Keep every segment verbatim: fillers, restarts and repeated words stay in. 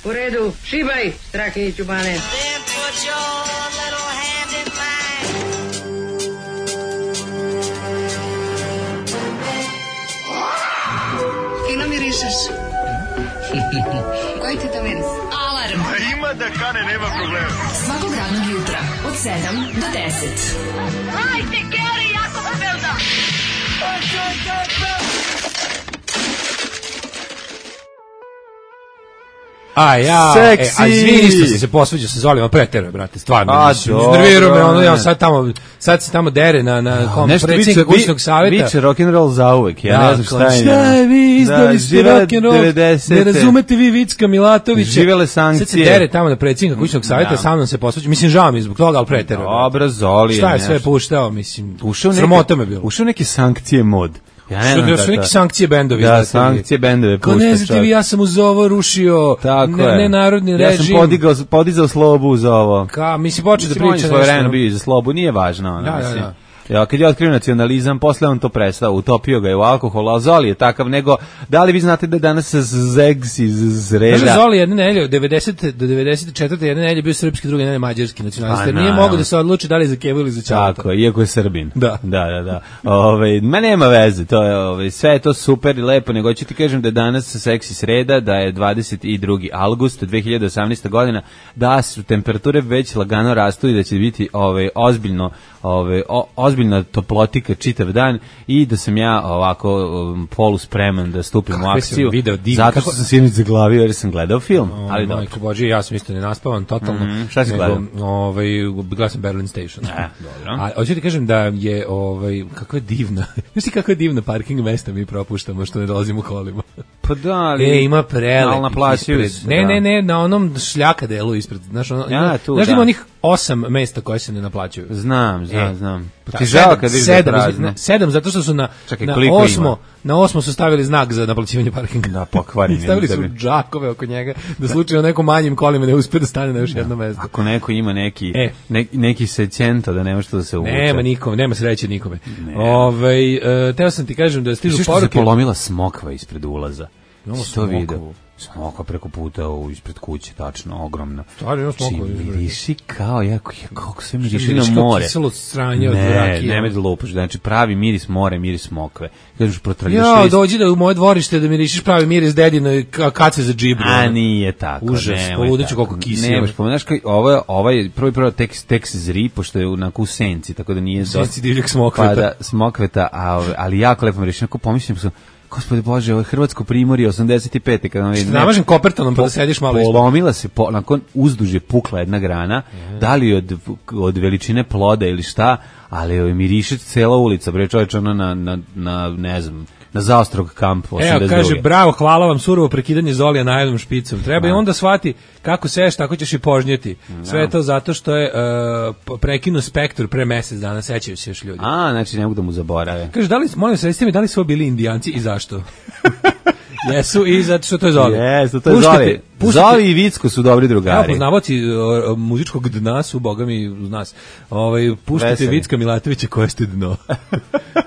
U redu, šibaj, Strahinjić u bane. Fino mirišeš. Koji ti to miris? Alarm. A ima da kane, nema problema. Svakog radnog jutra, od sedam do deset. Hajde, Geri, jako se velda. A ja, Seksi. e, a izvini što sam se posveđao sa Zolijom, pretero, brate, stvarno. A, iznervirao me, ono, ja sad tamo, sad se tamo dere na, na kom, predsjednika kućnog savjeta. Biće rock'n'roll za uvek, ja da, ne znam šta je. Šta je vi, izdali ste rock'n'roll, ne razumete vi Vicka Milatovića. Živele sankcije. Sad se dere tamo na predsjednika kućnog savjeta, sa mnom se posveđao, mislim, žao mi zbog toga, ali pretero. Dobro, Zolije. Šta je sve puštao, mislim, sramota me bilo. Ušao neke sankcije mod. Ja ne znam da su neke sankcije bendovi. Da, sankcije bendove pušta. Ko ne znate vi, ja sam uz ovo rušio ne, nenarodni režim. Ja sam podigao, podizao slobu uz ovo. Ka, mislim, počeo da priča nešto. Svoje vremena bio za slobu, nije važno. Ono, da, mislim. da, da. Ja, kad je otkrio nacionalizam, posle on to prestao, utopio ga je u alkohol, a Zoli je takav, nego, da li vi znate da danas Zegs iz Zreda... Znaš, Zoli jedne nelje, od devedesete do devedeset četvrte jedne nelje bio srpski, druge nelje mađarski nacionalista. Nije mogo da se odluči da li za Kevu ili za Čaleta. Tako, iako je Srbin. Da. Da, da, da. Ove, ma nema veze, to je, ove, sve je to super i lepo, nego ću ti kažem da je danas seksi sreda, da je dvadeset drugi avgust dve hiljade osamnaeste godina, da su temperature već lagano rastu i da će biti ove, ozbiljno, ove, o, ozbiljna toplotika čitav dan i da sam ja ovako um, polu spreman da stupim Kakve u akciju. Video, div, zato kako... što sam sinoć zaglavio jer sam gledao film. O, ali majko Bože, ja sam isto nenaspavan, totalno. Mm, šta si gledao? Ovaj, gledao sam Berlin Station. E, dobro. A hoću ti kažem da je, ovaj, kakva je divna, znaš ti kakva je divna parking mesta mi propuštamo što ne dolazimo u kolima. Pa da, ali... E, ima prelepih ispred. Ne, ne, ne, na onom šljaka delu ispred. Znaš, ono, ja, tu, znaš da. ima onih osam mesta koje se ne naplaćuju. Znam, znam, e, znam. Pa ta, ti žao kad vidiš sedam, da prazno. Sedam, zato što su na, Čekaj, na osmo, ima? na osmo su stavili znak za naplaćivanje parkinga. Da, pokvareni. Stavili su džakove oko njega, da slučajno nekom manjim kolima ne uspe da stane na još jedno mesto. Ako neko ima neki, e. ne, neki sećento da nema što da se uvuče. Nema nikome, nema sreće nikome. Ove, uh, teo sam ti kažem da stižu poruke. Što se polomila smokva ispred ulaza. Imamo to video. Smokva preko puta u ispred kuće, tačno, ogromna. Stvarno imamo smokva. Miriši kao, jako, kako sve miriši na more. Kiselo sranje od ne, rakije. Ne, ne me da lupaš, znači pravi miris more, miris smokve. Kažeš, protrljaš ja, dođi da u moje dvorište da mirišiš pravi miris dedino kace za džibru. A nije tako. Užas, poludeću koliko kiselo. Nemaš, pomenaš kao, ovo, ovaj, prvi prvo tekst, tekst zri, pošto je onako u senci, tako da nije... Senci divljeg smokveta. Pa da, smokveta, a, ali jako lepo miriši, onako pomislim sam, Gospode Bože, ovo je Hrvatsko primorje osamdeset pete kada vam vidim. Namažem kopertonom pa da sediš malo ispod. Polomila se, po, nakon uzduže pukla jedna grana, mm. da li od, od veličine ploda ili šta, ali je miriše cela ulica, bre čovječ, ono na, na, na, ne znam, na zaostrog kamp osamdeset druge. Evo, kaže, bravo, hvala vam, surovo prekidanje Zolija najednom špicom. Treba i onda shvati kako seš, tako ćeš i požnjeti. Sve je to zato što je uh, prekinuo Spektru pre mesec dana, sećaju se još ljudi. A, znači ne mogu da mu zaborave. Kaže, da li, molim se, recite mi, da li su bili Indijanci i zašto? Jesu i zato što to je Zoli. Jesu, to je Zoli. Zoli i Vicko su dobri drugari. Evo, poznavaoci uh, muzičkog dna su, boga mi, uz nas. Ovaj, puštajte Vicka Milatovića koje ste dno.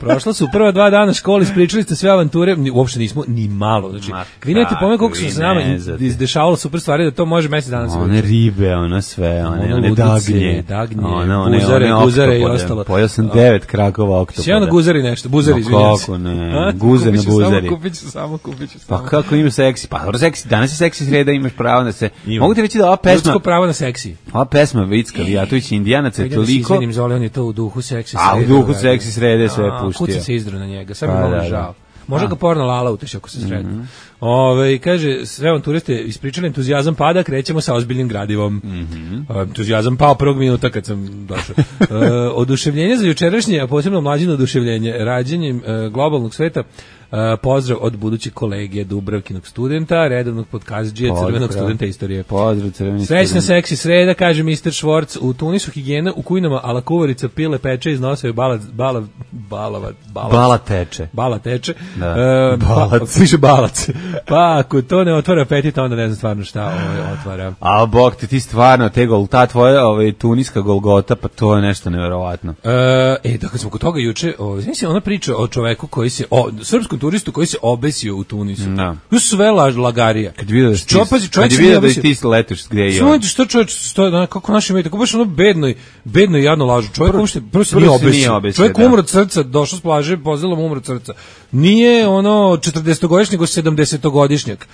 Prošla su prva dva dana škole, ispričali ste sve avanture, uopšte nismo ni malo. Znači, vi nemate pomen koliko su se nama izdešavalo super stvari da to može mesec dana se one ribe, ono sve, one, one, one dagnje, dagnje one, one, guzare, one guzare i ostalo. Pojao sam devet krakova oktopoda. Sjeo na guzari nešto, buzari, izvinjam se. Kako ne, guze na buzari. Samo kupit ću, samo kupit ću. Pa kako ima seksi? Pa dobro, seksi, danas je seksi sreda, imaš pravo da se... Mogu ti reći da ova pesma... Ljudsko pravo na seksi. Ova pesma Vicka Mijatović i Indijanac je toliko... Izvinim, Zoli, on je to u duhu seksi srede. A u duhu seksi srede sve puštio. Kuca se izdru na njega, sad mi malo žao. Može ga porno lala uteš ako se sretno. Mm -hmm. Ove, kaže, sve on turiste ispričali, entuzijazam pada, krećemo sa ozbiljnim gradivom. Mm -hmm. Entuzijazam pao prvog minuta kad sam došao. e, oduševljenje za jučerašnje, a posebno mlađino oduševljenje, rađenjem e, globalnog sveta, e, pozdrav od budućeg kolege Dubravkinog studenta, redovnog podkastđija, crvenog studenta istorije. Pozdrav, crveni Srećna student. seksi sreda, kaže mister Švorc, u Tunisu higijena, u kujnama ala kuvarica, pile, peče, iznosaju bala, bala, Balava, balac. Bala teče. Bala teče. Da. E, Balac. Pa, piše balac. Pa ako to ne otvara apetit, onda ne znam stvarno šta ovaj otvara. A bog ti, ti stvarno, te gol, ta tvoja ovaj, tuniska Golgota, pa to je nešto neverovatno. E, e da kad smo kod toga juče, ovaj, znači ona priča o čoveku koji se, o srpskom turistu koji se obesio u Tunisu. Da. To su sve laž, lagarija. Kad vidio da ti, Čopazi, kad je vidio da ti letiš gdje je on. Što čovjek, što, kako naši mediji, kako baš ono bedno, bedno i jadno lažu. Čovjek uopšte, prvo se nije obesio. Čovjek umro od srca, došao s plaže, pozelo mu umro od srca. Nije ono četrdestogodišnjak, nego sedamdesetogodišnjak.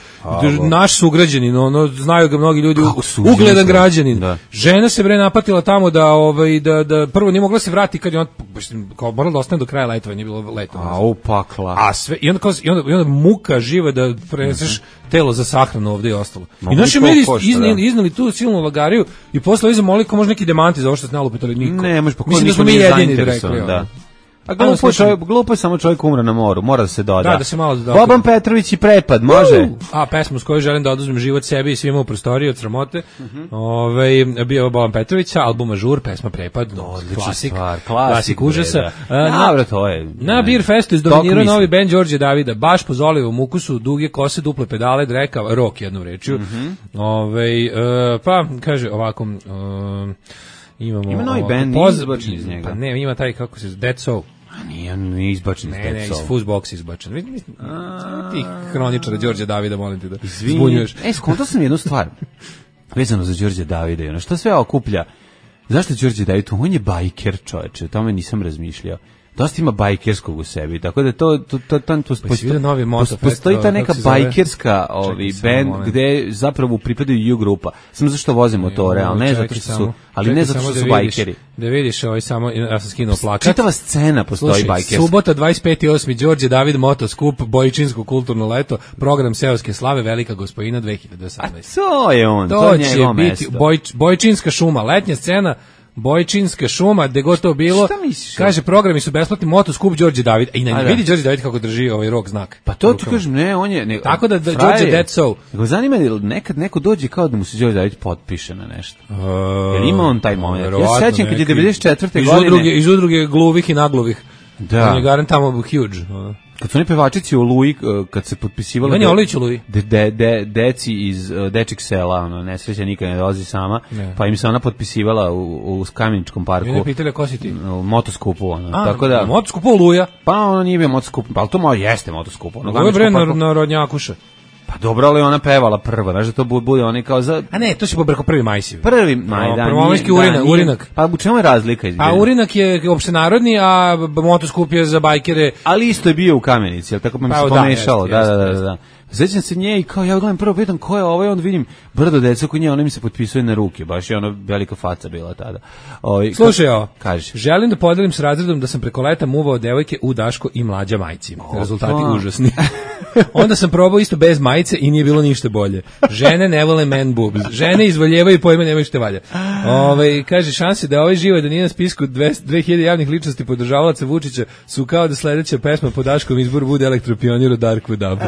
Naš sugrađanin, ono, znaju ga mnogi ljudi, ugledan građanin. Da. Žena se bre napatila tamo da, ovaj, da, da prvo nije mogla se vratiti kad je on, kao morala da ostane do kraja letovanja, nije bilo letovanja. A upakla. A sve, i onda, kao, i onda, i onda muka živa da preneseš telo za sahranu ovde i ostalo. I naši mediji izneli, izneli tu silnu lagariju i posle iza molili ko može neki demanti za ovo što se nalupitali niko. Ne, može, pa mislim da smo mi jedini rekli. Da. A glupo je, čovjek, glupo je samo čovjek umre na moru, mora da se doda. Da, da se malo doda. Boban Petrović i Prepad, može? Uh, a, pesmu s kojoj želim da oduzmem život sebi i svima u prostoriji od sramote. Uh-huh. Ove, bio Boban Petrović, album Ažur, pesma Prepad, klasik, stvar, klasik, klasik užasa. Dobro, to je. Na Beer Festu izdominirao novi band Đorđe Davida, baš po Zolivom ukusu, duge kose, duple pedale, dreka, rock jednom rečju. Uh-huh. Ove, uh, pa, kaže ovako... Uh, imamo... Ima novi band, nije izbačen iz njega. Pa ne, ima taj, kako se zove, Dead Soul. A nije, nije izbačen iz Dead Soul. Ne, ne, iz Fuzzbox izbačen. Mislim, ti hroničara Đorđe Davida, molim ti da zbunjuješ. E, skontao sam jednu stvar, vezano za Đorđe Davida, ono, što sve okuplja? Zašto je Đorđe David? On je bajker, čoveče, o tome nisam razmišljao. Dosta ima bajkerskog u sebi, tako da to to to to, to postoji, novi moto, postoji ta neka bajkerska ovi band gde zapravo pripadaju U grupa. Samo zašto voze motore, ali ne zato što su, ali ne zato što su bajkeri. Da vidiš, ovaj samo ja sam skinuo plakat. Čitava scena postoji bajkerska. Subota dvadeset peti osmi Đorđe David Motoskup, Bojičinsko kulturno leto, program seoske slave, Velika Gospojina dve hiljade osamnaeste. A to je on, to, to je njegovo mesto. Bojč, Bojičinska šuma, letnja scena. Bojčinska šuma, gde god to bilo, kaže, programi su besplatni, Motoskup Đorđe David, i na vidi Đorđe David kako drži ovaj rok znak. Pa to ti kažem, ne, on je... Ne, tako da, da Đorđe Dead Soul. Nego zanima je, nekad neko dođe kao da mu se Đorđe David potpiše na nešto. Uh, Jer ima on taj moment. Ja se sećam kad je devedeset četvrte godine... Udruge, iz udruge gluvih i nagluvih. Da. On je garan tamo huge. Uh. Kad su oni pevačici u Oluji, kad se potpisivali... Ivan je Olujić u Oluji. De, de, de, deci iz uh, dečeg sela, ono, nesreća nikad ne dolazi sama, ne. Pa im se ona potpisivala u, u Kameničkom parku. I ne pitali ko si ti? U Motoskupu, ono. A, tako da, Motoskupu Oluja? Pa ono nije bio Motoskup, pa to malo jeste Motoskup. Ono, ovo je bre na, na Rodnjakuša. Pa dobro, ali ona pevala prva, znaš da to bude oni kao za... A ne, to se pobrko prvi majsiv. Prvi maj, no, da. Prvomajski urinak, urinak. Pa u čemu je razlika? Izgleda? A urinak je opštenarodni, a Motoskup je za bajkere. Ali isto je bio u Kamenici, jel tako pa mi se pomešalo, da, da, da, da. Sećam se nje i kao ja gledam prvo pitam ko je ovaj, onda vidim brdo deca kod nje, ona mi se potpisuje na ruke, baš je ona velika faca bila tada. Oj, slušaj ovo, kaže. Želim da podelim s razredom da sam preko leta muvao devojke u Daško i mlađa majci. Rezultati užasni. Onda sam probao isto bez majice i nije bilo ništa bolje. Žene ne vole man boobs. Žene izvoljevaju i pojma nemaju šta valja. Ove, kaže, šanse da ovaj živo da nije na spisku dve hiljade javnih ličnosti podržavalaca Vučića su kao da sledeća pesma po Daškom izboru bude Elektropionir od Darkwood Dub.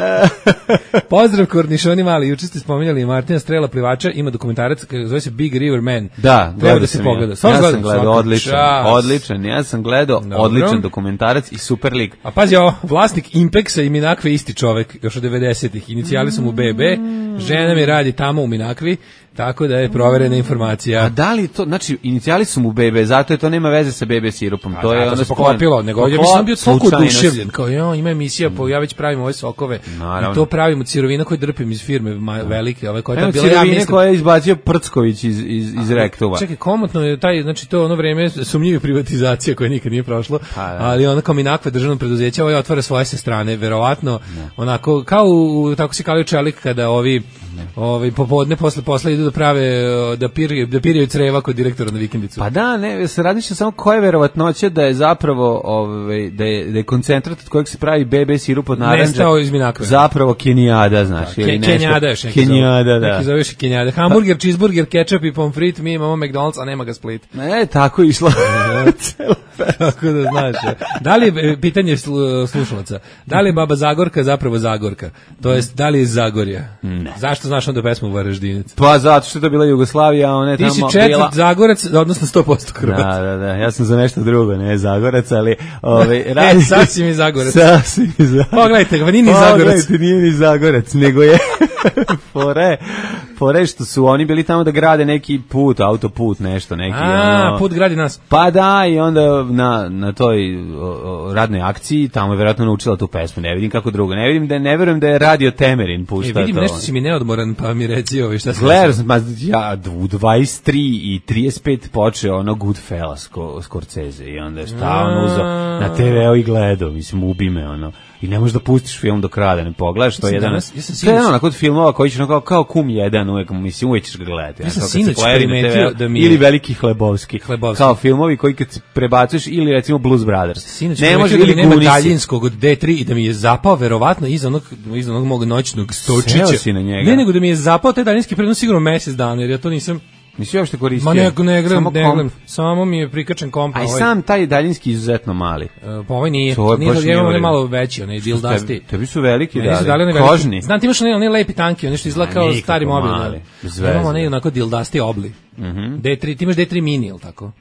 Pozdrav kornišoni mali, juče ste spominjali Martina Strela plivača, ima dokumentarac, zove se Big River Man. Da, treba da se pogleda. Ja sam gledao, gledao odličan, odličan, ja sam gledao dobro. Odličan dokumentarac i super lik. A pazi ovo, vlasnik Impexa i Minakve isti čovek, još od devedesetih, inicijali su mu B B, žena mi radi tamo u Minakvi, tako da je proverena informacija. A da li to, znači, inicijali su mu B B, zato je to nema veze sa B B sirupom. To a, je da, ono se poklopilo, nego ja mislim bio toliko oduševljen, kao jo, ima emisija, po, ja već pravim ove sokove, naravno. I to pravim od sirovina koje drpim iz firme ma, velike, ove koje je bila ja mislim koje je izbacio Prcković iz iz iz Rektova. Čekaj, komotno je taj, znači to ono vreme sumnjive privatizacija koja nikad nije prošlo, pa, ali ona kao Minakva državno preduzeće, ovaj otvara svoje sa strane, verovatno, ne. Onako kao u, tako se kalio čelik kada ovi ovaj popodne posle posla idu da prave da piraju da piraju creva kod direktora na vikendicu. Pa da, ne, se radi samo koja je verovatnoća da je zapravo ovaj da je da je koncentrat od kojeg se pravi B B sirup od narandže. Nestao iz Minakve. Zapravo kenijada, znaš, ili nešto. Kenijada je neki. Kenijada, da. Neki zoveš kenijada. Hamburger, cheeseburger, ketchup i pommes frites, mi imamo McDonald's, a nema ga Split. Ne, tako je išlo. Tako da znaš. Da li je, pitanje slu, slušalaca, da li je Baba Zagorka zapravo Zagorka? To jest, da li je iz Zagorja? Ne. Zašto znaš onda pesmu Varaždinac? Pa zato što je to bila Jugoslavija, a ona je Ti tamo si četvrt bila... Zagorac, odnosno sto posto Hrvat. Da, da, da, ja sam za nešto drugo, ne Zagorac, ali... Ove, radi... E, sasvim je Zagorac. Sasvim je Zagorac. Pogledajte ga, nije ni Zagorac. Pogledajte, nije ni Zagorac, nego je... Fore, fore što su oni bili tamo da grade neki put, autoput, nešto, neki... A, ono, put gradi nas. Pa da, i onda na, na toj o, o, radnoj akciji tamo je vjerojatno naučila tu pesmu, ne vidim kako drugo, ne vidim da ne verujem da je radio Temerin pušta e, vidim, to. nešto si mi neodmoran, pa mi reci ovaj šta se... Gledam, ma, ja u dvadeset tri i trideset pet počeo ono Goodfellas Scorsese i onda je stalno uzao na te ve o i gledao, mislim, ubi me, ono. I ne možeš da pustiš film do kraja da ne pogledaš, to je jedan. Danas, ja sam to je jedan onako od filmova koji ćeš kao, kao Kum jedan, uvek, mislim, uvek ćeš ga gledati. Ja sam sinoć primetio da mi je... Ili Veliki Hlebovski. Hlebovski. Kao filmovi koji kad prebacuješ, ili recimo Blues Brothers. Sinoć ne može ili nema Gunisi. daljinskog od de tri i da mi je zapao verovatno iza onog, iza onog mog noćnog stočića. Seo si na njega. Ne, nego da mi je zapao taj daljinski prenos sigurno mesec dana, jer ja to nisam... Nisi uopšte koristio? Ma ne, ne gledam, samo, ne gledam, samo mi je prikačen komp. A i ovaj, sam taj daljinski izuzetno mali. Uh, pa ovaj nije, To je nije, baš nije, nije nije malo veći, onaj dildasti. Tebi, tebi su veliki, Ne, da, nisu dali onaj kožni. veliki. Znam, ti imaš onaj, onaj lepi tanki, onaj što izgleda kao nikako stari mobil. mali, Da. bez veze. Imamo onaj onako dildasti obli. Mhm. de tri, ti imaš de tri mini, ili tako?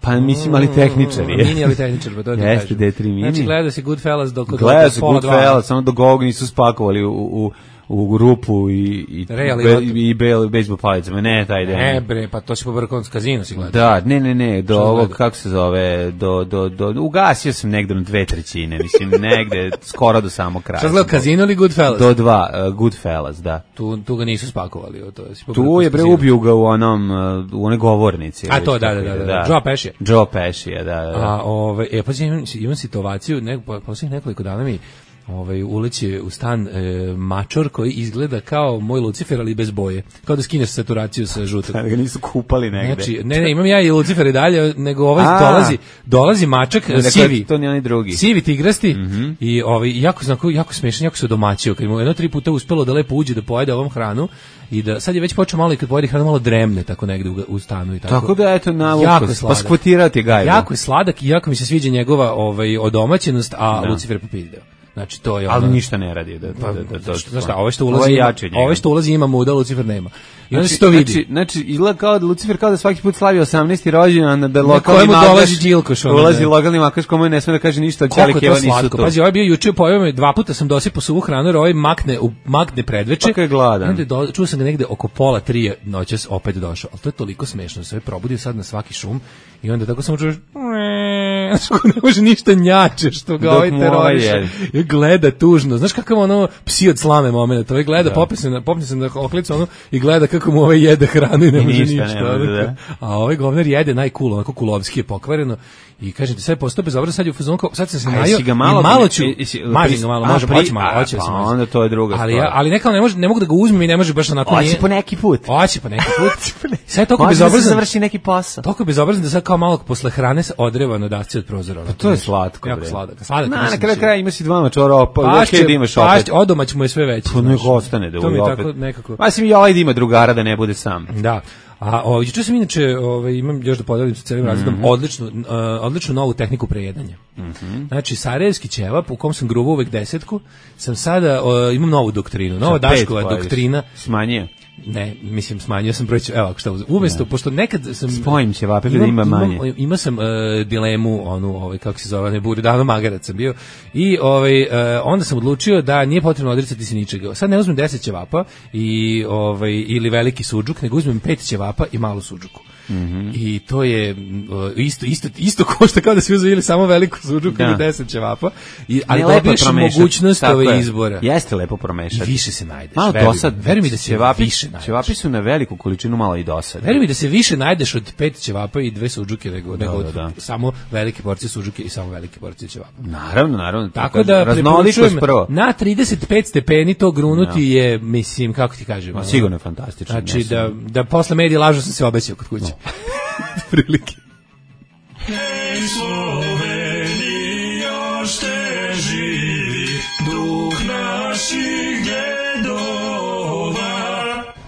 Pa mislim, ali tehničar je. Mini, ali tehničar, pa to ti Jeste, kažem. de tri mini. Znači, gleda se Goodfellas dok od Gleda se pola dva. Goodfellas, samo dok ovog nisu spakovali u, u, u rupu i, i, Real be, i i be, bejsbol palicama. Ne, taj den. Ne bre, pa to si pobrkao s kazino si gledao. Da, ne, ne, ne, do Šta ovog, gleda? kako se zove, do, do, do, ugasio sam negde na dve trećine, mislim, negde, skoro do samog kraja. Šta gledao, Kazino ili Goodfellas? Do dva, uh, Goodfellas, da. Tu, tu ga nisu spakovali. o, To, si pobrkao Tu s je bre Kazino. ubiju ga u onom, uh, u onoj govornici. A već to, da, kako da, je, da, da. Joe Pesci. Joe Pesci, da, da. da. A, ove, e, pa imam, imam situaciju, ne, po, posljednjih nekoliko dana mi ovaj, uleće u stan e, mačor koji izgleda kao moj Lucifer, ali bez boje. Kao da skineš saturaciju sa žutog. Da ga nisu kupali negde. Znači, ne, ne, imam ja i Lucifer i dalje, nego ovaj A. dolazi, dolazi mačak, Dakle, sivi. to nije onaj drugi. Sivi tigrasti Mhm. i ovaj jako znako jako smešan, jako se domaćio, kad mu jedno tri puta uspelo da lepo uđe da pojede ovom hranu i da sad je već počeo malo i kad pojede hranu malo dremne tako negde u, u stanu i tako. Tako da eto na Jako je ukus, pa sladak. skvotirati gajbu. Jako je sladak i jako mi se sviđa njegova ovaj odomaćenost, a Da. Lucifer popizdeo. Znači to je Ali ono- ništa ne radi da Pa, da da da. znaš šta, ovo što Ovo ulazi, je ima, jače od njega. ovo što ulazi ima muda, Lucifer nema. I onda Znači, se to vidi. Znači, znači izgleda kao da Lucifer kao da svaki put slavi osamnaesti rođendan, da lokalni kojemu makaš dolazi Đilkoš, ono, ulazi da. lokalni makaš kome ne sme da kaže ništa, Koliko Ćale je Keva to nisu slatko. tu. Pazi, ovaj je bio juče pojeo me, dva puta sam dosipao suvu hranu, jer ovaj makne, u, makne predveče. Pa kad je gladan. Onda je do, čuo sam ga negde oko pola tri noćas opet došao. Ali to je toliko smešno, da se ovaj probudio sad na svaki šum i onda tako samo čuješ znaš ko ne može ništa njače što ga Dok ovaj mu ovaj teroriše. jede. I gleda tužno. Znaš kakav ono psi od slame moment. Ovaj gleda, popne se na, popne se na oklicu ono, i gleda kako mu ovaj jede hranu i ne I može ništa ništa. ne može, ono. da. A ovaj govnar jede najcool, onako kulovski je pokvareno. I kažete sve postao bezobrazno, sad je u fazonu kao sad sam se A najio jesi ga i malo- malo ću jesi- mažem ga malo, a, može pri- hoće malo, a, hoće da se pa maže. onda to je druga ali stvar. ja, ali nekako ne može, ne mogu da ga uzmem i ne može baš onako Hoće nije. po neki put. Hoće po neki put. Sve je toliko Može da se bezobrazno. završi neki posao. Toliko je bezobrazno da sad kao malo posle hrane se odreva na dasci od prozora. Pa to je slatko, Jako bre. sladak. Sladak. Na, na mislim kraju da će- kraja ima si dva mačora, pa Pašće, okej da imaš opet. pašće, odomać mu je sve veći. Pa nek znaš. ostane da To mi u je opet. tako nekako. Ma sim i ovaj da ima drugara da ne bude sam. Da. A o, juče sam inače, ovaj, imam još da podelim sa celim razredom, Mhm. odličnu, uh, odličnu novu tehniku prejedanja. Mhm. Znači, sarajevski ćevap, u kom sam gruvao uvek desetku, sam sada, uh, imam novu doktrinu, nova Sa pet Daškova pojedeš. doktrina. Smanjio. Ne, mislim, smanjio sam broj ćevapa, evo ako šta uzem. Umesto, pošto nekad sam... Spojim ćevape da ima manje. Imam, imao sam uh, dilemu, onu, ovaj, kako se zove, ne buri, dano magarac sam bio, i ovaj, uh, onda sam odlučio da nije potrebno odricati se ničega. Sad ne uzmem deset ćevapa i, ovaj, ili veliki suđuk, nego uzmem pet ćevapa i malu suđuku. Mhm. I to je uh, isto isto isto košta kao da se uzeli samo veliku suđuku Da. ili deset ćevapa. I ali Ne, lepo je dobiješ promešati, mogućnost tako ove je. izbora. Jeste lepo I promešati. više se najdeš. Malo veruj mi. dosad. Veruj mi da se ćevapi, više najdeš. ćevapi su na veliku količinu malo i dosad. Veruj mi da se više najdeš od pet ćevapa i dve suđuke nego, nego da, od da. samo velike porcije suđuke i samo velike porcije ćevapa. Naravno, naravno. Tako da raznolikost preporučujem prvo. na trideset pet stepeni to grunuti je, mislim, kako ti kažem. Ma, ono, sigurno je fantastično. Znači ne da, sam- da posle medije lažu sam se obećao kod kuće. Prilike.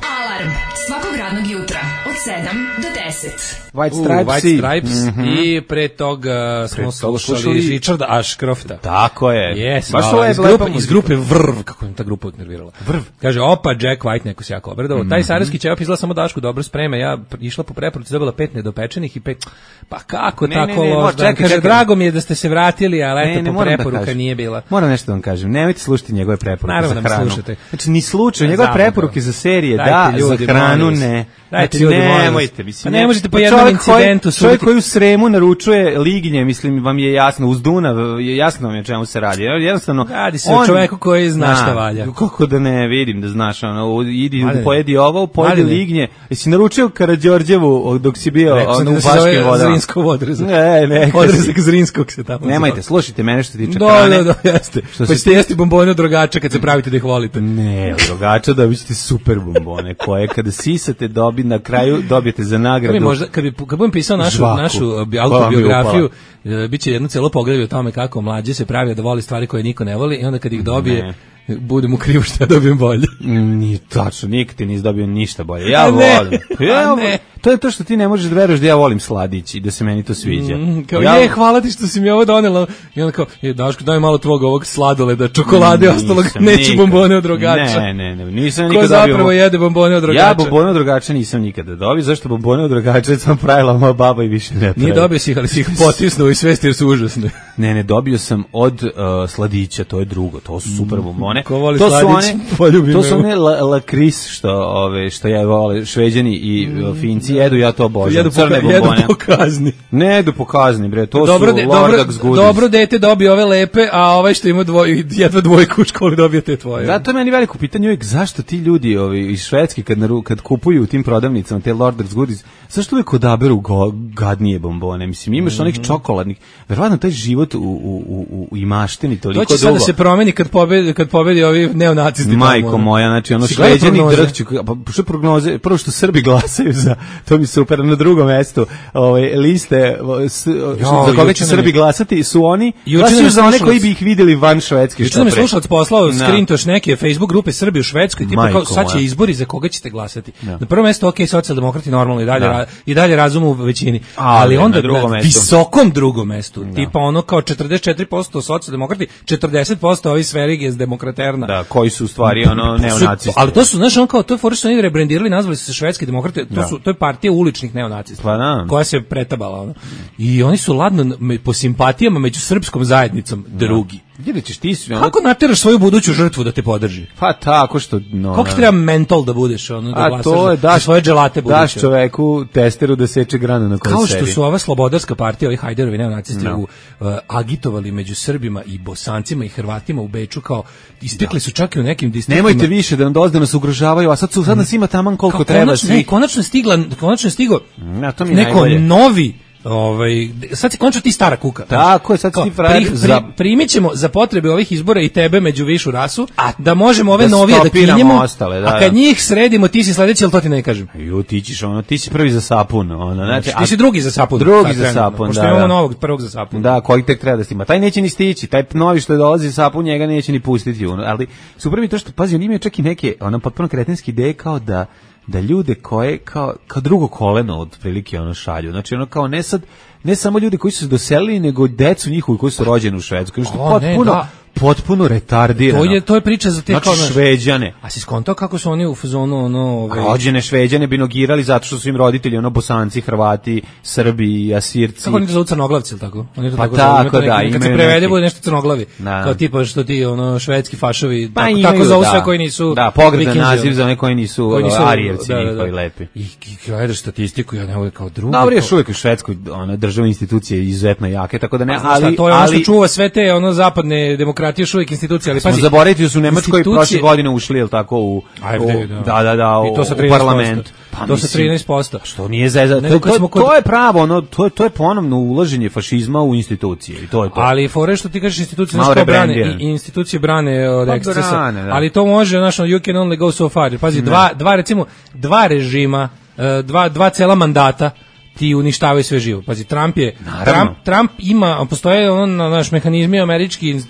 Alarm svakog radnog jutra od sedam do deset. White U, Stripes, White Stripes mm-hmm. i pre toga smo toga slušali slušali Richarda Ashcrofta. Tako je. Yes, baš hvala. ovo je iz, lepa grupe, muzika. iz grupe Vrv, kako je ta grupa nervirala. Vrv. Kaže, opa, Jack White, neko se jako obradao. Mm-hmm. Taj sarajevski ćevap izgleda samo Dašku dobro spreme. Ja išla po preporuci, dobila pet nedopečenih i pet... Pa kako ne, tako ne, ne, loš dan? čekaj, Kaže, čekaj. drago mi je da ste se vratili, ali Ne, eto, ne, po moram da preporuka kažem. nije bila. Moram nešto da vam kažem. Nemojte slušati njegove preporuke Naravno za da me hranu. slušate. Znači, ni slučaj. Njegove Zabavno. preporuke za serije, Dajte, da, ljudi, za hranu molim vas. ne. Dajte, Znači, ljudi, molim vas. nemojte. Mislim, Pa ne možete po Pa jednom čovjek koji- incidentu Čovjek suditi. koji u Sremu naručuje lignje, mislim, vam je jasno, uz Dunav, je jasno vam je o čemu se radi. Jednostavno, Radi se o čoveku koji zna šta valja. Kako da ne vidim, da znaš, ono, idi, Mladene. pojedi ovo, pojedi Mladene. lignje. Jesi naručio Karađorđevu dok si bio Rekao sam ono, da u se Baškim zove vodama? Zrinsko odrezak. Ne, ne. Odrezak Zrinskog se tamo Nemajte, zove. slušajte mene što se tiče Da, hrane. da, da, jeste. Što Pa se ćete jesti bombone od drogača kad se pravite da ih volite. Ne, od drogača dobit ćete super bombone, koje kada sisate dobi, na kraju dobijete za Kad bi, nagradu. možda, kad, bi, kad budem pisao našu, Žvaku. našu bi- Koja vam je autobiografiju, e, bit će jedno celo poglavlje o tome kako mlađe se pravi da voli stvari koje niko ne voli i onda kad ih dobije, budem u krivu što ja dobijem bolje. Nije tačno, nikad ti nisi dobio ništa bolje. Ja A ne, volim. a Ja, ne. To je to što ti ne možeš da veruješ da ja volim sladić i da se meni to sviđa. Mm, kao, ja, je, hvala ti što si mi ovo donela. I onda kao, je, Daško, daj malo tvog ovog sladoleda, čokolade, ostalog, Nisam neću nikad. bombone od drogača. Ne, ne, ne, nisam Ko nikad dobio. zapravo jede bombone od drogača? Ja bombone od drogača nisam nikada dobio, zašto bombone od drogača sam pravila moja baba i više ne pravi. Nije dobio si ih, ali si ih potisnuo i svesti jer su užasne. Ne, ne, dobio sam od uh, sladića, to je drugo, to su super bombone. Ko voli to su sladić, one, poljubi to me. su one la, lakris što, ove, što ja vole, Šveđani i uh, Finci jedu, ja to obožavam. Jedu po, Crne ka- jedu bombone. po kazni. Ne jedu po kazni, bre, to Dobro, su de, Lordax dobro, goodies. dobro dete dobije ove lepe, a ovaj što ima dvoj, jedva dvojku u školi dobije te tvoje. Zato je meni veliko pitanje uvijek zašto ti ljudi ovi, iz Švedske kad, naru, kad kupuju u tim prodavnicama te Lordax goodies, zašto uvijek odaberu go, gadnije bombone? Mislim, imaš onih čokoladnih, verovatno taj život u, u, u, u imaštini toliko To će sad dugo. da se promeni kad pobedi, kad pobedi ovi neonacisti. Majko tamo, ono. moja, znači ono Si gledao Šveđani prognoze? drhću, pa što prognoze, prvo što Srbi glasaju za, to mi super, na drugom mestu, ovaj, liste, o, s, o, za koga juče će nam Srbi je- glasati su oni, Juče nam glasaju je za one slušalac- koji bi ih vidjeli van Švedske. Juče što nam je pre. slušalac poslao Da. skrintoš neke Facebook grupe Srbije u Švedskoj, tipa Majko kao sad će moja. izbori za koga ćete glasati. Da. Na prvom mestu ok, socijaldemokrati normalno i dalje Da. ra- i dalje razumu u većini. Ali Ali, na onda drugom na mestu. visokom drugom mestu, tipa ono kao četrdeset četiri posto socijaldemokrati, četrdeset posto ovi Sveriges demokraterna. Da, koji su u stvari ono Su- neonacisti. ali to su, znaš, on kao, to je fora što oni rebrendirali, nazvali su se švedski demokrate, to, Da. su, to je partija uličnih neonacista, Pa da. koja se pretabala. Ono. I oni su ladno, me- po simpatijama među srpskom zajednicom, drugi. Gdje ćeš ti su, ono, Kako nateraš svoju buduću žrtvu da te podrži? pa tako što, no, Koliko ti no. treba mental da budeš, ono, da A glasaš to je za, za daš, svoje dželate buduće? daš čoveku testeru da seče granu na kojoj Kao sedi. što su ova slobodarska partija, ovi Hajderovi neonacisti, No. u, uh, agitovali među Srbima i Bosancima i Hrvatima u Beču, kao istekli su čak i u nekim distriktima. Nemojte više da nam dozde nas ugrožavaju, a sad su sad nas ima taman koliko Kao treba konačno, ne, svi. konačno je stigla, konačno je stigo Na, to mi je neko najbolje. novi, ovaj, sad si konačno ti stara kuka. Tako je, sad si Kao, ti frajer pri- pri- za- primit ćemo za potrebe ovih izbora i tebe među višu rasu, a da možemo ove da novije da stopiramo kinjemo, ostale, da, a kad da. njih sredimo ti si sledeći, ali to ti ne kažem. Ju, ti ćeš ono, ti si prvi za sapun, ono, znači, Ti si drugi za sapun. Drugi sad za trenutno, sapun, pošto da, imamo da. novog prvog za sapun. Da, koji tek treba da stima. Taj neće ni stići, taj novi što dolazi sapun, njega neće ni pustiti. Ono. Ali super mi je to što, pazi, on ima čak i neke, ono, potpuno kretenske ideje kao da da ljude koje, kao, kao drugo koleno od prilike ono šalju. Znači, ono kao ne sad, ne samo ljudi koji su se doselili, nego decu njihovi koji su rođeni u Švedskoj. Što je O, ne, potpuno, da. potpuno retardirano. To je to je priča za te Znači, kao znaš, Šveđane. A si skontao kako su oni u fazonu ono ovaj Rođene Šveđane bi nogirali zato što su im roditelji ono Bosanci, Hrvati, Srbi, Asirci. kako oni to zovu crnoglavci ili tako? Oni to Pa tako, tako, zovu, ima to da, neki- kad se imaju prevede neki- bude nešto crnoglavi. Da. Kao tipa što ti ono švedski fašovi Pa tako, imaju, tako zovu da. sve koji nisu Da, pogrdan Vikinzi, naziv ono. za one koji nisu, Koji nisu Arijevci njihovi lepi. I, i gledaš statistiku, ja ne volim kao drugi. Dobro, još kao- uvijek u Švedskoj ona državne institucije izuzetno jake, tako da ne, Pa, znaš šta, ali, to je ono ali što čuva sve te ono zapadne demokratije, još uvijek institucije, ali smo pazi, zaboraviti da su u Nemačkoj institucije- prošle godine ušli, jel tako, u, A F u D, da, da, da, I to sa u, u trinaest posto. parlament. Pa, to sa mislim, trinaest posto. Što nije zeza, Nego to, kad to, smo kod- to je pravo, ono, to, je, to je ponovno ulaženje fašizma u institucije i to je to. Ali fore što ti kažeš institucije, Malo znaš kao brane, rebrandiran. i, i institucije brane od Pa ekscesa, brane, da. ali to može, znaš, ono, you can only go so far. Pazi, dva, dva, recimo, dva režima, e, dva, dva cela mandata, ti uništavaju sve živo. Pazi, Trump je Trump, Trump ima, postoje on naš mehanizmi američki uh,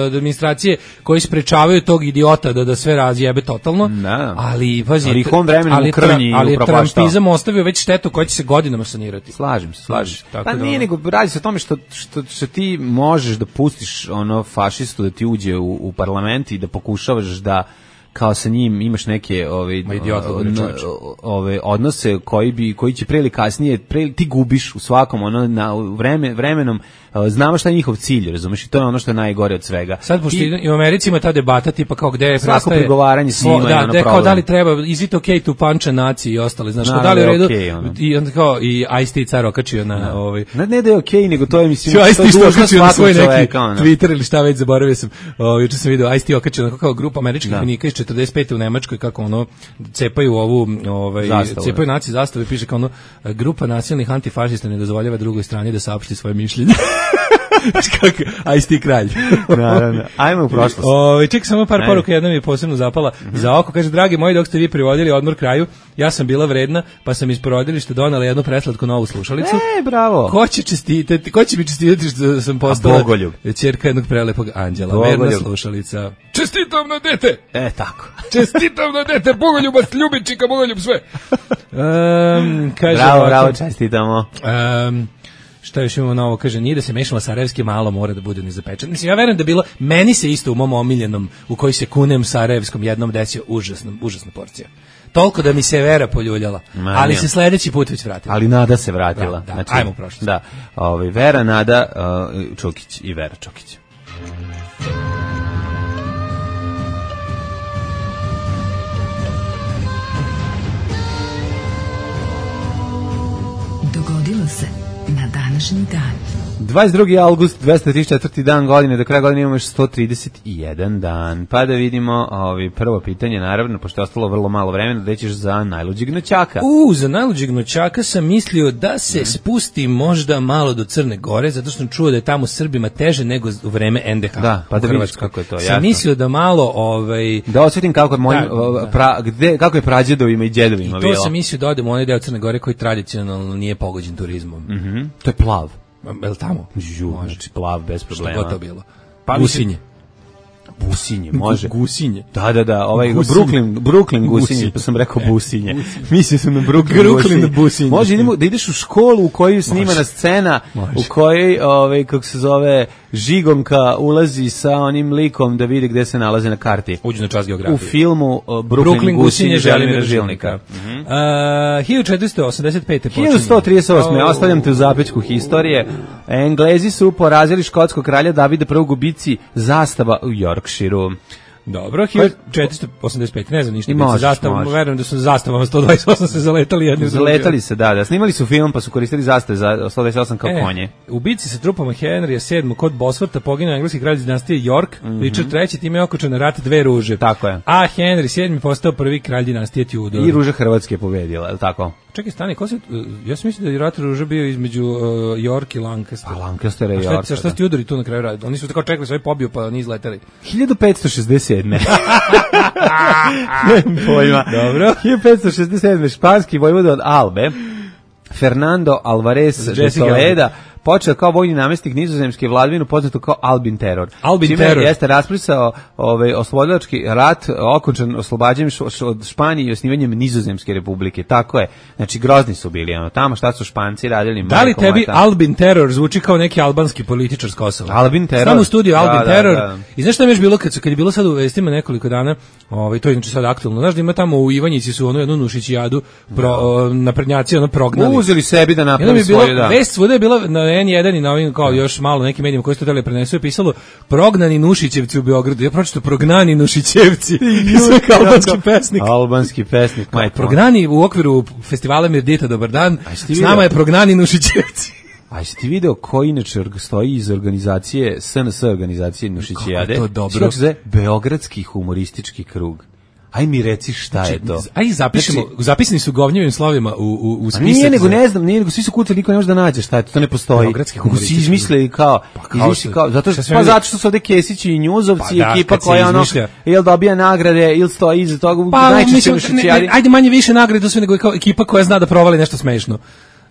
administracije koji sprečavaju tog idiota da da sve razjebe totalno. Da. Ali pazi, ali on vremenom ali, krnji, ali Trumpizam ostavio već štetu koja će se godinama sanirati. Slažem se, slažem se. Tako pa da, nije nego radi se o tome što, što što ti možeš da pustiš ono fašistu da ti uđe u, u parlament i da pokušavaš da kao sa njim imaš neke ove ove odnose koji bi koji će pre ili kasnije pre, ti gubiš u svakom ono na vreme vremenom znamo šta je njihov cilj, razumeš, i to je ono što je najgore od svega. Sad pošto i u Americi ima ta debata tipa kao gde je prestaje pregovaranje s njima, da, da kao da li treba is it okay to punch a Nazi i ostali, znaš, da li u redu okay, ono. I onda kao i Ice-T car okačio na da. ovaj ne, ne da je okej, okay, nego to je mislim to je dužnost na svoj neki Twitter ili šta već, zaboravio sam. Ovaj juče sam video Ice-T okačio kao grupa američkih vojnika iz četrdeset pete u Nemačkoj kako ono cepaju ovu ovaj zastavu, cepaju naci zastave, piše kao ono grupa nasilnih antifašista ne dozvoljava drugoj strani da saopšti svoje mišljenje. Kako Ice-T kralj. Naravno. Ajmo u prošlost. Ovaj ček samo par poruka, jedna mi je posebno zapala mm-hmm. za oko, kaže dragi moji, dok ste vi privodili odmor kraju, ja sam bila vredna, pa sam iz porodilišta donela jednu preslatku novu slušalicu. E, bravo. Ko će čestitati, ko će mi čestitati što sam postala ćerka jednog prelepog anđela, Bogoljub. Verna slušalica. Čestitam na dete. E, tako. Čestitam na dete, Bogoljubac, ljubičika, Bogoljub sve. Um, kaže bravo, ovako, bravo, čestitamo. Um, šta još imamo novo, kaže, nije da se mešala sarajevski, malo mora da bude nezapečen. Mislim, ja verujem da bilo, meni se isto u mom omiljenom, u koji se kunem sarajevskom jednom desio užasna, užasna porcija. Toliko da mi se Vera poljuljala, Ma, ali se sledeći put već vratila. Ali Nada se vratila. Da, da, znači, ajmo prošlost. Da, ovaj, Vera, Nada, uh, Čukić i Vera Čukić. Dogodilo se na današnji dan. dvadeset drugi avgust, dvesta trideset četvrti dan godine, do kraja godine imamo još sto trideset jedan dan. Pa da vidimo ovi, prvo pitanje, naravno, pošto je ostalo vrlo malo vremena, da ćeš za najluđeg noćaka. U, za najluđeg noćaka sam mislio da se mm. spusti možda malo do Crne Gore, zato što sam čuo da je tamo Srbima teže nego u vreme en de ha. Da, pa da vidiš kako je to. Sam jasno. Mislio da malo... Ovaj, da osjetim kako je, mojim, da, pra, gde, kako je prađedovima i djedovima bilo. I to bilo. sam mislio da odem u onaj deo Crne Gore koji tradicionalno nije pogođen turizmom. Mm-hmm. To je plav. Je li tamo? Žu, znači plav, bez problema. Što god to bilo? Pa Gusinje. Businje, može. Gusinje. Da, da, da, ovaj Gusinje. Brooklyn, Brooklyn Gusinje, pa sam rekao Businje. Mislio sam na Brooklyn, Brooklyn Businje. Može idemo da ideš u školu u kojoj snimana scena, može. U kojoj, ovaj, kako se zove, Žigomka ulazi sa onim likom da vidi gde se nalaze na karti. Uđu na čas geografije. U filmu uh, Brooklyn, Brooklyn Gusinje, Želimira Žilnika. Mm-hmm. Uh, hiljadu četiristo osamdeset pete počinje. hiljadu sto trideset osme. Oh. Ostavljam te u zapećku historije. Englezi su porazili škotskog kralja Davida prvog u bici zastava u Yorkshireu. Dobro, hiljadu četiristo osamdeset pete, ne znam ništa. Zastavom, verujem da su zastavama sto dvadeset osam se zaletali jedni. Zaletali se, da, da. Snimali su film pa su koristili zastave za sto dvadeset osam kao e, konje. U bici sa trupama Henrya sedmog kod Bosforta poginuo engleski kralj iz dinastije York, mm-hmm. Richard treći, time je okončan rat dve ruže. Tako je. A Henry sedmi postao prvi kralj dinastije Tudor. I ruža Hrvatske je pobedila, je li tako? Čekaj, stani, ko se, ja sam mislio da je rat ruža bio između uh, York i Lancaster. A Lancaster i York. A šta, šta ste Tudori tu na kraju radili? Oni su tako čekali, sve pobio pa ni izleteli. hiljadu petsto šezdeset sedme. Pojma. Dobro. hiljadu petsto šezdeset sedme. Španski vojvoda od Albe, Fernando Alvarez de Toleda, počeo kao vojni namestnik nizozemske vladavine poznato kao Albin Teror. Albin Čime Teror jeste rasprisao ovaj oslobodilački rat, okončan oslobađanjem od Španije i osnivanjem Nizozemske republike. Tako je. Znači grozni su bili ono tamo, šta su Španci radili. Da li tebi mata. Albin Teror zvuči kao neki albanski političar s Kosova? Albin Teror. Samo u studiju Albin da, Teror. Da, da. I znaš šta mi je bilo kad, kad je bilo sad u vestima nekoliko dana, ovaj, to je znači sad aktualno. Znaš da ima tamo u Ivanjici su ono jednu Nušićijadu pro, o, naprednjaci ono prognali. Uzeli sebi da napravi svoju, da. Vest svuda je bila na en jedan i na ovim kao još malo nekim medijima koji su to hteli prenesu je pisalo prognani Nušićevci u Beogradu. Ja pročitao prognani Nušićevci. Sve albanski pesnik. Albanski pesnik. Majko. Prognani u okviru festivala Mirdita Dobar dan. S nama je prognani Nušićevci. A jesi ti video koji inače stoji iz organizacije S N S organizacije Nušićijade? Kako je to dobro. Zove Beogradski humoristički krug. Aj mi reci šta je to. Aj zapišemo, znači, zapisani su govnjevim slovima u u u spisak. Nije nego ne znam, nije nego svi su kutali, niko ne može da nađe šta je to, to ne postoji. Beogradski humoristički. Svi izmislili kao, pa kao, kao zato što pa zato što su ovde Kesići i Njuzovci, pa da, ekipa koja ono jel dobija nagrade, ili stoji iza toga, pa, najčešće Nušićijadi. Ajde manje više nagrade sve nego kao ekipa koja zna da provali nešto smešno.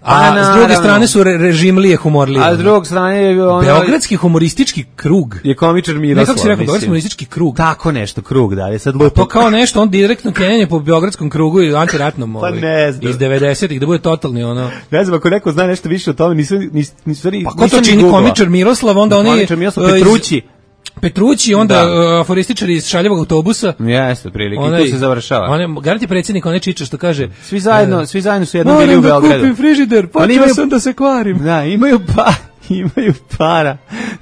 A Pa, s druge naravno. strane su re, režimlije, humorlije. A s druge strane je ono... Beogradski humoristički krug. Je komičar Ne, Miroslav, kako si rekao, mislim. Beogradski humoristički krug. Tako nešto, krug, da, je sad Pa lupo. to kao nešto, on direktno kenjanje po Beogradskom krugu i antiratnom Pa ovaj, ne znam. iz devedesetih, da bude totalni ono... Ne znam, ako neko zna nešto više o tome, nisam, nis, nis, nis, Pa ko to čini komičar Miroslav, onda oni... Komičar Miroslav uh, iz- Petrući. Petrući, onda Da. uh, aforističari iz šaljevog autobusa. Jeste, prilike, i tu se završava. On garanti predsjednik, onaj čiča što kaže... Svi zajedno, e, svi zajedno su jednom bili u Moram da Beogradu. kupim frižider, Oni počeo imaju- sam da se kvarim. Da, imaju pa imaju para.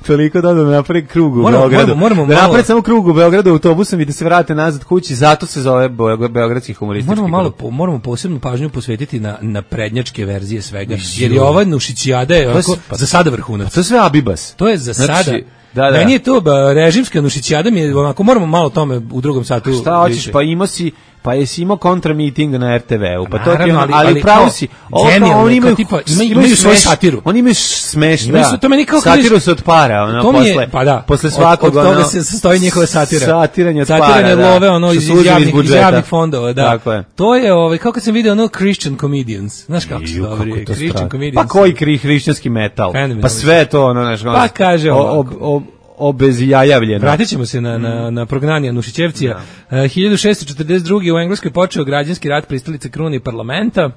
Toliko da da napravi krug u Moramo- Beogradu. moramo- moramo da malo- napravi samo krug u Beogradu autobusom i da se vrate nazad kući, zato se zove Beog- Beogradski humoristički Moramo malo krug. po, moramo posebnu pažnju posvetiti na na prednjačke verzije svega. Jer je ova nušićijada je onako, pa- za sada vrhunac. To je sve Abibas. To je za Znači, sada. da, da. Meni je to ba, režimska nušićijada mi je onako, moramo malo o tome u drugom satu. Šta hoćeš, više. pa imao si, pa jesi imao kontra meeting na er te ve-u, pa to ti je Naravno, ono, ali- ali, ali pravo kao si, ovo kao genijalno, oni kao imaju, tipa, imaju- imaju svoju smeš- satiru. Oni imaju smeš, Imaju da, su- to meni kao kad satiru vidiš- se od para, ono, To mi je- posle, pa da, posle od- svakog, od toga ono, se sastoji njihova satira. Satiranje od Satiranje para, da. love, ono, Što iz, su iz, uzeli javnih, iz budžeta. javnih fondova, da. Tako je. To je, ovaj, kako sam vidio, ono, Christian Comedians. Znaš kako su Ju, kako dobri, je to Christian strašno. Comedians. Pa koji kri hrišćanski metal? Fenomenalno. Pa sve to, ono, znaš, ono, Pa kaže o- ovako. ob- ob- obezjajavljeno. Vratit ćemo se na, na, na prognanje Nušićevcija. E, hiljadu šeststo četrdeset druge u Engleskoj počeo građanski rat pristalice krune i parlamenta. E,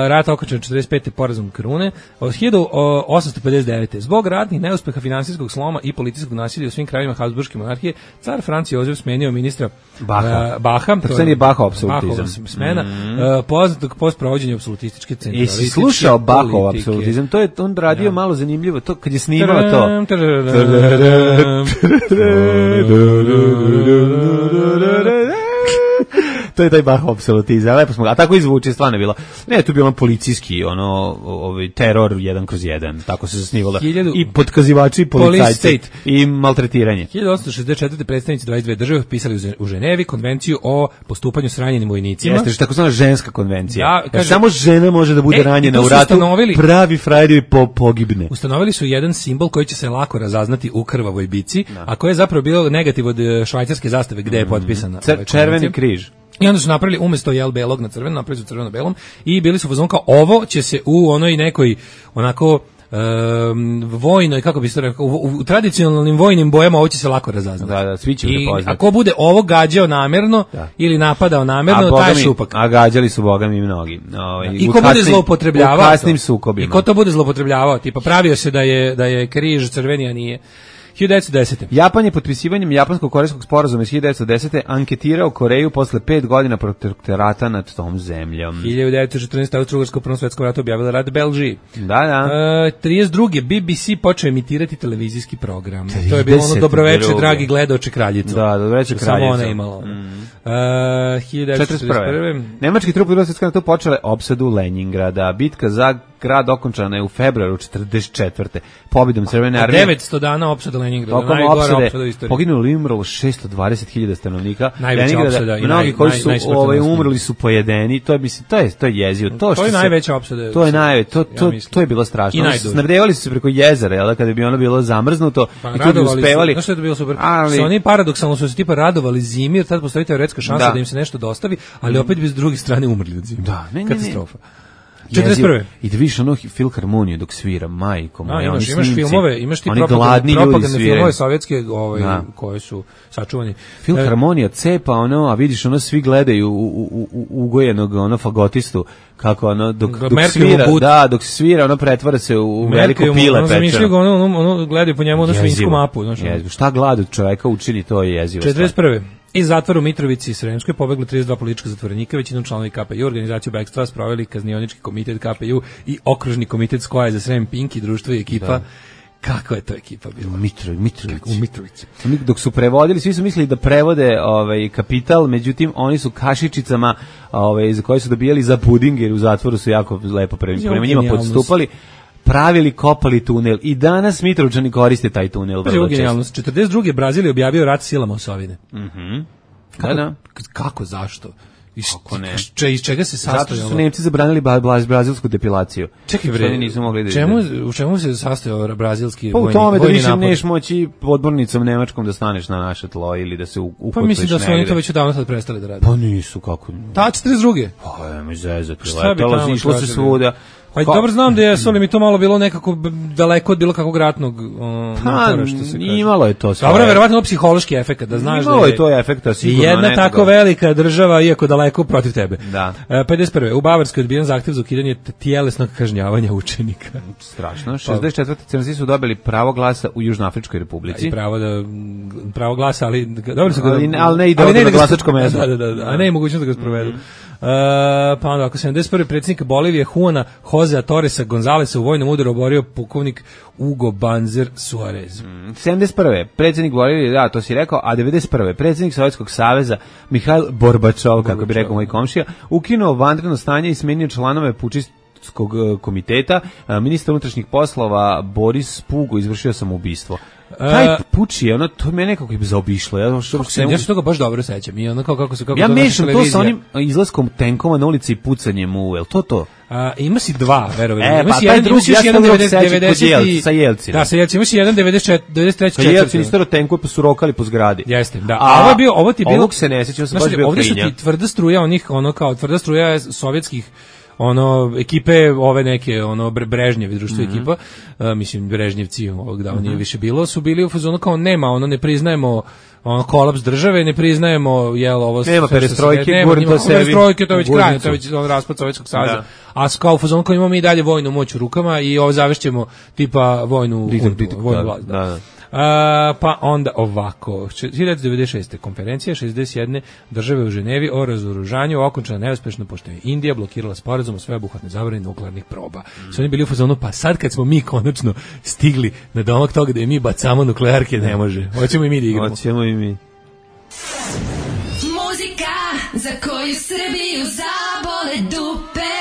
rat okončan četrdeset pete porazom krune. Od hiljadu osamsto pedeset devete zbog ratnih neuspeha, finansijskog sloma i policijskog nasilja u svim krajevima Habsburške monarhije, car Franc Jozef smenio ministra Baha. e, Baha. Tako se nije Bahov apsolutizam. Bahova smena, e, poznatog post provođenja apsolutističke centralističke Jesi slušao Bahov politike. apsolutizam? To je on radio malo zanimljivo, to kad je snimao to. Tadam, tadam. To je taj Bahov apsolutizam, lepo smo, a tako izvuče, stvarno je bilo. Ne, tu je bilo ono policijski, ono, ovaj teror jedan kroz jedan, tako se zasnivalo. Hiljadu- I podkazivači i Police policajci state. i maltretiranje. hiljadu osamsto šezdeset četvrte predstavnici dvadeset dve države potpisali u Ze- u Ženevi konvenciju o postupanju s ranjenim vojnicima. Jeste, što takozvana ženska konvencija. Da, Jer kaže- samo žena može da bude E, i ranjena tu u su ratu, ustanovili- pravi frajer i po, pogibne. Ustanovili su jedan simbol koji će se lako razaznati u krvavoj bici, a koji je zapravo bio negativ od e, švajcarske zastave gde je potpisana. Cer- ova červeni konvencija. križ. I onda su napravili umesto jel belog na crveno, napravili su crveno-belom i bili su u fazonu kao ovo će se u onoj nekoj onako um, vojnoj, kako bi se rekao, u, u tradicionalnim vojnim bojama ovo će se lako razaznati. Da, da, svi će I prepoznati. ako bude ovo gađao namerno Da. ili napadao namerno, boga taj je mi- šupak. A gađali su boga mi mnogi. Ovaj, I u ko bude kasnim- zloupotrebljavao U kasnim to? sukobima. I ko to bude zloupotrebljavao, tipa pravio se da je da je križ crveni, a nije. hiljadu devetsto desete. Japan je potpisivanjem japansko-korejskog sporazuma iz hiljadu devetsto desete anketirao Koreju posle pet godina protektorata nad tom zemljom. hiljadu devetsto četrnaeste. Austro-Ugarska u Prvom svetskom ratu objavila rat Belžiji. Da, da. E, trideset druge. B B C počeo emitirati televizijski program. To je bilo ono trideset dobroveče, druge. dragi gledaoče kraljico. Da, dobroveče, Samo kraljico. ona je imala. Mm. E, hiljadu devetsto četrdeset prve. četrdeset prve. Nemački trupe u Drugom svetskom ratu počele opsadu Leningrada. Bitka za grad okončana je u februaru četrdeset četvrte. Pobjedom Crvene armije. devetsto dana opsada Leningrada. Tokom Najgora opsada u opsade istoriji. poginulo i umrlo šesto dvadeset hiljada stanovnika. Najveća Leningrada, opsada i mnogi naj- koji naj- su najsmrtonosnija. ovaj umrli su pojedeni. To je mislim to je to je jezivo. To, To što je se- najveća opsada. To je najve, to Ja to mislim. to je bilo strašno. I Oni su najduže. snabdevali su se preko jezera, jel da, kada bi ono bilo zamrznuto Pa i tu bi radovali su- uspevali. Znaš što je to bilo super? Ali- Su oni paradoksalno su se tipa radovali zimi, jer tad postoji teoretska šansa Da. da. im se nešto dostavi, ali opet bi s druge strane umrli od zime. Da, ne, ne, ne. Katastrofa. četrdeset prve. Jezivo. I da vidiš ono filharmoniju dok svira, majko Da, moja, imaš, oni imaš snimci, filmove, imaš ti oni propagandne, gladni ljudi propagandne sviraju. filmove sovjetske ovaj, Da. koje su sačuvani. Filharmonija cepa ono, a vidiš ono svi gledaju u, u, u, ugojenog ono fagotistu kako ono dok, Da, dok Merkelovu svira, but. da, dok se svira ono pretvara se u, u veliko Merkel, pile ono, zamišljaju ga, pečeno. ono, ono, ono, gledaju po njemu ono svinsku Jezivo. mapu. Znaš, ono. Jezivo. Šta glad od čoveka učini, to je jezivo. četrdeset prve. Iz zatvora u Mitrovici i Sremskoj pobeglo trideset dva politička zatvorenika, većinom članovi K P U, organizaciju bekstva sproveli kaznionički komitet K P U i okružni komitet Skoja za Srem, Pinki, društvo i ekipa. Da. Kako je to ekipa bila? Mitrović, Mitrović. U Mitrovici. Mi dok su prevodili, svi su mislili da prevode ovaj kapital, međutim oni su kašičicama, ovaj za koje su dobijali za puding, jer u zatvoru su jako lepo prema Pazi, prema ovo njima genijalnost. podstupali, pravili, kopali tunel i danas Mitrovčani koriste taj tunel Pazi, vrlo ovo često. genijalnost. četrdeset druge. Brazil je objavio rat silama Osovine. Da, da. K- Kako, zašto? Iz, Kako ne? če- iz čega se sastoji Zato što su ovo? Nemci zabranili ba, bla- brazilsku depilaciju. Čekaj Što bre, oni nisu mogli da čemu, izvedu. u čemu se sastoji ovaj brazilski Pa u vojni, tome da vojni više napad? neš moći podmornicom nemačkom da staneš na naše tlo ili da se u- Pa ukotveš mislim da su oni negde. to već odavno sad prestali da rade. Pa nisu, kako. Ta četrdeset druge. Pa, ajme zezati, Šta bi letalo tamo se, išlo se tražili? svuda. Pa dobro znam da je, ali mi to malo bilo nekako daleko od bilo kakvog ratnog um, motora, što se kaže. Imalo je to sve. Dobro, verovatno psihološki efekat, da znaš imalo da je... je to efekta, sigurno. Jedna netoga. tako velika država, iako daleko protiv tebe. Da. E, pedeset prve U Bavarskoj odbijen zahtev za ukidanje tjelesnog kažnjavanja učenika. Strašno. šezdeset četvrte Crnci su dobili pravo glasa u Južnoafričkoj Republici. I pravo da pravo glasa, ali dobro se ali, ali ne ide ali ne na glasačko mesto. Da, da, da, da, a ne je mogućnost da ga sprovedu. Mm -hmm. Uh, pa onda, ako sedamdeset prve predsjednik Bolivije Juana Josea Torresa Gonzalesa u vojnom udaru oborio pukovnik Hugo Banzer Suarez. Mm, sedamdeset prve predsjednik Bolivije, da, to si rekao, a devedeset prve predsjednik Sovjetskog saveza Mihail Gorbačov, kako bi rekao moj komšija, ukinuo vanredno stanje i smenio članove pučistskog komiteta. Ministar unutrašnjih poslova Boris Pugo izvršio samoubistvo. Taj puči, ono, to me nekako i zaobišlo. Ja, što, se, ja se toga baš dobro sećam. I ono kao kako se kako ja mešam to sa onim izlaskom tenkova na ulici i pucanjem u, jel to to? A, ima si dva, verovali. E, ima pa si taj jedan, drugi, ja jedan devedeset sa Jelcinom. Da, sa Jelcinom. Ima si jedan devedeset treći četvrti Jelcin istero tenkove pa su rokali po zgradi. Jeste, da. A, a ovo je bio, ovo ti je bilo... Ovog se ne sjećam, sam baš bio ovdje klinja. Ovdje su ti tvrda struja onih, ono kao, tvrda struja sovjetskih ono ekipe ove neke ono Brežnjevi društvo mm -hmm. ekipa uh, mislim Brežnjevci ovog da mm -hmm. nije više bilo su bili u fazonu kao nema ono ne priznajemo ono kolaps države ne priznajemo jel ovo nema perestrojke gurni to sebi perestrojke to već kraj to već on raspad Sovjetskog saveza a kao u fazonu kao imamo mi dalje vojnu moć u rukama i ovo zavešćemo tipa vojnu vojnu vlast da, da. Uh, pa onda ovako hiljadu devetsto devedeset šeste konferencija šezdeset jedne države u Ženevi o razoružanju okončana neuspešno pošto je Indija blokirala sporazum o sveobuhvatnoj zabrani nuklearnih proba. Mm. Su oni bili u fazonu pa sad kad smo mi konačno stigli na domak toga da i mi bacamo nuklearke ne može. Hoćemo i mi da igramo. Hoćemo i mi. Muzika za koju Srbiju zabole dupe.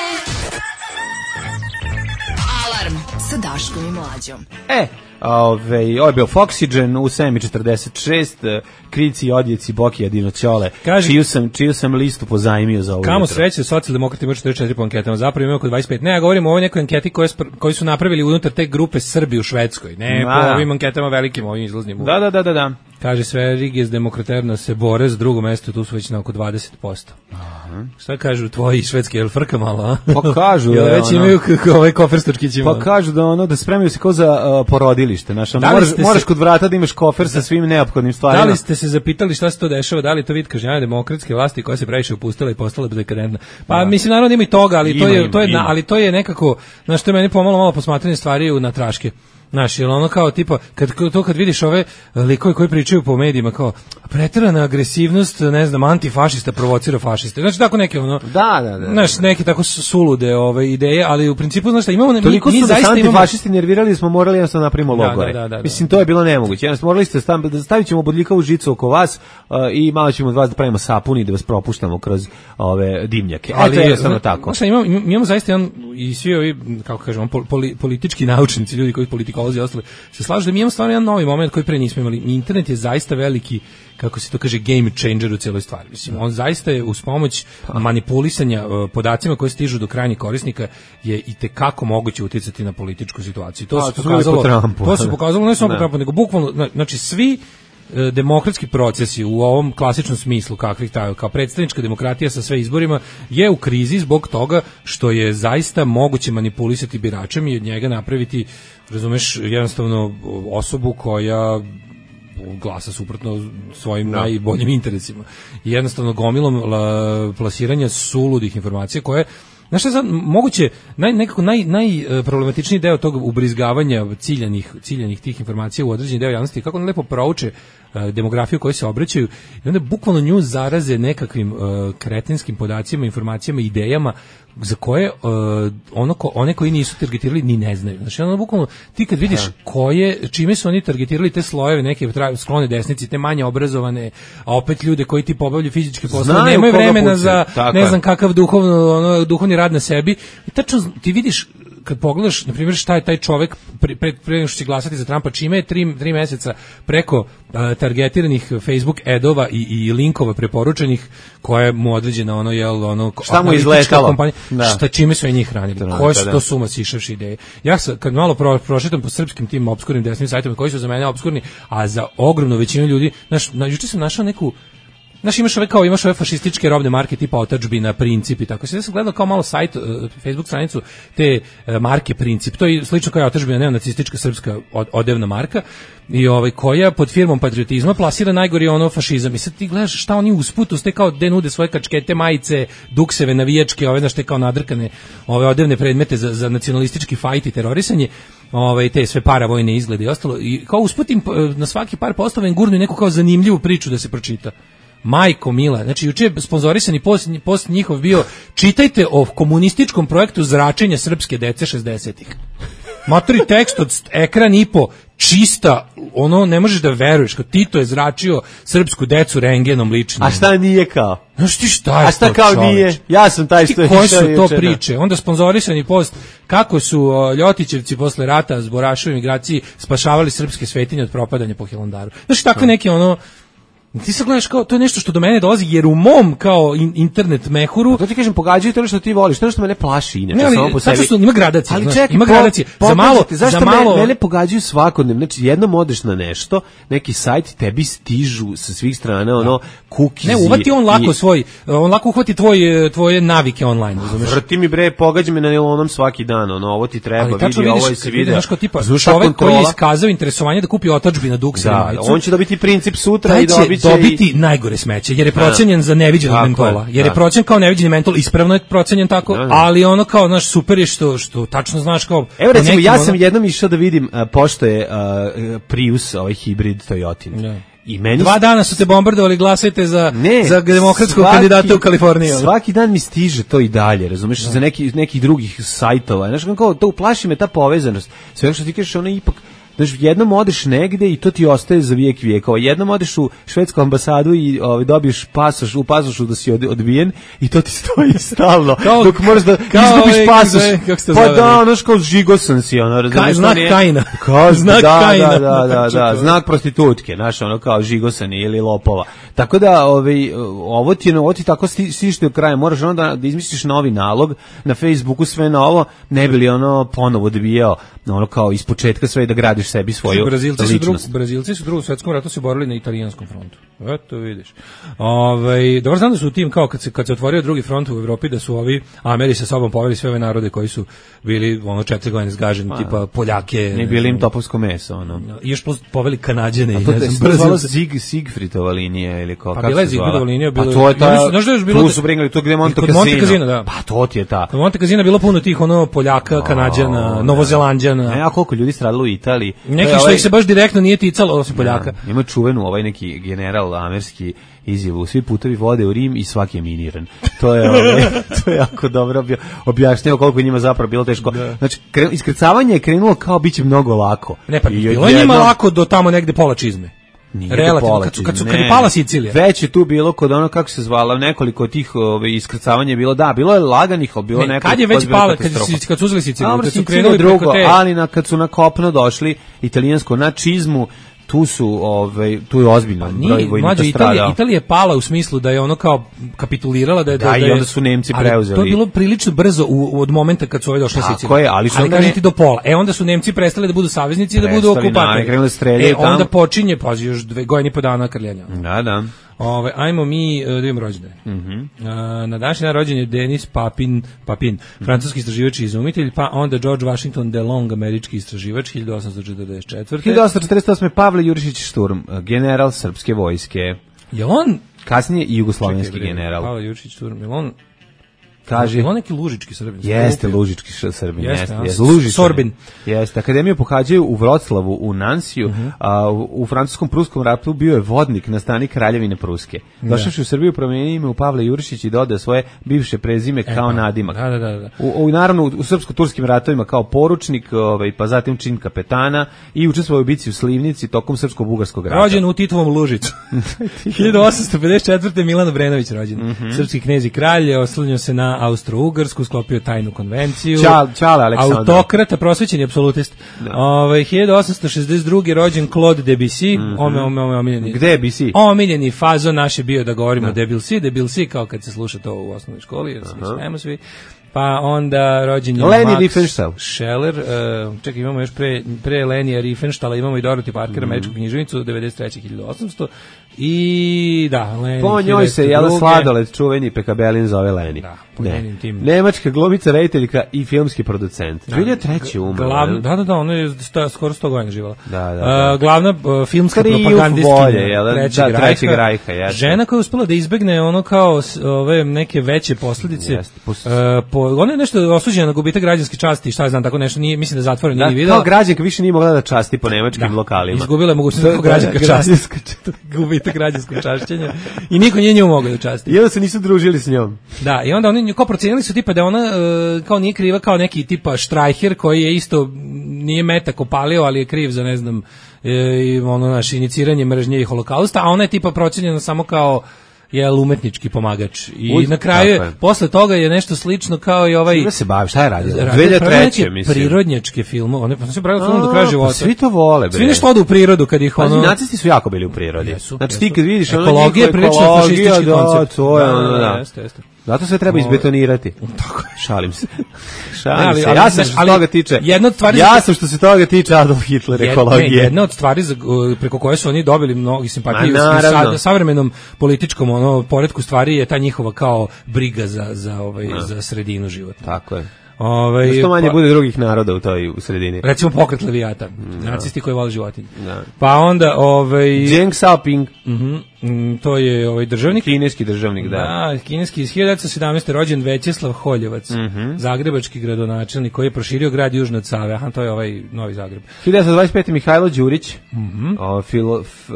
Alarm sa Daškom i Mlađom. E, Ove, ovo je bio Foxygen u sedam i četrdeset šest, Krici, Odjeci, Bokija, Dinoćole, čiju sam, čiju sam listu pozajmio za ovo. Kamo sreće, socijaldemokrati imaju četrdeset četiri po anketama, zapravo imaju oko dvadeset pet. Ne, ja govorim o ovoj nekoj anketi koje, koji su napravili unutar te grupe Srbi u Švedskoj. Ne, A, po ovim anketama velikim, ovim izlaznim. Da, da, da, da, da. Kaže sve Riges Demokraterna se bore za drugo mesto, tu su već na oko dvadeset posto. Aha. Šta kažu tvoji švedski, jel frka malo, a? Pa kažu jel već ono, imaju ovaj koferstočkići pa kažu da ono da spremaju se kao za uh, porodilište, znaš, moraš, moraš se, kod vrata da imaš kofer sa svim neophodnim stvarima. Da li ste se zapitali šta se to dešava, da li to vid kažnjavanja demokratske vlasti koja se previše upustila i postala dekadentna? Pa da. Mislim naravno ima i toga, ali ima, to je ima, to je na, ali to je nekako, znaš, to je meni pomalo malo posmatranje stvari u natraške. Znaš, jel ono kao tipa, kad, to kad vidiš ove likove koji pričaju po medijima, kao preterana agresivnost, ne znam, antifašista provocira fašiste. Znači, tako neke ono, da, da, da, znaš, neke tako sulude ove ideje, ali u principu, znaš šta, imamo... Toliko mi, mi su da zaista antifašisti imamo... nervirali da smo morali jednostavno napravimo logore. Da, da, da, da, Mislim, to je bilo nemoguće. Jednostavno, morali ste staviti, stavit ćemo bodljikavu žicu oko vas uh, i malo ćemo od vas da pravimo sapun i da vas propuštamo kroz ove dimnjake. Ali, to je jednostavno tako. Znaš, imamo, imamo zaista jedan, i svi ovi, kako kažemo, poli, politički naučnici, ljudi koji politikolozi i ostali, se slažu da mi imamo stvarno jedan novi moment koji pre nismo imali. Internet je zaista veliki, kako se to kaže, game changer u cijeloj stvari. Mislim, on zaista je uz pomoć manipulisanja uh, podacima koji stižu do krajnjih korisnika je i tekako moguće uticati na političku situaciju. To, A, se to pokazalo, Trumpu, to se pokazalo ne samo po Trumpu, nego bukvalno, znači svi demokratski procesi u ovom klasičnom smislu kakvih taj kao predstavnička demokratija sa sve izborima je u krizi zbog toga što je zaista moguće manipulisati biračem i od njega napraviti, razumeš, jednostavno osobu koja glasa suprotno svojim no. najboljim interesima. I jednostavno gomilom la, plasiranja suludih informacija koje znaš šta sad, moguće, naj, nekako naj, najproblematičniji deo tog ubrizgavanja ciljanih, ciljanih tih informacija u određeni deo javnosti, kako on lepo prouče uh, demografiju koju se obraćaju i onda bukvalno nju zaraze nekakvim uh, kretinskim podacima, informacijama, idejama za koje uh, ono ko, one koji nisu targetirali ni ne znaju. Znači, ono bukvalno, ti kad vidiš koje, čime su oni targetirali te slojeve, neke sklone desnici, te manje obrazovane, a opet ljude koji ti pobavljaju fizičke poslove, nemaju vremena puci. za Tako ne znam kakav duhovno, ono, duhovni rad na sebi. I tačno ti vidiš kad pogledaš, na primjer, šta je taj čovjek pre, pre, pre nego što će glasati za Trumpa, čime je tri, tri meseca preko uh, targetiranih Facebook edova i, i linkova preporučenih koje mu određena ono, jel, ono, šta mu izletalo? Šta, čime su i njih hranili? To, koje su to suma sišavši ideje? Ja sam, kad malo pro, prošetam po srpskim tim obskurnim desnim sajtovima koji su za mene obskurni, a za ogromnu većinu ljudi, znaš, na, juče sam našao neku Znaš, imaš ove kao imaš ove fašističke robne marke tipa Otadžbina, Princip i tako. Sve sam gledao kao malo sajt, uh, Facebook stranicu te uh, marke Princip. To je slično kao je Otadžbina, neonacistička srpska od, odevna marka i ovaj koja pod firmom patriotizma plasira najgori ono fašizam. I sad ti gledaš šta oni usput uz te kao de nude svoje kačkete, majice, dukseve, navijačke, ove znaš te kao nadrkane ove odevne predmete za, za nacionalistički fajt i terorisanje. Ovaj te sve paravojne izglede i ostalo i kao usputim na svaki par postova im gurnu neku kao zanimljivu priču da se pročita. Majko mila, znači juče je sponzorisani post, post njihov bio čitajte o komunističkom projektu zračenja srpske dece šezdesetih. Matori tekst od ekran i po čista, ono ne možeš da veruješ, kao Tito je zračio srpsku decu rengenom ličnim. A šta nije kao? Znaš ti šta je A šta to, kao čoveč? nije? Ja sam taj što je koje su išao to juče, priče? Onda sponzorisani post kako su o, Ljotićevci posle rata s Borašovim migraciji spašavali srpske svetinje od propadanja po Hilandaru. Znaš takve neke ono ti se gledaš kao, to je nešto što do mene dolazi, jer u mom kao in, internet mehuru... To ti kažem, pogađaju to što ti voliš, to što mene plaši inače, ne, ali, samo po sebi. Što ima gradacije, ali znaš, čekaj, ima po, gradacije. Za malo, zašto za malo... mene, mene pogađaju svakodnevno, znači jednom odeš na nešto, neki sajt, tebi stižu sa svih strana, ono, kukizi... Ne, uvati on lako i... svoj, on lako uhvati tvoj, tvoje navike online, razumeš? Vrti mi bre, pogađa me na onom svaki dan, ono, ovo ti treba, ali vidi, vidiš, ovo je se vidi. Znaš kao tipa, čovek koji je iskazao interesovanje da kupi Otadžbina dukseve da, majicu, on će dobiti Princip sutra taj i dobit će dobiti i... najgore smeće, jer je procenjen za neviđenog mentola. Jer je procenjen kao neviđeni mentol, ispravno je procenjen tako, da, da. Ali ono kao, znaš, super je što, što tačno znaš kao... Evo recimo, ja sam ono... jednom išao da vidim, uh, pošto je uh, Prius, ovaj hibrid Toyotin. Da. I meni dva dana su te bombardovali, glasajte za, ne, za demokratskog svaki, kandidata u Kaliforniji. Svaki dan mi stiže to i dalje, razumeš, da. Za neki, nekih drugih sajtova. Znaš, kao, to uplaši me ta povezanost. Sve što ti kažeš, ono ipak... Znaš, jednom odeš negde i to ti ostaje za vijek vijekova. Jednom odeš u švedsku ambasadu i ovaj, dobiješ pasoš, u pasošu da si od, odbijen i to ti stoji stalno. Kao, dok moraš da izgubiš ovaj, pasoš. Pa zove, da, znaš, kao žigosan si, ono, razumiješ. Znak nije, Kajna. Kao, znak da, Kajna. Da, da, da, da, znak prostitutke, znaš, ono, kao žigosani ili lopova. Tako da, ovaj, ovo ti, ovo ti tako stiš do kraja. Moraš onda da izmisliš novi nalog na Facebooku, sve novo, ne bi li ono ponovo odbijao, ono, kao ispočetka sve da gradiš sebi svoju Brazilci ličnost. Su drug, Brazilci su u drugom svetskom ratu se borili na italijanskom frontu. Eto vidiš. Ovaj dobro znam da su u tim kao kad se kad se otvorio drugi front u Evropi da su ovi Ameri sa sobom poveli sve ove narode koji su bili ono četiri godine zgaženi, pa, tipa Poljake. Ne bili im topovsko meso, ono. I još poveli Kanađane i ne znam, Brazilci Zig Sigfridova linija ili kako pa bila Sigfridova linija, bilo. Pa to je ta. Znaš da je bilo. Tu su bringali to gde Monte Casino. Da. Pa to ti je ta. Kod Monte Casino bilo puno tih ono Poljaka, Kanađana, Novozelanđana. Ne, a koliko ljudi stradalo u Italiji. Neki što ovaj... ih se baš direktno nije ticalo osim Poljaka. Ja, ima čuvenu ovaj neki general amerski izjavu, svi putovi vode u Rim i svaki je miniran. To je, ovaj, to je jako dobro objašnjeno koliko njima zapravo bilo teško. Da. Znači, kre, iskrcavanje je krenulo kao biće mnogo lako. Ne, pa I bilo je njima lako do tamo negde pola čizme. Nije relativno, kad, su, kad, su, kad je pala Sicilija. Već je tu bilo kod ono, kako se zvala, nekoliko tih ove, iskrcavanja je bilo, da, bilo je laganih, ali bilo ne, nekoliko. Kad je već pala, kad, kad su uzeli Siciliju, kad su krenuli drugo, te... ali na, kad su na kopno došli, italijansko, na čizmu, tu su ovaj tu je ozbiljno pa broj vojnika stradao. Italija je pala u smislu da je ono kao kapitulirala da je da, da, da i onda su Nemci preuzeli. To je bilo prilično brzo u, od momenta kad su ovi došli na Siciliju. Ali su ali kažete do pola. E onda su Nemci prestali da budu saveznici i da budu okupatori. E onda počinje pazi još dve godine i po dana krljanja. Da, da. Ove, ajmo mi da vidimo rođendane. Mm -hmm. Na današnji dan rođen je Denis Papin, Papin, francuski istraživač i izumitelj, pa onda George Washington DeLong, američki istraživač, hiljadu osamsto četrdeset četvrte. hiljadu osamsto četrdeset osme. Pavle Jurišić Šturm, general srpske vojske. Je on? Kasnije i jugoslovenski general. Pavle Jurišić Šturm, je on? Kaže, je on neki lužički Srbin? Jeste lužički Srbin, jeste. jeste. Lužičan. Sorbin. Jeste. Akademiju pohađaju u Vroclavu, u Nansiju, uh -huh. a u, u francuskom pruskom ratu bio je vodnik na stani Kraljevine Pruske. Došavši u Srbiju promenio ime u Pavle Jurišić i dodao svoje bivše prezime e, kao pa, nadimak. Da, da, da. U, u naravno u srpsko-turskim ratovima kao poručnik, ovaj pa zatim čin kapetana i učestvovao u bici u Slivnici tokom srpsko-bugarskog rata. Rođen u Titovom Lužicu. hiljadu osamsto pedeset četvrte. Milan Obrenović rođen. Uh -huh. Srpski knez i kralj, oslanjao se na Austro-Ugarsku, sklopio tajnu konvenciju. Čal, čale Aleksandar. Autokrat, prosvećeni apsolutist. Ovaj hiljadu osamsto šezdeset druge. rođen Claude Debussy, mm -hmm. ome, ome, ome, omiljeni. Gde je Debussy? Omiljeni fazon naš je bio da govorimo da. Debussy, Debussy kao kad se sluša to u osnovnoj školi, jer se smijemo svi. Pa onda rođen je Leni Max Riefenstahl. Scheller, uh, čekaj, imamo još pre, pre Lenija Riefenstahla, imamo i Dorothy Parker, mm. američku književnicu, devedeset treće. hiljadu osamsto. I da, Leni. Po njoj se jela sladoled čuveni Pekabelin zove Leni. Da, po ne. njenim tim. Nemačka glumica, rediteljka i filmski producent. dve hiljade treće umrla. Glavna, da, da, da, ona je sta, skoro sto godina živala. Da, da, da. Uh, glavna uh, filmska Trijumf propagandistkinja volje, jel? trećeg, Da, trećeg Rajha, jeste. Žena koja je uspela da izbegne ono kao s- ove neke veće posljedice. Jeste, pos- Uh, po, ona je nešto osuđena na gubitak građanske časti, šta ja znam, tako nešto, nije, mislim da zatvoreno Da, nije videla. kao građanka više nije mogla da časti po nemačkim lokalima. Izgubila je mogućnost Da, da, da, građanka da, časti, gubitak građanskog čašćenja i niko nije nju mogao da časti. I onda se nisu družili s njom. Da, i onda oni nju kao procenili su tipa da ona e, kao nije kriva kao neki tipa Štrajher koji je isto nije metak opalio, ali je kriv za ne znam e, i ono naše iniciranje mržnje i holokausta, a ona je tipa procenjena samo kao je umetnički pomagač. I Uz, na kraju, tako je. posle toga je nešto slično kao i ovaj... Čime se bavi, šta je radio? radio dve hiljade treće, neke mislim. prirodnjačke filmove, one pa se pravili film do A, kraja pa života. svi to vole, bre. Svi nešto odu u prirodu kad ih Pazi, ono... nacisti su jako bili u prirodi. Jesu, znači jesu. ti kad vidiš ono Ekologija je njihovu prilično ekologiju, fašistički da, koncept. to je Da, ono, da, da. jeste, jeste. Zato sve treba izbetonirati. Tako je. Šalim se. Ne, Šalim ali- se. ali, Ja sam znaš, što se ali toga tiče. jedna od stvari- Ja sam što se toga tiče Adolf Hitler Jed- ekologije. ne, jedna od stvari za, uh, preko koje su oni dobili mnogi simpatije Ma, u naravno. sa, savremenom političkom ono poretku stvari je ta njihova kao briga za za ovaj za sredinu života. Tako je. Ovaj Što manje pa- bude drugih naroda u toj u sredini. recimo pokret Levijata, nacisti koji vole životinje. Da. Pa onda ovaj Deng Xiaoping, mhm, mm, to je ovaj državnik. kineski državnik, da. Da, kineski iz hiljadu devetsto sedamnaeste rođen Većeslav Holjevac, Mhm. zagrebački gradonačelnik koji je proširio grad južno od Save. Aha, to je ovaj Novi Zagreb. hiljadu devetsto dvadeset pete. Mihajlo Đurić, Mhm. o, filo, f, e,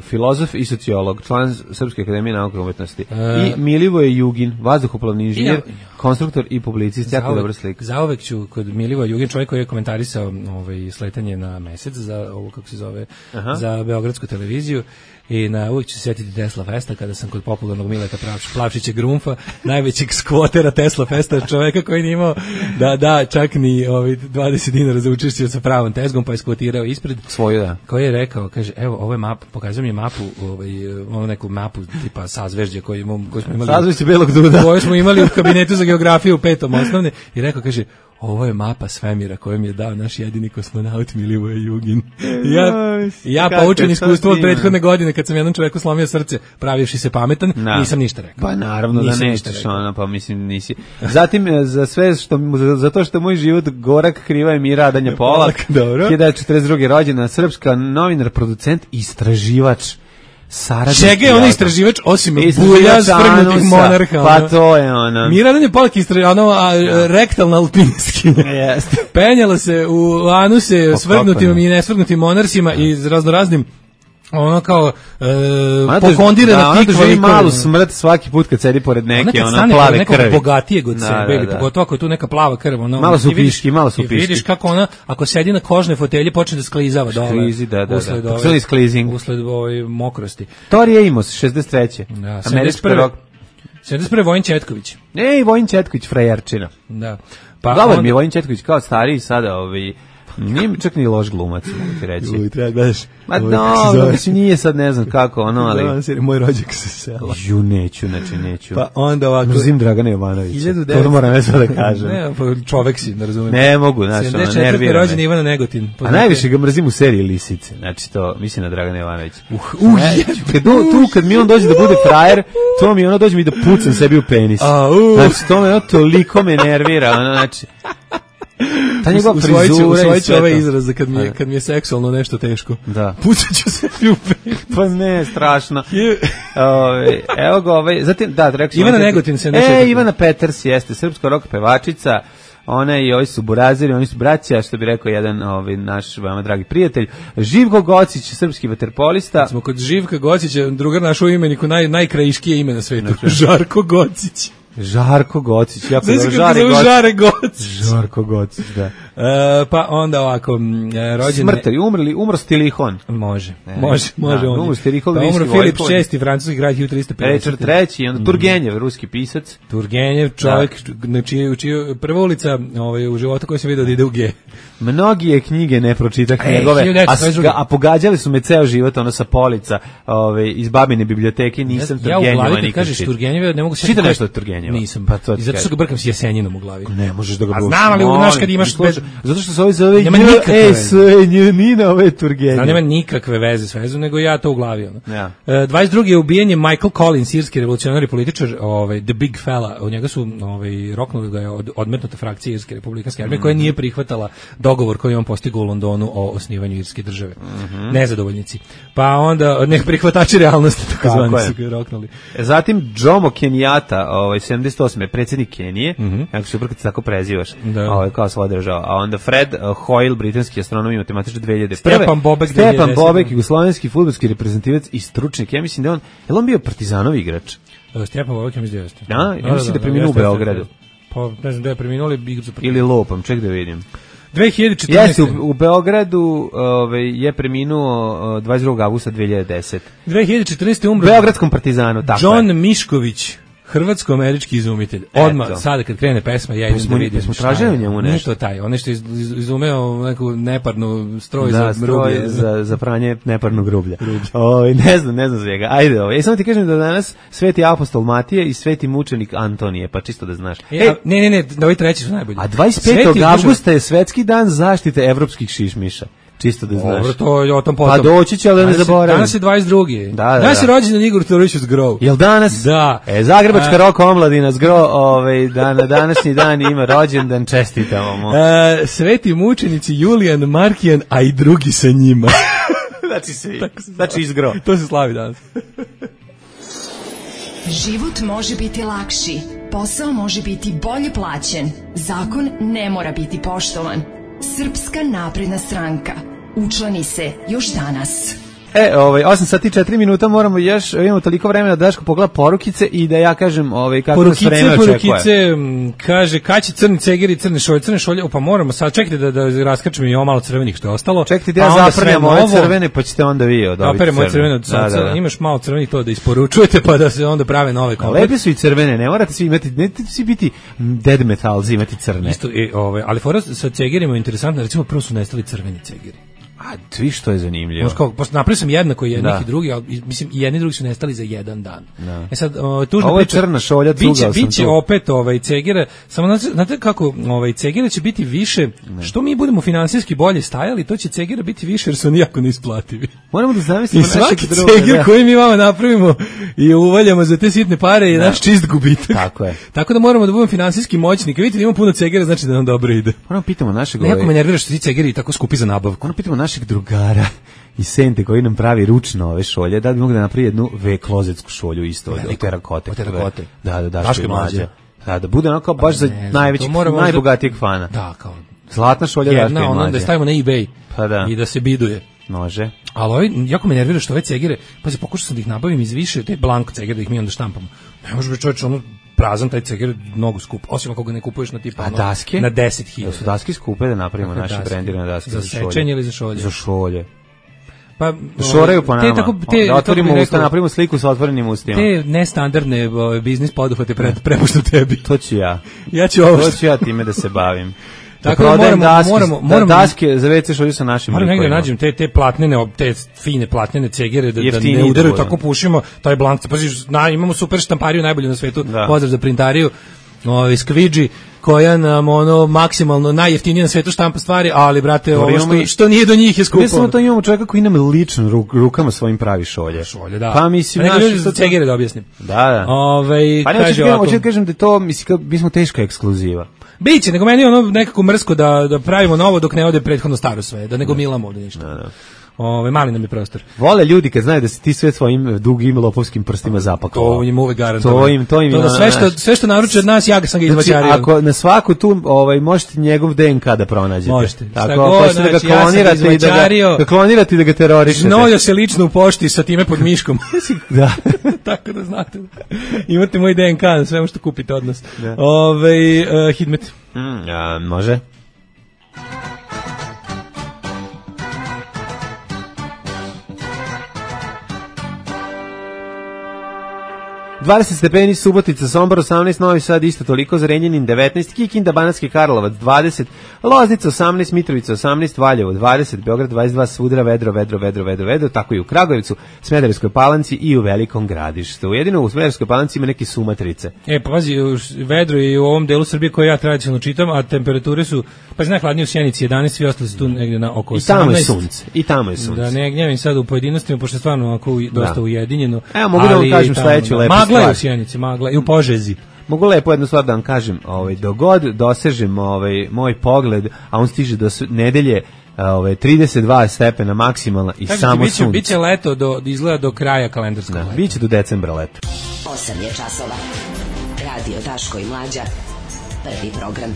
filozof i sociolog, član Srpske akademije nauke i umetnosti. E. I Milivoje Jugin, vazduhoplovni inženjer, Ja- konstruktor i publicist, jako Zauvek- dobra slika. Zauvek ću kod Milivoja Jugin, čovjek koji je komentarisao ovaj, sletanje na mesec za ovo, kako se zove, Aha. za Beogradsku televiziju. I na uvijek ću se sjetiti Tesla Festa kada sam kod popularnog Mileta Plavč- Plavčića Grumfa, najvećeg skvotera Tesla Festa, čovjeka koji nije imao da da čak ni ovaj, dvadeset dinara za učešće sa pravom tezgom, pa je skvotirao ispred. Svoju, da. Koji je rekao, kaže, evo, ovo je map, pokazuje mi mapu, ovaj, ono neku mapu tipa sazvežđe koju, imamo- koju smo imali. Sazvežđe Belog Duda. Koju smo imali u kabinetu za geografiju u petom osnovne i rekao, kaže, ovo je mapa svemira koju mi je dao naš jedini kosmonaut Milivoje Jugin. I ja, i ja Kako poučen je to iskustvo od divno. prethodne godine kad sam jednom čoveku slomio srce pravivši se pametan, Da. nisam ništa rekao. Pa naravno da Nisam ništa nećeš, rekao. ono, pa mislim nisi. Zatim, e, za sve što, za, za to što moj život gorak, kriva je mi radanja Polak, Polak, dobro. hiljadu devetsto četrdeset druge. rođena, srpska novinar, producent, istraživač, saradnik. Čega je on i istraživač osim Istraživač bulja sprgnutih anusa, monarha? pa ono? to je ono. Miradan je Polak istra, ono, a, rektalna alpinskinja. Jeste. Penjala se u anuse Pa svrgnutim kako ne? i nesvrgnutim monarhima i raznoraznim ono kao e, Ona to- pokondirana da, ona tikva doživi likova. malu smrt svaki put kad sedi pored Ona neke, kad ono, stane pored plave nekog krvi. bogatijeg od Da, sebe, da, ili da. pogotovo ako je tu neka plava krv, ono, Malo su ti vidiš- piški, malo su i piški. vidiš kako ona, ako sedi na kožnoj fotelji, počne da sklizava dole. Sklizi, da, da, da. Usled, ove- Takozvani sklizing. usled ove mokrosti. Tori Amos, šezdeset treće. Da, Američka sedamdeset prve. rock. sedamdeset prve. Vojin Četković. Ej, Vojin Četković, frajerčina. Da. Pa Dobar onda- mi je Vojin Četković kao stariji sada, ovaj, nije mi čak ni loš glumac, mogu ti reći. treba gledaš. Ma dobro, mislim nije sad ne znam kako, ono, ali... Moj rođak sa sela. Ju, neću, znači neću. Pa onda ovako... Mrzim Dragana Jovanovića. hiljadu devetsto To moram nešto da kažem. Ne, pa čovek si, ne razumijem. Ne mogu, znaš, ono, sedamdeset četvrte. nervira rođen me. Ivana Negotin. A Poznate- najviše ga mrzim u seriji Lisice, znači to, mislim na Dragana Jovanovića. Uh, uh, Ne, kad do, tu kad mi on dođe da bude frajer, to mi ono dođe mi da pucam sebi u penis. A, uh. Znači, to me ono toliko me nervira, ono, znači... Ta njegova Usvojit ću, frizura i usvojit ću sve ovaj to. izraz za kad mi, je, A. kad mi je seksualno nešto teško. Da. Pucat ću se u penis. Pa ne, strašno. Ove, evo ga, ovaj, zatim, da, rekao sam... Ivana vam- Negotin, sedamdeset četvrte. E, Ivana Peters jeste, srpska rock pevačica, ona i ovi su buraziri, oni su braća, što bi rekao jedan ovaj, naš veoma dragi prijatelj. Živko Gocić, srpski vaterpolista. Smo kod Živka Gocića, drugar naš u imeniku, naj, najkrajiškije ime na svetu. Žarko Gocić. Žarko Gocić, jako Znaš dobro, kako Žare zove Gocić. Žare Gocić? Žarko Gocić, da. E, pa onda ovako, m, e, rođen... Smrtari, umrli, umro Stilihon. Može, E, može, može. da, on je. umro Stilihon, Pa ruski umro Filip vojvod. šesti, francuski grad hiljadu tristo pedeset. Richard treći, onda Turgenjev, ruski pisac. Turgenjev, čovjek, na čiju, čiju, prva ulica ovaj, u životu koju sam vidio da ide u G. Mnogi je knjige ne pročitah E, njegove, hiljadu a, devetsto dvadeset s- druge. a pogađali su me ceo život, ono sa polica, ove, iz babine biblioteke, nisam ja, ja u Turgenjeva glavi kad nikad kažeš čitao. Turgenjeva, ne mogu se... Čita nešto od Turgenjeva? Nisam, Pa to ti i zato što kažem. ga brkam s Jeseninom u glavi. Ne možeš da ga A buš- znam, ali molim, znaš kad imaš slušaj, Zato što se ovaj zove Nema nikakve J veze. S Nina ove Turgenje. Da, nema nikakve veze s vezom, nego ja to u glavi. Ono. Ja. E, dvadeset drugi je ubijen je Michael Collins, irski revolucionarni političar, ovaj, The Big Fella. Od njega su ovaj, roknuli ga je od, odmetnuta frakcija Irske republikanske armije, mm. koja nije prihvatala dogovor koji je on postigao u Londonu o osnivanju Irske države. Mm-hmm. Nezadovoljnici. Pa onda, ne prihvatači realnosti, tako zvani su ga roknuli. Zatim Jomo Kenyatta, ovaj sedamdeset osme predsjednik Kenije, Mhm. kako se upravo tako prezivaš, Da. ovaj kao svoja država. A onda Fred uh, Hoyle, britanski astronom i matematičar dve hiljade prve. Stepan Bobek, Stepan dve hiljade desete. Bobek, jugoslovenski fudbalski reprezentativac i stručnjak. Ja mislim da je on, je li on bio Partizanov igrač? E, Stepan Bobek, ja mislim da jeste. Da, ja mislim da je preminuo u jeste, Beogradu. jeste. Pa ne znam da je preminuo, ali igru za Ili lopam, ček da vidim. dve hiljade četrnaeste. Jeste, u, u Beogradu ovaj, je preminuo uh, dvadeset drugog avgusta dve hiljade desete. dve hiljade četrnaeste. U umro Beogradskom Partizanu, tako John je. Mišković, hrvatsko-američki izumitelj. Odmah, Eto. sada kad krene pesma, ja idem Jesmo- da vidim. jesmo šta tražili je. o njemu Nije nešto? to taj, on nešto iz, iz, izumeo neku neparnu stroj Da, za stroj rublje. za, za pranje neparnog grublja. Ovaj ne znam, ne znam svega. Ajde, ovaj. Ja samo ti kažem da danas Sveti apostol Matija i Sveti mučenik Antonije, pa čisto da znaš. E, a, ne, ne, ne, da ovi treći su najbolji. A dvadeset Sveti petog Dušan- avgusta je svetski dan zaštite evropskih šišmiša. Čisto da znaš. Dobro, to je o tom potom. Pa doći će, ali da ne Danas je- zaboravim. Danas je dvadeset drugi Da, da, Danas je da. rođendan Igor Todorović Zgrov. Jel danas? Da. E, Zagrebačka A- rock omladina zgro, ovaj, da na današnji dan ima rođendan, čestitamo mu. E, sveti mučenici Julijan, Markijan, a i drugi sa njima. Znači svi. Znači izgro. To se slavi danas. Život može biti lakši, posao može biti bolje plaćen, zakon ne mora biti poštovan. Srpska napredna stranka. Učlani se još danas. E, ovaj, osam sati i četiri minuta, moramo još, imamo toliko vremena da Daško pogleda porukice i da ja kažem ovaj, kako nas Porukice, vreme očekuje. porukice, m, kaže, kad će crni cegeri, crne šolje, crne šolje, pa moramo sad, čekajte da, da raskačem i ovo malo crvenih što je ostalo. Čekajte da pa ja onda zaprljam sve ove novo. crvene, pa ćete onda vi od Da, ovih operem moje crvenih. crvene od Da, sunca, da, da. imaš malo crvenih to da isporučujete, pa da se onda prave nove A komplet. lepe su i crvene, ne morate svi imati, ne morate svi biti dead metalzi, imati crne. Isto, e, ove, ali fora sa cegerima je interesantna, recimo prvo su nestali crveni cegeri. A vi što je zanimljivo. Možda kao, pošto napravio sam jednako jednih Da. i drugi, ali i- mislim i jedni i drugi su nestali za jedan dan. Da. E sad, o, tužna Ovo je priča, crna šolja, biće, cugao sam biće tu. opet ovaj cegere, samo znate, znate kako, ovaj cegere će biti više, što mi budemo finansijski bolje stajali, to će cegera biti više jer su oni jako neisplativi. Moramo da I zamislimo svaki našeg druga. ceger da. koji mi vama napravimo i uvaljamo za te sitne pare je naš čist gubitak. Tako je. Tako da moramo da budemo finansijski moćni. Kad vidite da imamo puno cegera, znači da nam dobro ide. Moramo pitamo našeg Nekako me ovaj, nervira što ti cegeri tako skupi za nabavku. Ono pitamo našeg drugara iz Sente koji nam pravi ručno ove šolje, da bi mogli da napravi jednu V-klozetsku šolju isto od, od Veliku. terakote. Od terakote. Da, da, da, Daško što je i Mlađa. mlađe. Da, da bude onako baš za Ne znam, najvećeg, to moramo možda- najbogatijeg fana. Da, kao Zlatna šolja Daška jedna, i ono da je Mlađe. stavimo na eBay Pa da. i da se biduje. Može. Ali ovaj, jako me nervira što ove cegere, pa se pokušao sam da ih nabavim iz više, te blank cegere da ih mi onda štampamo. Ne može biti čovječ, ono prazan taj ceger mnogo skup, osim ako ga ne kupuješ na tipa A ono, daske? na deset Da hiljada. su daske skupe da napravimo Kakve naše daske? brendirane daske Za za šolje. sečenje ili za šolje? Za šolje. Pa Šoraju po nama. Te, tako, te, da otvorimo kako bih usta, rekao, napravimo sliku sa otvorenim ustima. te nestandardne ovaj, biznis poduhvate pre, prepuštam tebi. To ću ja. Ja ću ovo To što... ću ja time da se bavim. Tako da da prodajem moramo- daske, moramo- da, moramo- daske za ve ce šolju sa našim Moram negdje likovima. nađem te te platnene, ob- te fine platnene cegere da, da Jeftiniji ne da udaraju budu. tako pušimo, taj blank. Paziš, na, imamo super štampariju najbolju na svetu. Da. Pozdrav za printariju. Ovaj Skvidži koja nam ono maksimalno najjeftinije na svetu štampa stvari, ali brate, Dobro, ovo imamo što, i- što nije do njih je skupo. Ne samo to, imamo čovjeka koji nam lično ruk, rukama svojim pravi šolje. Šolje, da. Pa mislim, nego naš, ljudi za cegere da objasnim. Da, da. Ovaj Pa ne, hoću kaže da kažem, ovako, hoću da kažem da je to, mislim, kao, mi smo teška ekskluziva. biće, nego meni je ono nekako mrsko da da pravimo novo dok ne ode prethodno staro sve, da nego milamo ovde ništa. Da, da. Ovaj mali nam je prostor. Vole ljudi kad znaju da si ti sve svojim dugim lopovskim prstima zapakovao. To im uvek garantovano. To im, to im to je da ono, sve što znaš. sve što naruče od nas ja ga sam ga Znači, izvaćario. ako na svaku tu, ovaj, možete njegov de en ka da pronađete. Možete. Šta Tako, god, ako hoćete da ga znači, ja sam ga klonirate i da ga, izvaćario. da klonirate i da ga terorišete. Znojio se lično u pošti sa time pod miškom. Da. Tako da znate. Imate moj de en ka na svemu što kupite od nas. Da. Ovaj uh, Hidmet. Mm, a, može. dvadeset stepeni Subotica, Sombor osamnaest, Novi Sad isto toliko, Zrenjanin devetnaest, Kikinda, Banatski Karlovac dvadeset, Loznica osamnaest, Mitrovica osamnaest, Valjevo dvadeset, Beograd dvadeset dva, svuda vedro, vedro, vedro, vedro, vedro, tako i u Kragujevcu, Smederevskoj Palanci i u Velikom Gradištu. Jedino u Smederevskoj Palanci ima neke sumatrice. E, pa pazi, vedro je u ovom delu Srbije koje ja tradicionalno čitam, a temperature su, pa najhladnije u Sjenici jedanaest, svi ostali su tu negdje na oko osamnaest. I tamo je sunce. I tamo je sunce. Da ne gnjavim sad u pojedinostima, pošto je stvarno ovako dosta da. ujedinjeno. Evo, mogu da vam kažem sledeću lepu stvar. Magla je u Sjenici, magla i u Požezi. Mogu lepo jednu stvar da vam kažem, ovaj, dogod dosežem ovaj, moj pogled, a on stiže do nedelje, ovaj, trideset dva stepena maksimalna i Kažete, samo biće, sunce. Biće leto, do, izgleda do kraja kalendarskog da, leta. Biće do decembra leto. osam je časova. Radio Daško i Mlađa. Prvi program.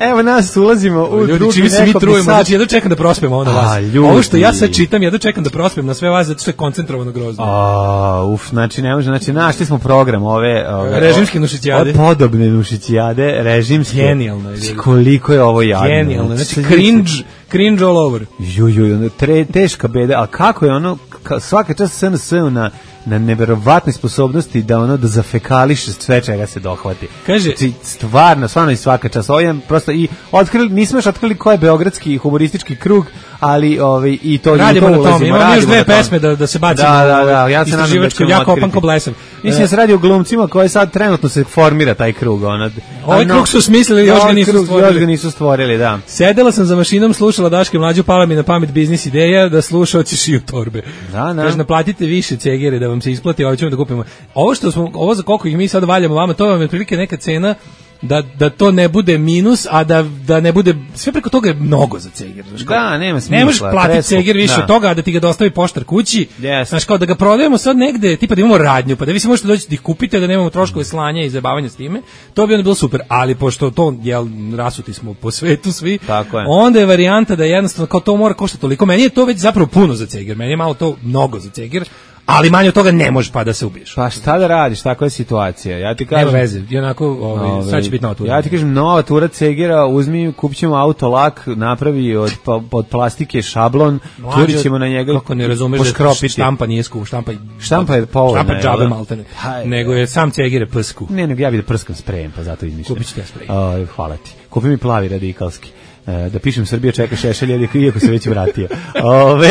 Evo nas ulazimo u ljudi, drugi čini se mi trujemo, sad. znači jedno čekam da prospemo onda vas. A, ovo što ja sad čitam, jedno čekam da prospem na sve vas, zato što je koncentrovano grozno. A, uf, znači ne može, znači našli smo program ove, ove režimske nušićijade. Podobne nušićijade, režimske. Genijalno je. Koliko je ovo jadno. Genijalno, znači cringe, cringe all over. Ju, ju, tre, teška beda, a kako je ono, ka, svaka čast S N S na na neverovatnoj sposobnosti da ono da zafekališe sve čega se dohvati. Kaže, znači, stvarno, stvarno i svaka čast. Ovo je prosto i otkrili, nismo još otkrili ko je beogradski humoristički krug, ali ovaj i to radimo to na tome. Imamo još dve pesme da da se bacimo. Da, da, da, ja se nadam da ćemo jako opanko blesav. Mislim da se radi o glumcima koji sad trenutno se formira taj krug, ona. Ovaj krug su smislili, još ga nisu stvorili. Još ga nisu stvorili, da. Sedela sam za mašinom, slušala Daške Mlađu, pala mi na pamet biznis ideja da slušaoci šiju torbe. Da, da. Kaže, naplatite više cegere da vam se isplati, ovo ćemo da kupimo. Ovo što smo, ovo za koliko ih mi sad valjamo vama, to vam je otprilike neka cena da, da to ne bude minus, a da, da ne bude, sve preko toga je mnogo za ceger. Znaš, kao, da, nema smisla. Ne možeš platiti ceger više da. od toga, a da ti ga dostavi poštar kući. Yes. Znaš, kao da ga prodajemo sad negde, tipa da imamo radnju, pa da vi se možete doći da ih kupite, da nemamo troškove slanja i zabavanja s time, to bi onda bilo super. Ali pošto to, jel, rasuti smo po svetu svi, tako je. Onda je varijanta da jednostavno kao to mora koštati toliko. Meni je to već zapravo puno za ceger, meni je malo to mnogo za ceger. Ali manje od toga ne može pa da se ubiješ. Pa šta da radiš, takva je situacija. Ja ti kažem, nema veze, onako, ovaj, ovaj, sad će biti nova tura. Ja ti kažem, nova tura cegera, uzmi, kupit ćemo autolak, napravi od, od plastike šablon, turit ćemo na njega. Kako ne razumeš da štampa nije skup, štampa, štampa je povoljna. Štampa džabe maltene, nego je sam ceger psku. Ne, nego ja bi da prskam sprejem, pa zato izmišljam. Kupit ću te sprej. Uh, hvala ti. Kupi mi plavi radikalski. Uh, da pišem Srbija čeka Šešelj, iako se već vratio. Ove...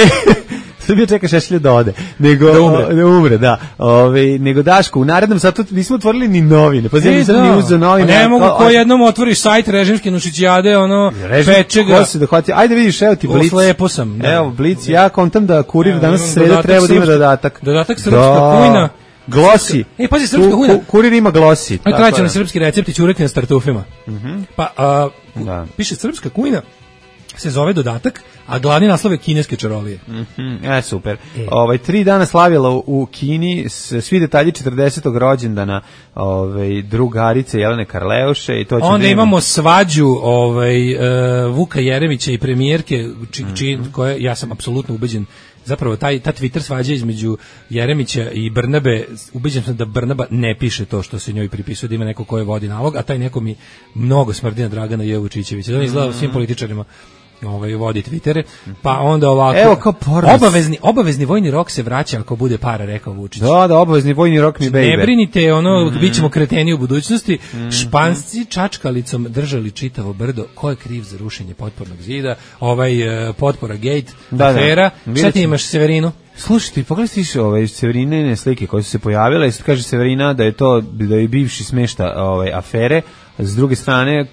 Srbija čeka Šešelja da ode, nego da umre, o, da umre, da. Ove, nego Daško, u narednom satu nismo otvorili ni novine. Pa znači nisam ni uzeo novine. Ne mogu ko jednom otvoriš sajt režimske nušićijade, ono peče ga. Ko se dohvati? Ajde vidiš, evo ti Blic. Lepo sam. Da. Evo Blic, ja kontam da kurir danas sreda treba da ima dodatak. Dodatak srpska kujna. Glosi. E, pazi, srpska kujna. Kurir ima glosi. Aj tradicionalni srpski recepti ćurek na startufima. Mhm. Pa a, piše srpska kujna. Se zove dodatak, a glavni naslov je kineske čarolije. Mm-hmm, e, super. E. Ovaj, tri dana slavila u, u Kini, svi detalji četrdesetog rođendana ovaj, drugarice Jelene Karleuše. I to će onda imamo svađu ovaj, uh, Vuka Jeremića i premijerke, či, či, mm-hmm. koje, ja sam apsolutno ubeđen, zapravo taj, ta Twitter svađa između Jeremića i Brnabe, ubeđen sam da Brnaba ne piše to što se njoj pripisuje, da ima neko ko je vodi nalog, a taj neko mi mnogo smrdi na Dragana Jevučićevića. Da on izgleda mm-hmm. svim političarima ovaj vodi Twittere, pa onda ovako evo kao obavezni obavezni vojni rok se vraća ako bude para, rekao Vučić. Da, da, obavezni vojni rok mi baby. Ne brinite, ono mm. bićemo kreteni u budućnosti. Mm. Španci čačkalicom držali čitavo brdo. Ko je kriv za rušenje potpornog zida? Ovaj uh, potpora gate, da, afera. Da. Šta ti imaš, Severinu? Slušajte, pogledaj ti ove Severinine slike koje su se pojavile, i kaže Severina da je to da je bivši smešta ove afere. S druge strane,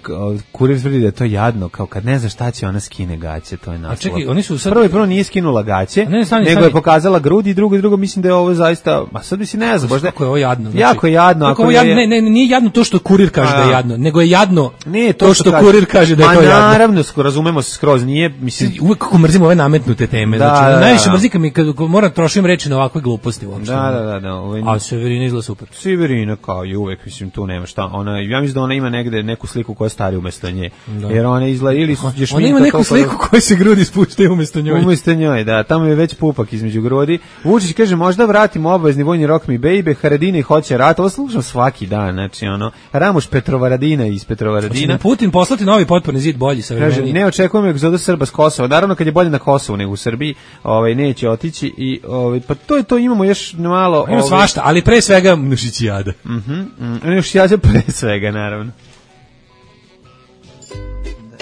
kurir tvrdi da je to jadno, kao kad ne zna šta će ona skine gaće, to je naslov. A čekaj, oni su sad... Prvo i prvo nije skinula gaće, ne, stani, nego stani. je pokazala grudi, i drugo i drugo mislim da je ovo zaista, a sad bi si ne znam, možda kako je ovo jadno. Znači, jako je jadno, ako je jadno, ne, ne, nije jadno to što kurir kaže a, da je jadno, nego je jadno ne, to, to što, što kurir kaže da je to jadno. Naravno, razumemo se skroz, nije, mislim, uvek kako mrzimo ove nametnute teme, da, znači, da, najviše da. mrzika mi kad moram trošim reči na ovakve gluposti uopšte. Da, da, da, da, ovaj... A Severina izgleda super. Severina kao i uvek, mislim, tu nema šta. Ona, ja mislim da ona ima negde neku sliku koja stari umesto nje. Da. Jer ona izgleda ili je šminka. Ona ima neku sliku da... koja se grudi spuštaju umesto njoj. Umesto njoj, da. Tamo je već pupak između grudi. Vučić kaže, možda vratimo obavezni vojni rok mi baby, Haradini hoće rat. Ovo slušam svaki dan, znači ono. Ramuš Petrovaradina iz Petrovaradina. Hoće Putin poslati novi potporni zid bolji sa vremeniji. Ne očekujemo egzodus Srba s Kosova. Naravno kad je bolje na Kosovu nego u Srbiji, ovaj neće otići i ovaj pa to je to, imamo još malo ima svašta, ali pre svega Nušićijada. Mhm. Mm Nušićijada pre svega naravno.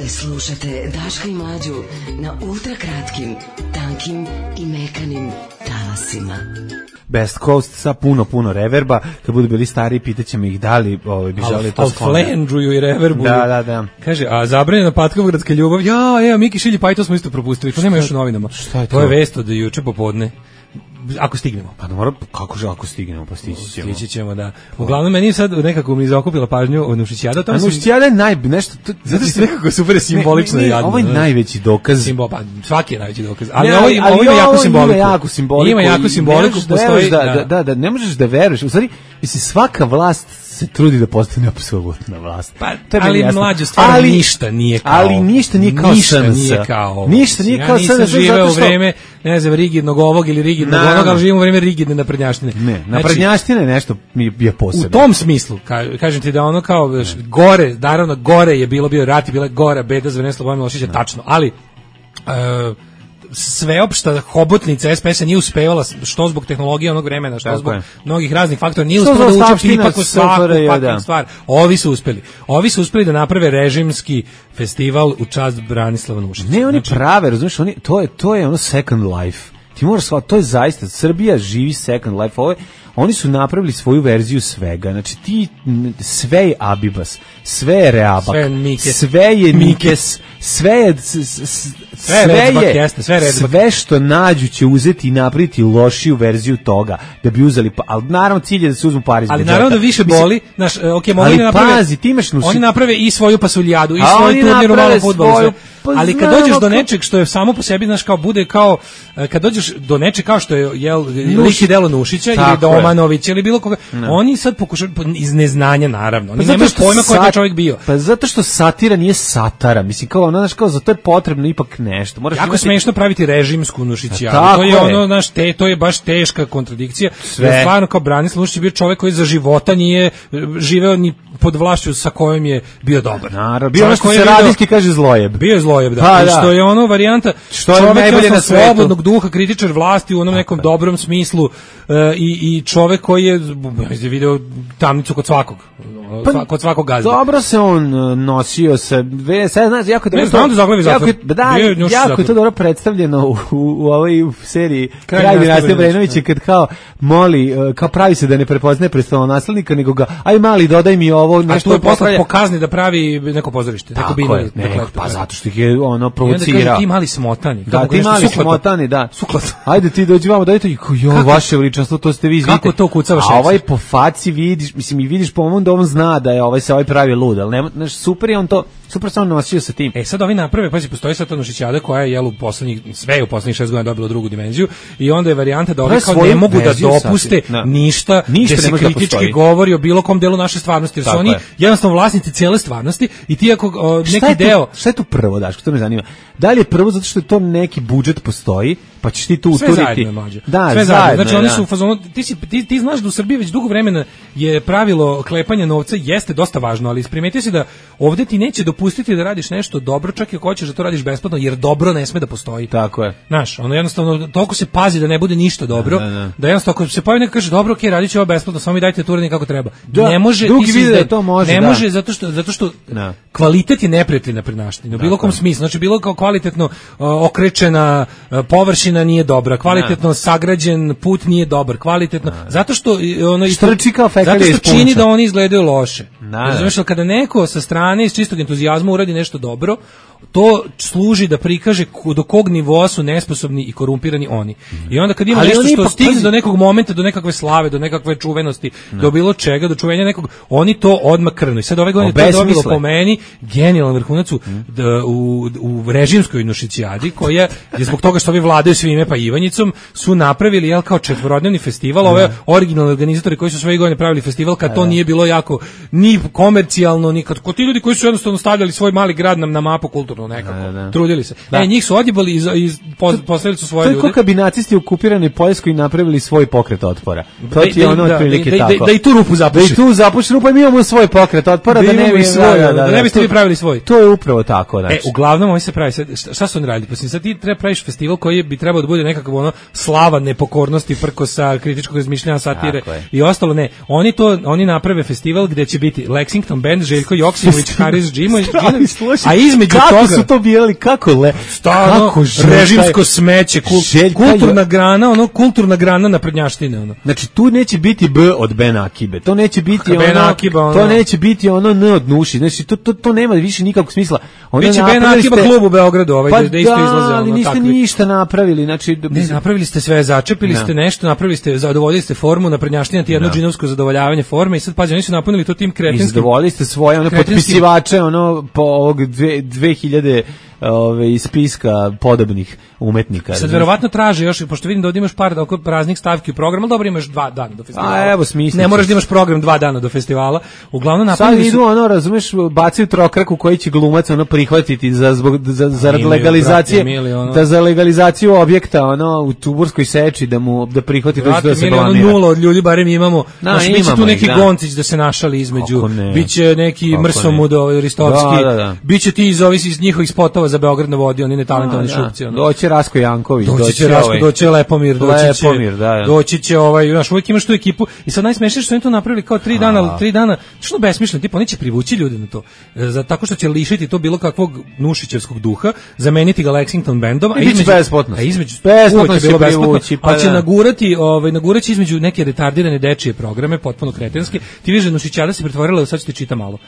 Slušate Daška i Mlađu na ultra kratkim, tankim i mekanim talasima. Best Coast sa puno, puno reverba. Kad budu bili stari, pitaćemo ih da li ovaj, bi želi to skloniti. Al flendruju i reverbu. Da, da, da. Kaže, a zabranjena Patkovogradska ljubav, ja, evo, Miki Šilji, pa i to smo isto propustili. To nema još u novinama. Šta je to? To je vest od juče popodne. Ako stignemo. Pa mora, kako že ako stignemo, pa stići ćemo. Stići ćemo, da. Uglavnom, meni je sad nekako mi zakupila pažnju o Nušićijada. A Nušićijada je naj, nešto... To, zato što je nekako super simbolično i jadno. Ovo je najveći dokaz. Simbol, pa svaki je najveći dokaz. Ali, ne, ovo, ali, ovo, ovo ima jako simboliku. Ima jako simboliku. Ima jako simboliku. Da, postoji, da, da, da, da, ne možeš da veruješ. U stvari, mislim, svaka vlast se trudi da postane apsolutna vlast. Pa, ali mlađe stvarno ali, ništa nije kao. Ali ništa nije kao ništa S N S. Nije kao ovo. Ništa nije ja kao S N S. Ja nisam živeo u vreme, ne znam, rigidnog ovog ili rigidnog onog, ali živim u vreme rigidne naprednjaštine. Ne, naprednjaštine znači, nešto mi je posebno. U tom smislu, ka, kažem ti da ono kao ne. gore, naravno gore je bilo, bio rat i bila gora beda za vreme Slobodana Miloševića, tačno, ali uh, sveopšta hobotnica S P S-a nije uspevala, što zbog tehnologije onog vremena, što tako zbog je. mnogih raznih faktora, nije uspela da učepti ipak u svaku faktor stvar. Ovi su uspeli. Ovi su uspeli da naprave režimski festival u čast Branislava Nušića. Ne, oni znači, prave, razumiješ, oni, to je, to je ono Second Life. Ti moraš shvatiti, to je zaista, Srbija živi Second Life. Ovo je, oni su napravili svoju verziju svega. Znači ti, sve je Abibas, sve je Reabak, sve, Mikes. sve je Mikes, sve je s, s, sve, je, jeste, sve, sve što nađu će uzeti i napraviti lošiju verziju toga, da bi uzeli, pa, ali naravno cilj je da se uzmu pari iz ali budžeta. Naravno da više boli, naš, okay, ali naprave, pazi, ti imaš nusi... Oni naprave i svoju pasuljadu, i svoj turnir u malom fudbalu, pa ali kad dođeš do nečeg što je samo po sebi, znaš, kao bude kao, kad dođeš do nečeg kao što je, jel, lik i delo Nušića ili Domanović ili bilo koga, no. Oni sad pokušaju, iz neznanja naravno, oni pa nemaju pojma ko je taj čovjek bio. Pa zato što satira nije satara, mislim, kao ono, znaš, kao za to je potrebno ipak nešto. Moraš jako imati... smešno praviti režimsku Nušićijadu, to je, je ono, znaš, te, to je baš teška kontradikcija, jer stvarno kao Branislav Nušić je bio čovjek koji za života nije živeo ni pod vlašću sa kojom je bio dobar. Naravno, bio ono što se radijski kaže zlojeb. Bio je zlojeb, da. Pa, I da. što je ono varijanta što je najbolje na svetu. Slobodnog duha, kritičar vlasti u onom nekom dobrom smislu uh, i, i čovek koji je video tamnicu kod svakog. Pa, kod svakog gazda. Dobro se on nosio sa, sad znaš, jako dobro. Ne znam da zaglavi zatvor. Jako, da, jako je to dobro predstavljeno u, u, u ovoj seriji Kraj dinastije Obrenovića, kad kao moli, kao pravi se da ne prepoznaje prestolonaslednika, nego ga, aj mali, dodaj mi ovo, nešto. A tu je poslat po kazni da pravi neko pozorište. Tako binu, je, ne, neko, pa zato što ih je ono provocirao. I onda kaže, ti mali smotani. Da, ti mali smotani, da. Suklat. Ajde ti dođi vamo, dajte, jo, vaše veličanstvo, to ste vi, izvite. Kako to kucavaš? A ovaj po faci vidiš, mislim, i vidiš po ovom da on zna da je ovaj se ovaj pravi lud, ali nema, znaš, super je on to, super se on nosio sa tim. E sad ovi naprave, pazi, postoji sad Nušićijada koja je, jel, u poslednjih, sve u poslednjih šest godina dobila drugu dimenziju i onda je varijanta da ovi kao ne mogu da dopuste no. ništa, ništa gde se kritički da govori o bilo kom delu naše stvarnosti, jer su oni je. jednostavno vlasnici cijele stvarnosti i ti ako o, neki šta deo... Tu, šta je tu prvo, Daško, to me zanima? Da li je prvo zato što je to neki budžet postoji, pa ćeš ti tu uturiti? Sve zajedno, mlađe. Da, sve zajedno. Znači, oni su u fazonu, ti, si, ti, ti znaš da u Srbiji već dugo vremena je pravilo klepanja novca, jeste dosta važno, ali primetio si da ovde ti neće dopustiti da radiš nešto dobro, čak i ako hoćeš da to radiš besplatno, jer dobro ne sme da postoji. Tako je. Znaš, ono jednostavno, toliko se pazi da ne bude ništa dobro, da, da, da. da jednostavno, ako se pojavi neko kaže, dobro, okej, okay, radit ću ovo besplatno, samo mi dajte to uradni kako treba. Da, ne može, drugi vide da to može, ne da. može, zato što, zato što da. kvalitet je neprijatelj na prednaštini, u bilo kom smislu, znači bilo kao kvalitetno uh, okrečena uh, površina nije dobra, kvalitetno sagrađen put nije dobar, kvalitetno, zato što ono isto, zato što čini da oni izgledaju loše. Razumeš, kada neko sa strane iz čistog entuzijazma uradi nešto dobro, to služi da prikaže do kog nivoa su nesposobni i korumpirani oni. I onda kad ima ali nešto što stigne pazi... do nekog momenta, do nekakve slave, do nekakve čuvenosti, no. do bilo čega, do čuvenja nekog, oni to odmah krnu. I sad ove godine to dobilo po meni genijalan vrhunac u, u, u režimskoj Nušićijadi, koja je zbog toga što ovi vladaju svime pa Ivanjicom, su napravili jel, kao četvorodnevni festival, ove originalni organizatori koji su sve godine pravili festival, kad to nije bilo jako ni ni komercijalno, ni kad ti ljudi koji su jednostavno stavljali svoj mali grad na, na mapu kulturno nekako, da, da. trudili se. Da. E, njih su odjebali i, i postavili su svoje ljude. To je kao bi nacisti u okupiranoj Poljskoj napravili svoj pokret otpora. To ti je ono otprilike da, tako. Da, da i tu rupu zapuši. Da i tu zapuši rupu, mi imamo svoj pokret otpora, da, da ne bi svoj, da, da, da ne biste vi pravili svoj. To je upravo tako, znači. E, uglavnom oni se pravi, šta su oni radili? Pa sad ti treba praviš festival koji bi trebao da bude nekakav ono slava nepokornosti, prkosa, kritičkog razmišljanja, satire i ostalo. Ne, oni to oni naprave festival gde će biti Lexington Band, Željko Joksimović, Haris Džimo, a između kako toga su to birali, kako le, stano, kako režimsko smeće, kul, kulturna grana, ono kulturna grana naprednjaštine, ono. Znači tu neće biti B od Ben Akibe, to neće biti ono, ono, Akiba, ono, to neće biti ono N od Nuši, znači to to to nema više nikakvog smisla. Ono biće Ben Akiba klub u Beogradu, ovaj pa da isto izlaze, ali niste takvi. Ništa napravili, znači ne, napravili ste sve, začepili ne. ste nešto, napravili ste, zadovoljili ste formu naprednjaština, ti jedno džinovsko zadovoljavanje forme i sad pađe, oni su napunili to tim kretinskim. Zadovoljili ste svoje ono potpisivače, ono po ovog dve hiljade ove iz spiska podobnih umetnika. Sad verovatno traže još, pošto vidim da ovdje imaš par oko praznih stavki u programu, ali dobro imaš dva dana do festivala. A evo smisli. Ne moraš da imaš program dva dana do festivala. Uglavnom napravili su... Sad idu ono, razumeš, bacaju trokraku koji će glumac ono prihvatiti za zbog za za legalizacije, ono. Da za legalizaciju objekta ono u Tuburskoj seči da mu da prihvati da se blamira. Ono nula od ljudi barem imamo. Znači biće tu neki da. Goncić da se našali između. Biće neki Mrsomudo, Ristovski. Da, da, da. Biće ti iz ovih iz njihovih spotova za Beograd na vodi, oni netalentovani šupci. Ono. Doći Rasko Janković, doći će Rasko, ovaj, doći će Lepomir, doći će, Lepomir, da, da. doći će ovaj, znaš, uvijek imaš tu ekipu i sad najsmešnije što oni to napravili kao tri dana, ali tri dana, što besmišljeno, tipa oni će privući ljude na to, za, tako što će lišiti to bilo kakvog nušićevskog duha, zameniti ga Lexington bandom, a između, a između, besplatno će bilo privući, pa ali će nagurati, ovaj, nagurati između neke retardirane dečije programe, potpuno kretenske, ti vidiš da nušićada se pretvorila, sad ću ti čitam malo.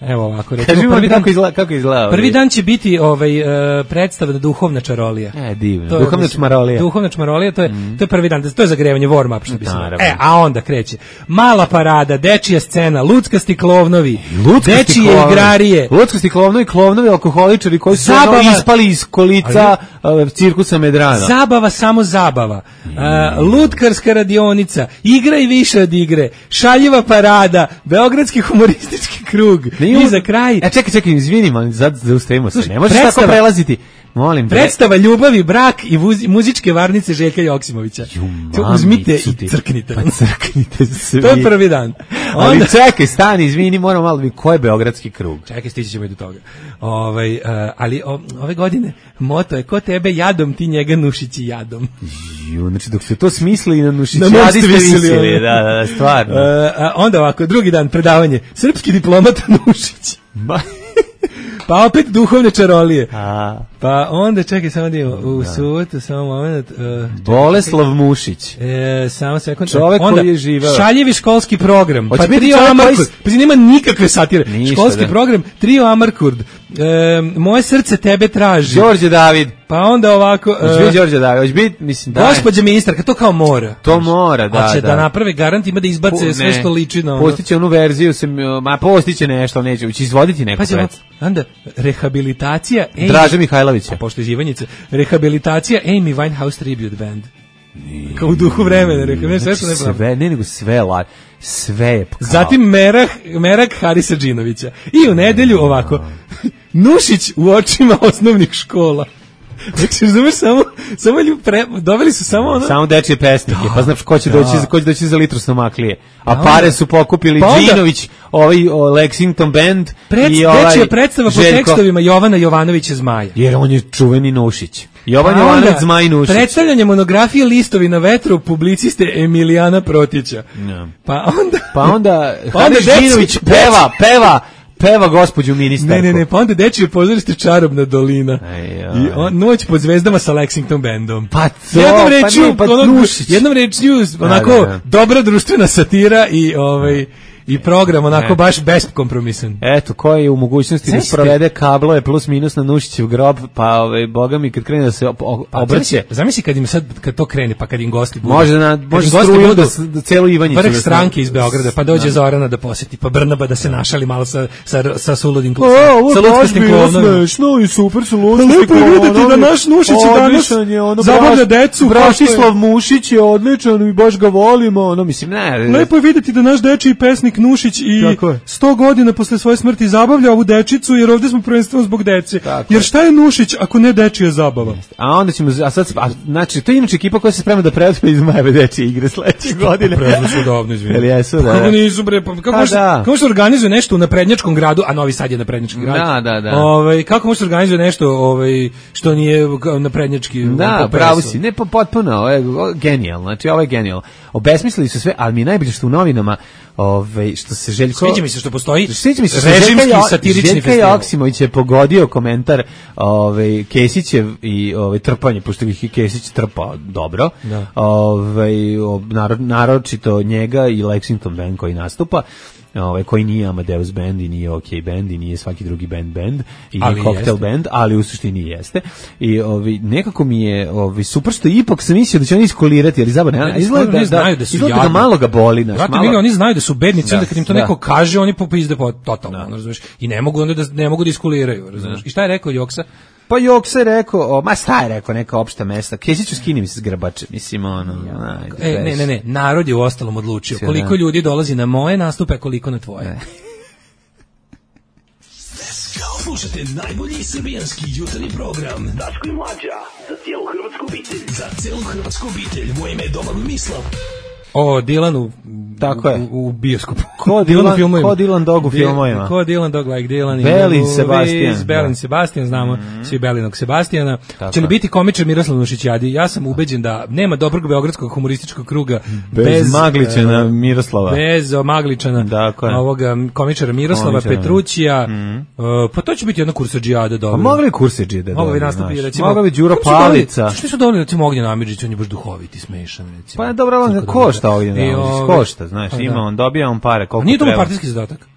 Evo ovako, recimo, prvi dan, kako izgleda, kako izgleda prvi dan će biti ovaj uh, predstava Duhovna čarolija. E, divno. To Duhovna čarolija. Duhovna čarolija, to je mm. to je prvi dan, to je zagrevanje warm up što bi se. E, a onda kreće. Mala parada, dečija scena, luckasti klovnovi, dečije igrarije. Luckasti klovnovi, klovnovi alkoholičari koji su zabava, ispali iz kolica ali, cirkusa Medrana. Zabava, samo zabava. Mm. Uh, lutkarska radionica, igra i više od igre, šaljiva parada, beogradski humoristički krug. I za kraj. E čekaj, čekaj, izvini, man, sad zaustavimo se. Ne možeš tako prelaziti. Molim te. Predstava ljubavi, brak i vuz, muzičke varnice Željka Joksimovića. Ju, uzmite i crknite. Pa crknite svi. To je prvi dan. Onda... Ali čekaj, stani, izvini, moramo malo vidjeti ko je beogradski krug. Čekaj, stići ćemo i do toga. Ovaj, uh, ali o, ove godine moto je ko tebe jadom, ti njega nušići jadom. Ju, znači dok se to smisli na nušići jadi ste visili. Da, da, da, stvarno. Uh, onda ovako, drugi dan, predavanje. Srpski diplomata Nušić. Ba... Pa opet duhovne čarolije. A. Pa onda čekaj samo da imamo u subotu samo moment. Uh, Boleslav Mušić. E, samo sekund. Čovek onda, koji je živeo. Šaljivi školski program. Hoće pa trio Amarkurd. Pa nema nikakve satire. Ništa, školski da. program, trio Amarkurd. E, moje srce tebe traži. Đorđe David. Pa onda ovako. Hoće biti Đorđe David. Hoće biti, mislim, da. Gospođa ministarka, to kao mora. To mora, da. Hoće da, da naprave garant, ima da izbace po, sve što liči na ono. Postiće onu verziju, se, ma postiće nešto, neće, će izvoditi neku predstavu. Onda rehabilitacija Amy, Draže Mihajlovića. Pošto je Živanjica. Rehabilitacija Amy Winehouse Tribute Band. Kao u duhu vremena, rekao, znači, sve, sve, ne nego sve, la, sve je kao. Zatim Merah, Merak Harisa Džinovića. I u nedelju ovako, Nušić u očima osnovnih škola. Znači, razumeš, samo, samo pre, doveli su samo ono... Samo dečije pesnike, da, pa znaš ko će, da. doći, ko će doći za litru snomaklije. A da, pare su pokupili pa Džinović, ovaj o, Lexington Band Pred, i ovaj... Dečija predstava po Željko, tekstovima Jovana Jovanovića Zmaja. Jer on je čuveni Nušić. Jovan Jovanović Zmaj Nušić. Predstavljanje monografije Listovi na vetru publiciste Emilijana Protića. No. Pa onda... Pa onda... Pa onda Džinović peva, peva... Peva gospođu ministarku. Ne, ne, ne, pa onda dečije pozorište Čarobna dolina. I on, noć pod zvezdama sa Lexington bandom. Pa to, jednom rečju, pa, ne, pa ono, jednom rečju, onako, da, da. dobra društvena satira i ovaj... I program onako e. baš beskompromisan. Eto, ko je u mogućnosti Zamisli. da sprovede kablove plus minus na Nušićev grob, pa ovaj boga mi kad krene da se obrće. Pa, zamisli kad im sad kad to krene, pa kad im gosti budu. Može da može struju da, da celu Ivanjicu. Vrh stranke iz Beograda, pa dođe da. Zorana da poseti, pa Brnaba da se našali malo sa sa sa suludim klusom. Sa ludskim klovnom. Smešno i super su ludski. Lepo je videti da naš Nušić danas zabavlja decu. Bratislav Mušić je odličan i baš ga volimo, ono mislim, ne. Lepo je videti da naš dečiji pesnik predsjednik Nušić i sto godina posle svoje smrti zabavlja ovu dečicu, jer ovde smo prvenstveno zbog dece. Tako jer šta je Nušić ako ne dečija zabava? A onda ćemo, a sad, a, znači, to je inače ekipa koja se sprema da preuzme iz Majeve dečije igre sledeće godine. Preuzme su davno, izvinite. Jel jesu, da. Kako nisu, bre, pa kako se kako se organizuje nešto u naprednjačkom gradu, a Novi Sad je naprednjački grad. Da, da, da. Ovaj kako može se organizuje nešto, ovaj što nije naprednjački. Da, pravo si, ne po potpuno, ovo je genijalno. Znači, ovo je genijalno. Obesmislili su sve, ali mi je najbolje što u novinama, ovaj što se Željko sviđa mi se što postoji sviđa mi se što režimski satirični Željko Joksimović je pogodio komentar ovaj Kesićev i ovaj trpanje, pošto ih Kesić trpao dobro. Da. Ovaj narod, naročito njega i Lexington Band koji nastupa. Ovaj koji nije Amadeus band i nije OK band i nije svaki drugi band band i nije Cocktail band, ali u suštini jeste. I ovaj nekako mi je ovaj super što ipak sam mislio da će oni iskolirati, ali zaboravno izgleda da, znaju da su izgleda da malo ga boli, znači malo. Oni znaju da su bednici, onda kad im to neko kaže, oni popizde po totalno, razumeš? I ne mogu onda da ne mogu da iskoliraju, razumeš? I šta je rekao Joksa? Pa Joksa je rekao, o, ma šta je rekao, neka opšta mesta. Kesiću skini mi se s grbače, mislim, ono. E, ne, ne, ne, narod je u ostalom odlučio. Koliko ljudi dolazi na moje nastupe, koliko na tvoje. Slušajte najbolji srbijanski jutarnji program Daško i Mlađa, za cijelu hrvatsku obitelj. Za cijelu hrvatsku obitelj, moje ime je Domagoj Mislav. O Dilanu tako je u, u bioskopu. Ko Dilan, ko Dilan Dog u filmovima. Ko Dilan Dog like Dilan i Belin Sebastian. Belin Sebastian, znamo mm. svi Belinog Sebastijana. Će li biti komičar Miroslav Nušićadi? Ja sam ubeđen da nema dobrog beogradskog humorističkog kruga bez, bez Magličana uh, Miroslava. Bez Magličana. Dakle. Ovoga komičara Miroslava komičara. Petrućija. Mm. Uh, pa to će biti jedna kursadžijada dobro. Pa mogli kursadžijada. Mogli nastupi recimo. Mogli Đuro Palica. Što su dobili recimo Ognjen Amidžić, on je baš duhoviti, smešan recimo. Pa dobro, on košta Ognjen Amidžić, košta, znaš, ima on dobija on pare koliko treba. Nije to mu partijski zadatak.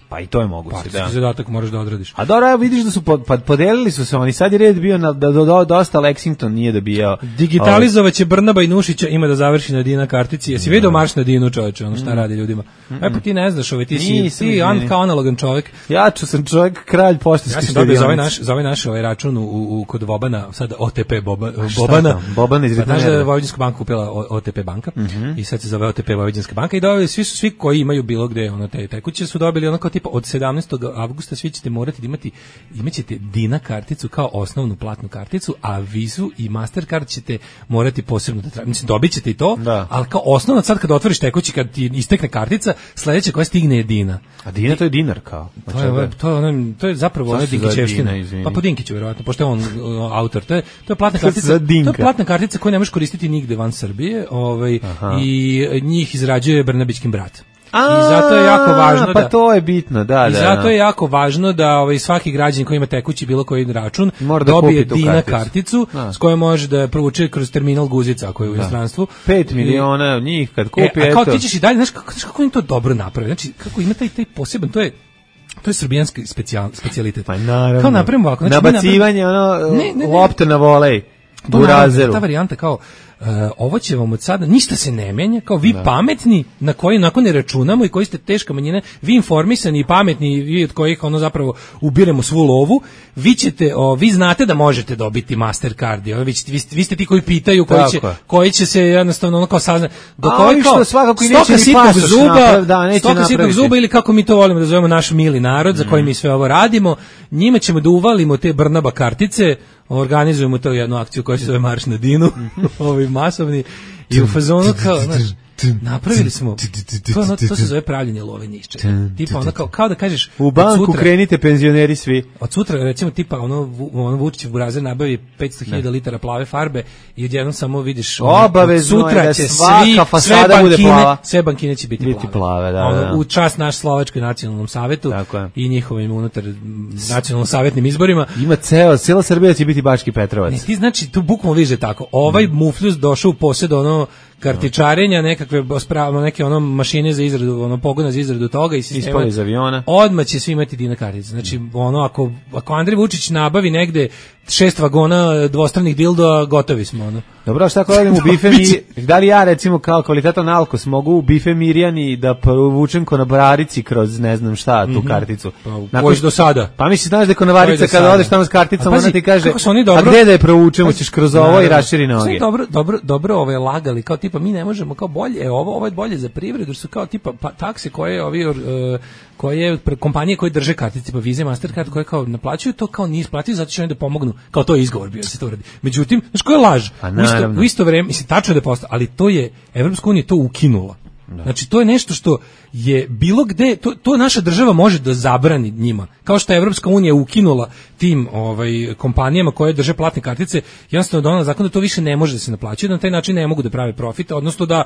Pa i to je moguće, partijski da. Partijski zadatak moraš da odradiš. A dobro, evo vidiš da su pod, pod, podelili su se oni, sad je red bio na, da do, do, dosta Lexington nije dobijao. Digitalizovaće Brnaba i Nušića, ima da završi na Dina kartici. Jesi vidio marš na Dinu, čoveče, ono šta mm. radi ljudima? Mm -mm. E pa ti ne znaš, ove, ti si, Nisam, ti an, kao analogan čovjek. Ja ću sam čovjek, kralj poštanski. Ja sam dobio za ovaj naš, za ovaj naš ovaj račun u, u, kod Vobana, sad O T P Boba, Bobana. Bobana iz Znaš da je Vojvođanska banka kupila O T P banka mm -hmm. i sad se zove O T P Vojvođanska banka i dobili svi su svi koji imaju bilo gde ono te tekuće su dobili ono kao tipa od sedamnaestog avgusta svi ćete morati da imati imaćete Dina karticu kao osnovnu platnu karticu, a Vizu i Mastercard ćete morati posebno da tražite. Mislim, dobit ćete i to, da. Ali kao osnovno sad kad otvoriš tekući, kad ti istekne kartica, sledeća koja stigne je Dina. A Dina to je dinar kao? To je, to je, ono, to je zapravo ona Dinkićevština. Pa po Dinkiću verovatno, pošto je on uh, autor. To je, to je platna kartica. To je platna kartica koju ne možeš koristiti nigde van Srbije, ovaj, i njih izrađuje Brnabićkin brat. A, I zato je jako važno pa da, to je bitno, da, i da. I zato je jako važno da ovaj svaki građanin koji ima tekući bilo koji račun da dobije Dina karticu, karticu da. S kojom može da provuče kroz terminal Guzica koji je u inostranstvu. pet miliona njih kad kupi, e, a kao ti ćeš i dalje, znaš kako, kako im to dobro napravi. Znači kako ima taj taj poseban, to je to je srbijanski specijal specijalitet. Pa naravno. Kao napravimo ovako, znači nabacivanje ono ne, ne, ne, lopta na volej. Burazeru. Ta varijanta kao Uh, ovo će vam od sada, ništa se ne menja, kao vi da. Pametni, na koji nakon ne računamo i koji ste teška manjina, vi informisani i pametni, vi od kojih ono zapravo ubiremo svu lovu, vi ćete, o, vi znate da možete dobiti Mastercard, o, vi, ćete, vi, ste, vi ste ti koji pitaju, koji će, koji će se jednostavno ono kao saznati, do koji kao svakako i stoka sitnog zuba, naprav, da, stoka sitnog zuba ili kako mi to volimo da zovemo naš mili narod, mm. za koji mi sve ovo radimo, njima ćemo da uvalimo te Brnaba kartice, organizujemo to jednu akciju koja se zove Marš na Dinu, ovi masovni, i u fazonu kao, znaš, napravili smo, to, ono, to se zove pravljenje love nišće. Tipa ono kao, kao da kažeš, u banku sutra, krenite penzioneri svi. Od sutra, recimo, tipa ono, ono Vučićev burazer nabavi petsto hiljada litara plave farbe i odjednom samo vidiš, ono, obavezno sutra je da će svaka svi, fasada sve bude plava. Bankine, sve bankine će biti, biti plave. plave da, ono, da. U čast naš Slovačkoj nacionalnom savetu i njihovim unutar nacionalno savjetnim izborima. Ima ceo, cijela Srbija će biti Bački Petrovac. Ne, ti znači, tu bukvalno viže tako. Ovaj mm. mufljus došao u posjed ono kartičarenja, nekakve spravno neke ono mašine za izradu, ono pogona za izradu toga i sistema. Ispali iz aviona. Odmah će svi imati Dina kartice. Znači, ono, ako, ako Andrej Vučić nabavi negde šest vagona dvostranih dildoa, gotovi smo, ono. Dobro, šta ako odem u bife mi, da li ja recimo kao kvalitetan alkos mogu u bife Mirjani da provučem konobarici kroz ne znam šta, tu mm-hmm. karticu? Pa, koji do sada? Pa misli, znaš da je konobarica kada odeš tamo s karticom, ona ti kaže, a gde da je provučemo, ćeš kroz ovo i raširi noge. Dobro, dobro, dobro ove lagali, kao tipa mi ne možemo, kao bolje, e, ovo, ovo je bolje za privredu, su kao tipa pa, takse koje ovi... Uh, koje kompanije koje drže kartice pa Visa, Mastercard koje kao naplaćuju to kao nije isplatio zato što oni da pomognu, kao to je izgovor bio da se to uradi. Međutim, znači koja je laž? U isto, u isto vreme, mislim tačno je da postoji, ali to je Evropska unija to ukinula. Da. Znači to je nešto što je bilo gde, to, to naša država može da zabrani njima. Kao što je Evropska unija ukinula tim ovaj kompanijama koje drže platne kartice, jednostavno donela zakon da to više ne može da se naplaćuje, da na taj način ne mogu da prave profit, odnosno da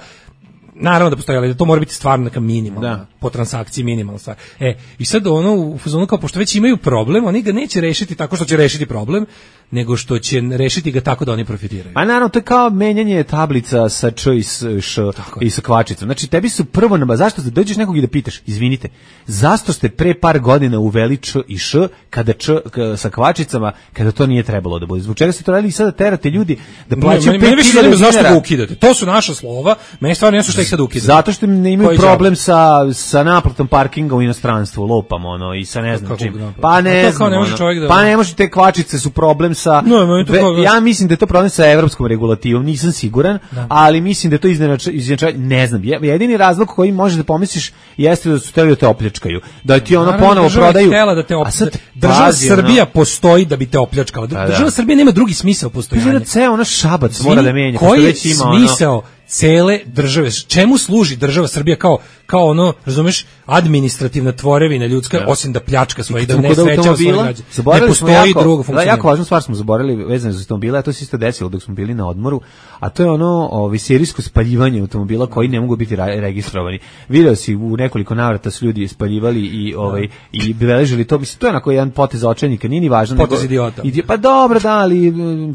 naravno da postoji, ali da to mora biti stvarno neka minimalna, da. Po transakciji minimalna stvar. E, i sad ono, u fazonu kao, pošto već imaju problem, oni ga neće rešiti tako što će rešiti problem, nego što će rešiti ga tako da oni profitiraju. Pa naravno, to je kao menjanje tablica sa č i s š i sa kvačicom. Znači, tebi su prvo, na, zašto da dođeš nekog i da pitaš, izvinite, zašto ste pre par godina uveli č i š, kada č k, sa kvačicama, kada to nije trebalo da bude? Zbog čega ste to radili i sada terate ljudi da plaćaju pet hiljada dinara? Zašto ga ukidate? To su naša slova, meni stvarno nešto što ih sad ukidate. Zato što ne imaju problem sa, sa naplatom parkinga u inostranstvu, lopam ono, i sa ne znam čim. Pa ne znam, ono, da... pa ne može, te kvačice su problem sa... No, Ve, ja mislim da je to problem sa evropskom regulativom, nisam siguran, da. Ali mislim da je to izjednačavanje, ne znam, jedini razlog koji možeš da pomisliš jeste da su hteli da te opljačkaju, da ti ono ponovo prodaju. Da te op... sad, država pazi, Srbija ono... postoji da bi te opljačkala. Država da. Srbija nema drugi smisao postojanja. Da ceo ono Šabac Zvi, mora da menja. Koji je smisao ono... cele države? Čemu služi država Srbija kao kao ono, razumeš, administrativna tvorevina ljudska, ja. Osim da pljačka svoje, da ne sreća svoje građane. Ne postoji drugo funkcioniranje. Jako važnu stvar smo zaboravili vezano za automobile, a to se isto desilo dok smo bili na odmoru, a to je ono ovi serijsko spaljivanje automobila koji ne mogu biti registrovani. Video si u nekoliko navrata su ljudi spaljivali i ovaj i beležili to, mislim to je onako jedan potez očajnika, nije ni važno. Potez idiota. I, pa dobro, da, ali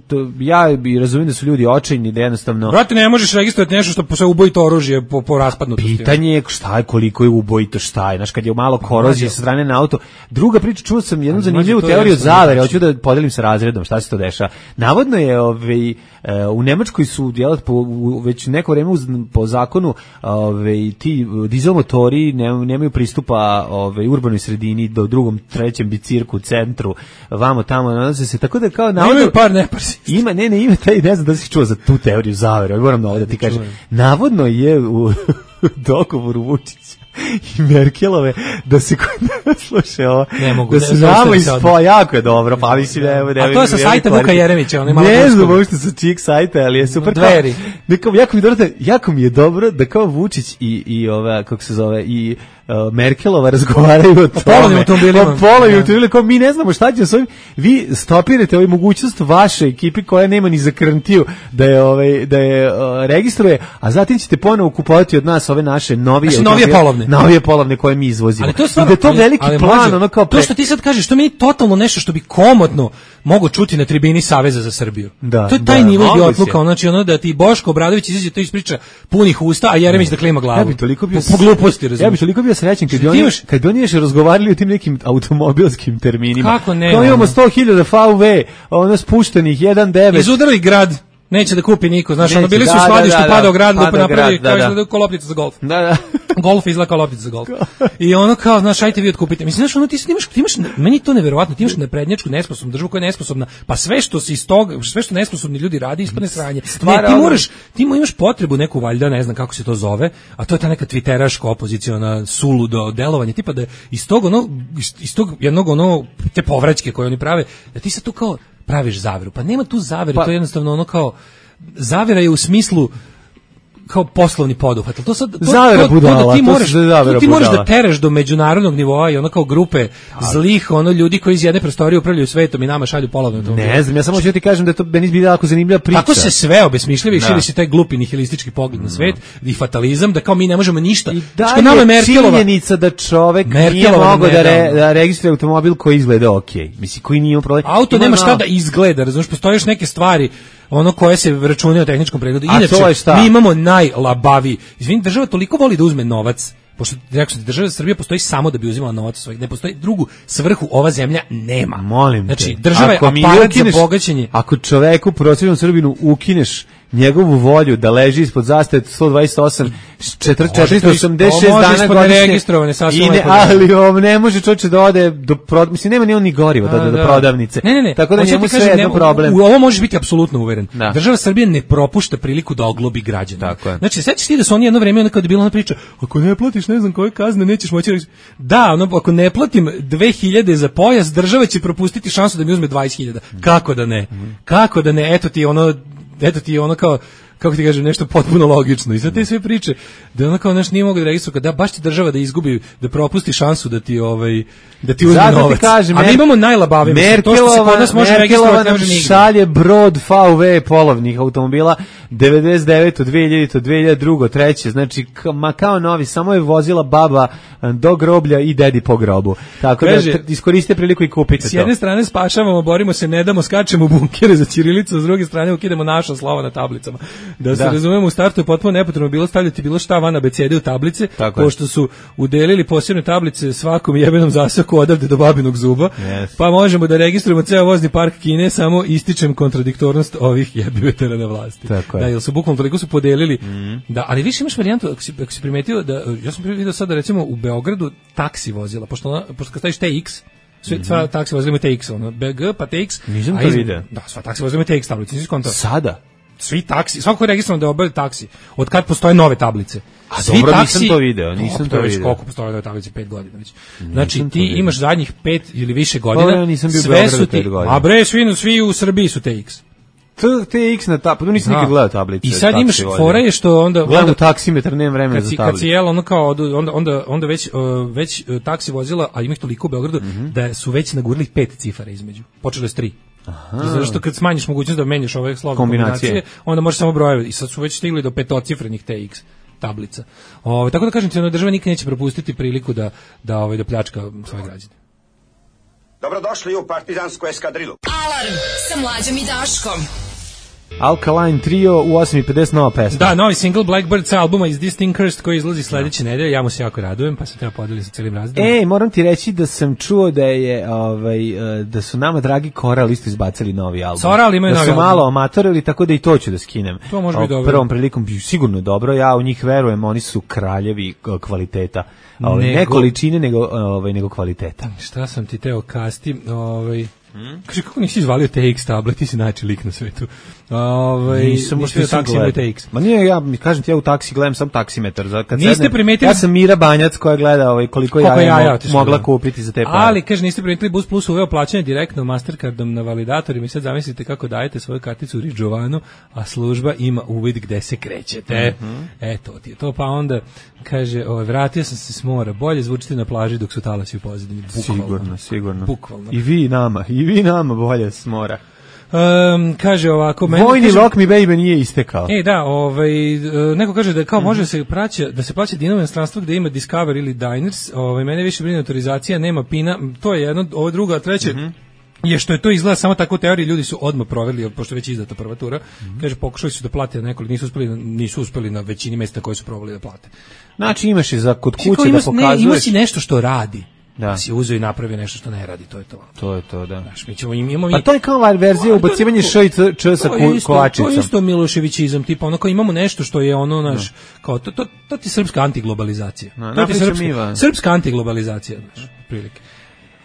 to, ja bi razumijem da su ljudi očajni, da jednostavno. Brate, ne možeš registrovati nešto što se ubojito oružje po, po raspadnutosti. Pitanje je šta je, koliko je ubojito, šta je, znaš, kad je malo korozije sa strane na auto. Druga priča, čuo sam jednu zanimljivu teoriju zavere, hoću da podelim sa razredom šta se to dešava. Navodno je ovaj, u Nemačkoj su djelat po, već neko vreme uz, po zakonu ovaj, ti dizel motori ne, nemaju pristupa ovaj, urbanoj sredini do drugom, trećem bicirku, centru, vamo tamo, nalaze se, tako da kao navodno... Imaju par neparsi. Ima, ne, ne, ima taj, ne znam da si čuo za tu teoriju zavere, moram da ovdje da ti kažem. Navodno je u dogovoru Vučića i Merkelove da se kod nas sluša ovo, da se nama ispo, jako je dobro, pa mislim evo, a to je sa sajta Vuka Jeremića, on je malo ne znam uopšte sa čijeg sajta, ali je super. Dveri. Kao, jako, mi dobro, jako mi je dobro da kao Vučić i, i ova, kako se zove, i uh, Merkelova razgovaraju o tome. Polovnim automobilima. O polovnim automobilima, kao mi ne znamo šta će s ovim, vi stopirate ovaj mogućnost vaše ekipi koja nema ni za garantiju da je, ovaj, da je uh, registruje, a zatim ćete ponovo kupovati od nas ove naše novije, znači, novije polovne. Novije polovne koje mi izvozimo. Ali to je stvarno, I da je to ali, veliki ali, plan, mlađe, ono kao pre... To što ti sad kažeš, to mi je totalno nešto što bi komotno mogo čuti na tribini Saveza za Srbiju. Da, to je taj da, nivo idiotluka, znači ono da ti Boško Obradović izađe to ispriča punih usta, a Jeremić da klima glavu. Ja bi toliko bio po, po gluposti, razumiješ. Ja bi toliko bio srećan kad bi oni imaš, kad bi oni još razgovarali o tim nekim automobilskim terminima. Kako ne? Kao imamo sto hiljada F U V, ono spuštenih jedan devet. Izudarali grad. Neće da kupi niko, znaš, ono bili su u skladištu, da, da, padao grad, lupo napravi, kao izgleda kao loptica za golf. Da, da. Golf izgleda kao loptica za golf. I ono kao, znaš, ajte vi otkupite. Mislim, znaš, ono ti imaš, ti imaš, meni je to neverovatno, ti imaš naprednjačku, nesposobnu državu koja je nesposobna, pa sve što se iz toga, sve što nesposobni ljudi radi, ispadne sranje. Ne, ti moraš, ti imaš potrebu neku valjda, ne znam kako se to zove, a to je ta neka twitteraška opoziciona suludo delovanje, tipa da iz tog ono, iz tog jednog ono, te povraćke koje oni prave, da ti se tu kao praviš zaveru. Pa nema tu zavere, pa, to je jednostavno ono kao zavera je u smislu kao poslovni poduhvat. To sad to, zavera to, budala, to da ti to moraš, zavera ti moraš da tereš do međunarodnog nivoa i ono kao grupe zlih, ono ljudi koji iz jedne prostorije upravljaju svetom i nama šalju polovne automobile. Ne znam, ja samo hoću ti kažem da je to meni bi jako zanimljiva priča. Tako se sve obesmišljava i širi se taj glupi nihilistički pogled na svet i fatalizam da kao mi ne možemo ništa. I da je činjenica da čovek nije mogao da, re, da registruje automobil koji izgleda okej. Okay. Mislim, koji nije problem. Auto nema šta da izgleda, razumiješ, postoje još neke stvari ono koje se računaju o tehničkom pregledu. Inače, mi imamo najlabaviji. Izvini, država toliko voli da uzme novac pošto rekao sam, država Srbija postoji samo da bi uzimala novac svojih, ne postoji drugu svrhu ova zemlja nema. Molim znači, te. država je aparat za bogaćenje. Ako čoveku, prosječnom Srbinu, ukineš njegovu volju da leži ispod zastave sto dvadeset osam četiristo osamdeset šest dana godišnje i ne, ali on ne može čovječe da ode do prod... mislim nema ni on ni gorivo da, da, do prodavnice, ne, ne, ne. tako da Hoće njemu ti sve kažem, jedno ne, problem. U, u ovo možeš biti apsolutno uveren. Da. Država Srbije ne propušta priliku da oglobi građane. Tako je. Znači, sećaš ti da su oni jedno vreme, ono kada je bila ona priča, ako ne platiš ne znam koje kazne, nećeš moći. Da, ono, ako ne platim dve hiljade za pojas, država će propustiti šansu da mi uzme dvadeset hiljada. Kako da ne? Kako da ne? Eto ti ono, eto ti ono kao, kako ti kažem, nešto potpuno logično. I sad te sve priče, da ono kao naš nije mogu da registruje, da baš ti država da izgubi, da propusti šansu da ti ovaj da ti uzme Zato novac. Ti kažem, a mi imamo najlabavije. To što se kod nas može registrovati, ne može nigde. Šalje brod V W polovnih automobila devedeset devete, dve hiljade, dve hiljade dva, treće, znači ma kao novi, samo je vozila baba do groblja i dedi po grobu. Tako Kaže, da iskoristite priliku i kupite to. S jedne strane spašavamo, borimo se, ne damo, skačemo u bunkere za ćirilicu, s druge strane ukidamo naša slova na tablicama. Da se da. razumemo, u startu je potpuno nepotrebno bilo stavljati bilo šta van abecede u tablice, tako pošto je. su udelili posebne tablice svakom jebenom zasaku odavde do babinog zuba, yes. pa možemo da registrujemo ceo vozni park Kine, samo ističem kontradiktornost ovih jebivetera na vlasti. Tako da, je. jel su bukvalno toliko su podelili, mm. da, ali više imaš varijantu, ako si, ako si primetio, da, ja sam vidio sada recimo u Beogradu taksi vozila, pošto, ona, pošto kad staviš T X, sve, sva mm-hmm. taksi vozila imaju T X, ono, B G pa T X. Nisam to vidio. Da, sva taksi vozila imaju T X tablice, nisi konta. Sada? Svi taksi, svako je registrovan da obavlja taksi, od kad postoje nove tablice. A svi dobro, taksi, nisam to video, nisam to video. Koliko postoje nove tablice? Pet godina već. Znači, ti imaš zadnjih pet ili više godina, ja nisam bio sve su ti, a bre, svi, svi u Srbiji su T X. T X na tablicu, nisam nikad gledao tablice. I sad imaš fora je što onda... Gledam u taksimetar, nemam vremena za tablicu. Kad si jel, ono kao, onda, onda, onda već, uh, već uh, taksi vozila, a ima ih toliko u Beogradu, mm-hmm. da su već nagurili pet cifara između. Počelo je s tri. Aha. Zato što kad smanjiš mogućnost da menjaš ove slovne kombinacije, kombinacije, onda možeš samo brojeve. I sad su već stigli do petocifrenih T X tablica. Ove, tako da kažem ti, država nikad neće propustiti priliku da, da, ovaj, da pljačka svoje građane. Dobrodošli u partizansku eskadrilu. Alarm sa Mlađom i Daškom. Alkaline Trio u osam i pedeset nova pesma. Da, novi single Blackbird sa albuma Is This Thing Cursed koji izlazi sledeće no. nedelje. Ja mu se jako radujem, pa se treba podeliti sa celim razredom. Ej, moram ti reći da sam čuo da je ovaj da su nama dragi Koral isto izbacili novi album. Koral imaju da novi su album. malo amatorili, tako da i to ću da skinem. To može biti dobro. Prvom prilikom sigurno dobro. Ja u njih verujem, oni su kraljevi kvaliteta. Ovaj nego, ne količine nego ovaj nego kvaliteta. Šta sam ti teo kasti, ovaj Hmm? Kaže, kako nisi izvalio T X tablet, ti si najči lik na svetu. Ove, nisam nisi u taksi imaju T X. Ma nije, ja mi kažem ti, ja u taksi gledam sam taksimetar. Za, kad niste sednem, primetili... Ja sam Mira Banjac koja gleda ovaj, koliko, koliko ja, ja, ja mo, mogla kupiti za te pare. Ali, kaže, niste primetili, Bus Plus uveo plaćanje direktno Mastercardom na validatorima i sad zamislite kako dajete svoju karticu u Ridžovanu, a služba ima uvid gde se krećete. Mm-hmm. Eto ti je to, pa onda kaže, ovaj, vratio sam se s mora, bolje zvučite na plaži dok su talasi u pozadini. Sigurno, sigurno. Bukvalno. I vi nama, i vi nama bolje s mora. Um, kaže ovako, meni vojni kaže, Rock Me Baby nije istekao. E da, ovaj neko kaže da kao mm-hmm. može se plaća da se plaća dinamo inostranstvo gde ima Discover ili Diners, ovaj mene više brine autorizacija, nema pina, to je jedno, ovo drugo, a treće mm-hmm. je što je to izgleda samo tako u teoriji, ljudi su odmah proverili pošto je već izdata prva tura. Mm-hmm. Kaže pokušali su da plate nekoliko, nisu uspeli nisu uspeli na većini mesta koje su probali da plate. Znači imaš i za kod kuće da pokazuješ. Ne, ima si nešto što radi. Da. Si uzeo i napravio nešto što ne radi, to je to. To je to, da. Znaš, mi ćemo im imamo. Pa to je kao verzija ubacivanje š i č sa kovačicom. To je isto Miloševićizam, tipa ono kao imamo nešto što je ono naš, kao to to to ti srpska antiglobalizacija. No, to ti srpska, srpska antiglobalizacija, znaš, prilike.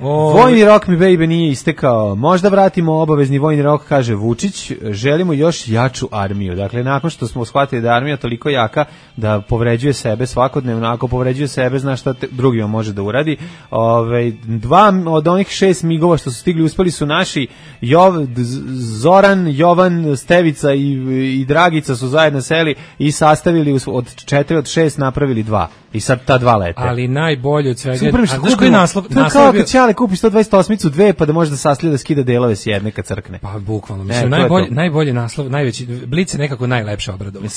O... Vojni rok mi baby nije istekao. Možda vratimo obavezni vojni rok, kaže Vučić. Želimo još jaču armiju. Dakle, nakon što smo shvatili da je armija toliko jaka da povređuje sebe svakodnevno, ako povređuje sebe, zna šta te, drugima može da uradi. Ove, dva od onih šest migova što su stigli uspeli su naši Jov, Zoran, Jovan, Stevica i, i Dragica su zajedno seli i sastavili od četiri od šest napravili dva. I sad ta dva lete. Ali najbolje od svega... A znaš koji naslov? To je kao kad Ćale kupi sto dvadeset osmicu dve pa da može da saslije da skida delove s jedne kad crkne. Pa bukvalno. Mislim, najbolji, najbolji naslov, najveći, Blic je nekako najlepše obradovao.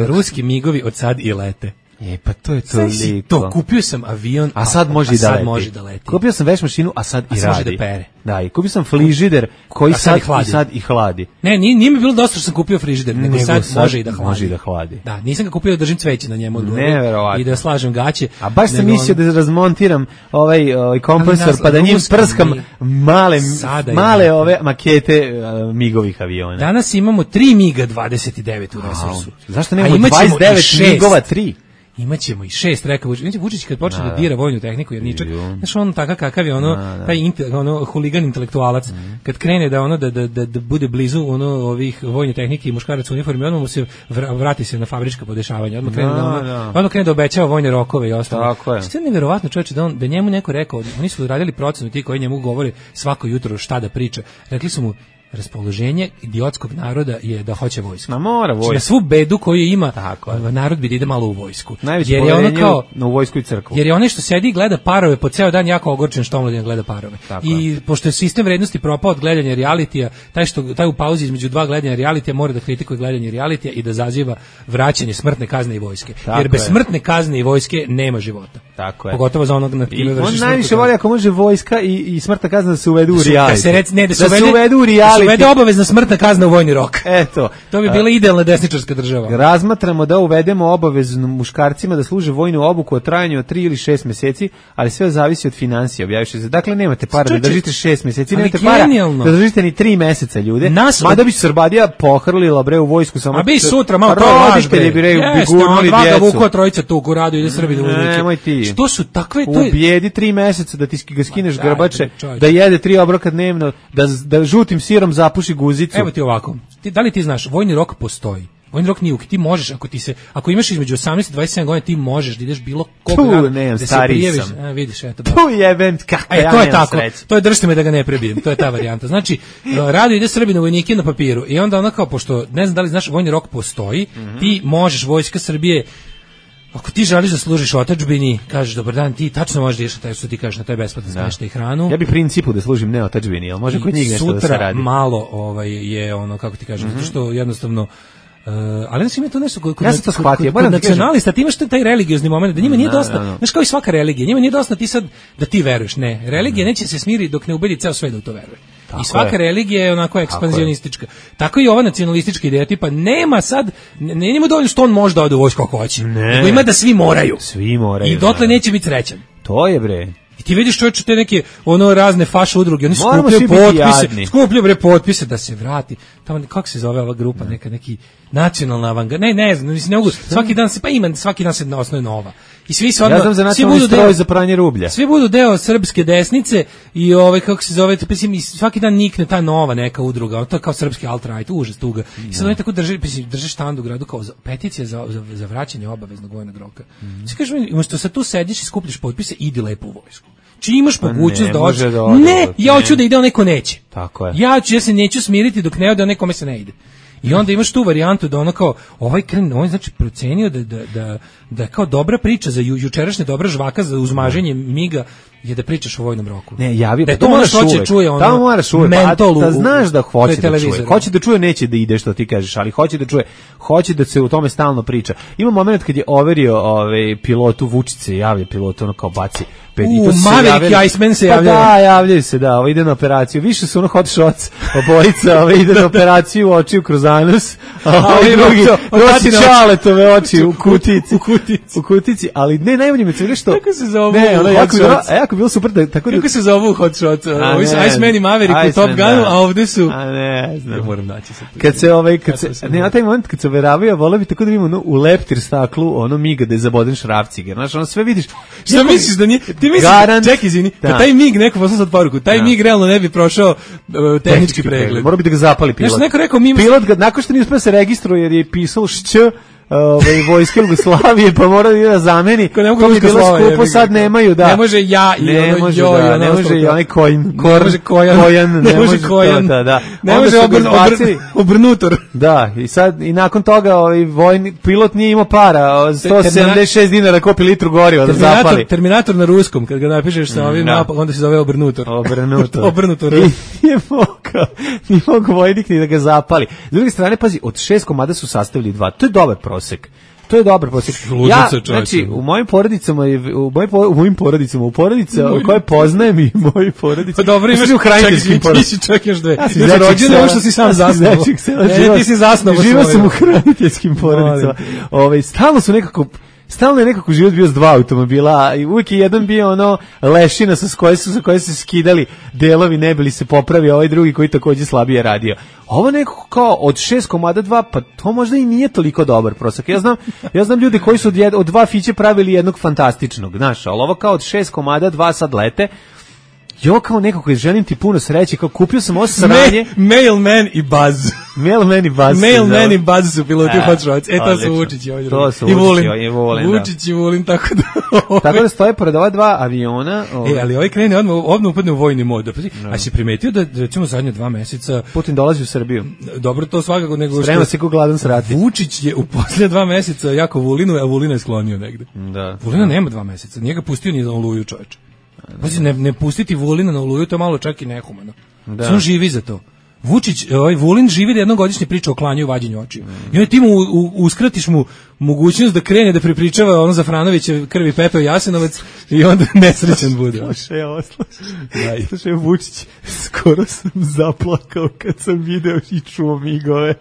Ruski migovi od sad i lete. E, pa to je Znaš si toliko. to, kupio sam avion, a sad može i da sad leti. može da leti. Kupio sam veš mašinu, a sad A i sad može radi. da pere. Da, i kupio sam frižider koji A sad sad, i hladi. i sad i hladi. Ne, nije, nije mi bilo dosta što sam kupio frižider, nego, Nego sad, sad može i da hladi. može i da hladi. Da, nisam ga kupio da držim cveće na njemu odgore Neverovatno. i da slažem gaće. A baš sam nego mislio ono- da razmontiram ovaj, ovaj kompresor, Ali nas- pa da njim ruska prskam mi- male, Sada je male tako. ove makete uh, migovih aviona. Danas imamo tri miga dvadeset devet u resursu. Zašto A nemamo imaćemo i dvadeset devet šest. migova tri? Imaćemo i šest, rekao Vučić. Vidite, Vučić kad počne da, Da, dira vojnu tehniku, jer ničak, znaš, on takav kakav je, ono, Da, da. taj inte, ono, huligan intelektualac, kad krene da ono, da, da, da, da bude blizu ono, ovih vojne tehnike i muškarac u uniformi, odmah mu se vra- vrati se na fabrička podešavanja, odmah krene da, Da, ono, da. odmah krene da obećava vojne rokove i ostalo. Tako je. Sve je nevjerovatno, čoveče, da, on, da njemu neko rekao, oni su radili procenu ti koji njemu govore svako jutro šta da priča, rekli su mu, raspoloženje idiotskog naroda je da hoće vojsku. Ma mora Znači, na vojska. svu bedu koju ima, Tako je. narod bi da ide malo u vojsku. Najveće jer je ono poverenje kao, u- u vojsku i crkvu. jer je onaj što sedi i gleda parove po ceo dan jako ogorčen što omladina gleda parove. Tako I pošto je sistem vrednosti propao od gledanja realitija, taj što taj u pauzi između dva gledanja realitija mora da kritikuje gledanje realitija i da zaziva vraćanje smrtne kazne i vojske. Tako jer bez je. smrtne kazne i vojske nema života. Tako je. Pogotovo za onog na I kime on vršiš najviše smrtnu voli kaznu. ako može vojska i, i smrtna kazna da se uvedu u Da su- reality. Da se rec, ne, da se, da se uvede, uvedu u da se reality. uvede obavezna smrtna kazna u vojni rok. Eto. To bi a, bila idealna desničarska država. Razmatramo da uvedemo obavezno muškarcima da služe vojnu obuku o trajanju od tri ili šest meseci, ali sve zavisi od finansija, objaviše se. Dakle, nemate para da Čoče, držite šest meseci, ali nemate para genijalno. da držite ni tri meseca, ljude. Nas- Mada bi Srbadija pohrlila bre u vojsku samo. A bi sutra malo to je vaš roditelji bi re, bi Jeste, gurnuli on Draga djecu. Vukova trojica tu u radu ide Srbi da vojnike. Nemoj ti. Što su takve, to je... Ubijedi tri meseca da ti ski- ga skineš Ma, daj, grbače, čovječe. da jede tri obroka dnevno, da, da žutim sirom zapuši guzicu. Evo ti ovako. Ti, da li ti znaš, vojni rok postoji. Vojni rok nije uk, ti možeš, ako ti se, ako imaš između osamnaest i dvadeset sedam godina, ti možeš da ideš bilo kog Tu, rada, nemam, da se stariji prijaviš. sam. A, vidiš, eto. Tu jebem, kako E, ja to je nemam tako, sreće. to je držite me da ga ne prebijem, to je ta varijanta. Znači, rado ide Srbi na vojnike na papiru i onda ono kao, pošto, ne znam da li znaš, vojni rok postoji, Mhm. ti možeš, vojska Srbije, ako ti želiš da služiš otadžbini, kažeš dobar dan, ti tačno možeš da ideš na taj, što ti kažeš, na taj besplatan smeštaj i hranu. Ja bih principu da služim ne otadžbini, jel može kod njih nešto da se Sutra radi? malo ovaj, je ono, kako ti kažem, zato što jednostavno Uh, ali znači ima to nešto kod, kod, Ja sam to kod- shvatio, kod- moram kod ti kažem. nacionalista, ti imaš taj religiozni moment, da njima nije Da, dosta, da, da. znaš kao i svaka religija, njima nije dosta ti sad da ti veruješ, ne, religija neće se smiriti dok ne ubedi ceo svet da u to veruje. Tako I svaka je. religija je onako ekspanzionistička. Tako i ova nacionalistička ideja, tipa nema sad, ne, ne njima dovoljno što on može da ode u vojsku ako hoće, Ne. nego ima da svi moraju. Svi moraju. I dotle da. neće biti srećan. To je bre. I ti vidiš čovječe te neke ono razne faše udruge, oni Moramo skupljaju svi biti potpise, jadni. skupljaju bre potpise da se vrati. Tamo kako se zove ova grupa, neka neki nacionalna avangarda. Ne, ne znam, mislim ne mogu. Svaki dan se pa ima, svaki dan se na osnovi nova. I svi se Ja odmah, znam za svi nacionalni budu stroj deo, za pranje rublja. svi budu deo srpske desnice i ovaj kako se zove, mislim i svaki dan nikne ta nova neka udruga, to je kao srpski alt-right, užas tuga. I sad oni tako drže, mislim, drže štand u gradu kao za, peticija za, za, za vraćanje obaveznog vojnog roka. Mm. Sve kažeš, umesto sad tu sediš i skupljaš potpise, idi lepo u vojsku. Či imaš Pa mogućnost ne, da može hoćeš. da ode, Ne, ja ne. hoću da ide, on neko neće. Tako je. Ja ću, ja se neću smiriti dok ne ode, a nekome se ne ide. I onda imaš tu varijantu da ono kao ovaj kren, on je znači procenio da da da da je kao dobra priča za ju, jučerašnja dobra žvaka za uzmaženje miga je da pričaš o vojnom roku. Ne, javi, da je pa to to ono moraš što hoće uvek. čuje ono. Tamo moraš uvek, pa, mentol u- da znaš da hoće pred da čuje. televizorom. Hoće da čuje, neće da ide što ti kažeš, ali hoće da čuje. Hoće da se u tome stalno priča. Ima moment kad je overio ovaj pilotu Vučice, javlja pilotu ono kao baci pet U, i to su se Maverick javljali- i Iceman se Pa javljaju. da, javljaju se, da, ovo ide na operaciju. Više su ono hot shots, obojica, ovo ide na operaciju očiju kroz anus, a ovaj ovaj drugi to- od nosi tatine oči. čaletove oči u kutici. U kutici. U kutici, ali ne, najbolje mi se što... Kako se zovu Ne, ono, hot jako, je bilo- shots? a jako je bilo super da, tako da... Kako se zovu hot shot? A Ovi su ne, Iceman i Maverick u Iceman, Top Gunu, da. a ovde su... A ne, znam. Ja moram naći sad. Kad se ovaj kad se Ja sam ne na taj moment kad se veravaju, vole bi tako da vidimo ono, u leptir staklu ono miga da je zaboden šrafciger. Znaš, ono sve vidiš. Šta misliš da nije? Ti misliš, Garant. čekaj, izvini, Da. da taj mig neko poslao sad poruku, taj Da. mig realno ne bi prošao uh, tehnički pregled. Mora bi da ga zapali pilot. Znaš, neko rekao, mi- Pilot ga, nakon što nije uspeo se registruje jer je pisalo šć, ovaj vojske Jugoslavije, pa mora da ide da zameni. Ko ne mogu To bi ruska bilo slova, skupo, jebi ga. sad nemaju, da. Ne može ja i ne ono može, joj, da, ono ne može ostalo i kao- onaj kojn, Ne kor, može kojan, kojan, ne može to, kojan, da, da. ne Onda može su ga obrn, izbacili. obrn, obrnutor. Da, i sad i nakon toga ovaj vojni pilot nije imao para, sto sedamdeset šest dinara kopi litru goriva da Terminator, zapali. Terminator na ruskom, kad ga napišeš sa ovim da. napak, onda se zove obrnutor. Obrnuto. Obrnutor. I nije mogao, nije mogao vojnik ni da ga zapali. S druge strane, pazi, od šest komada su sastavili dva. To je dobar prosek. To je dobar prosjek. Ja, znači, u mojim porodicama, u mojim, u mojim porodicama, u porodicama koje poznajem i moji porodice. Pa dobro, imaš u hraniteljskim porodicama. Ti si čak još dve. Ja si rođen, ovo što si sam zasnao. E, ti si zasnao. Živao sam u hraniteljskim porodicama. Ove, stalno su nekako... Stalno je nekako život bio s dva automobila i uvijek je jedan bio ono lešina sa koje su, sa koje su skidali delovi, ne bili se popravio, ovaj drugi koji takođe slabije radio. Ovo nekako kao od šest komada dva, pa to možda i nije toliko dobar prosek. Ja znam, ja znam ljude koji su od, jed, od dva fiće pravili jednog fantastičnog, znaš, ali ovo kao od šest komada dva sad lete. Jo, kao nekako želim ti puno sreće, kao kupio sam ovo sranje. Me, Mailman i Buzz. Mailman i Buzz. Mailman i Buzz su piloti u Hot Rods. E, to su Vučić i ovdje. To su Vučić i Vulin. Vučić i Vulin, tako da... Tako da stoje pored ova dva aviona. Ove. E, ali ovaj krene odmah, odmah upadne u vojni mod. No. A si primetio da, recimo, zadnje dva meseca... Putin dolazi u Srbiju. Dobro, to svakako nego... Sprema se ko gladan srati. Vučić je u poslije dva meseca jako Vulinu, a Vulina je sklonio negde. Da. Vulina nema dva meseca. Nije ga pustio ni za Oluju, čoveče. Pazi, ne, ne pustiti Vulina na Oluju, to je malo čak i nehumano. Da. On živi za to. Vučić, ovaj Vulin živi da jednogodišnje priča o klanju i vađenju očiju. Mm. I onda ti mu u, u, uskratiš mu mogućnost da krene da prepričava ono za Franovića krvi Pepeo Jasenovac i onda nesrećan bude. Slušaj, ovo slušaj. Slušaj, Vučić, skoro sam zaplakao kad sam video i čuo migove.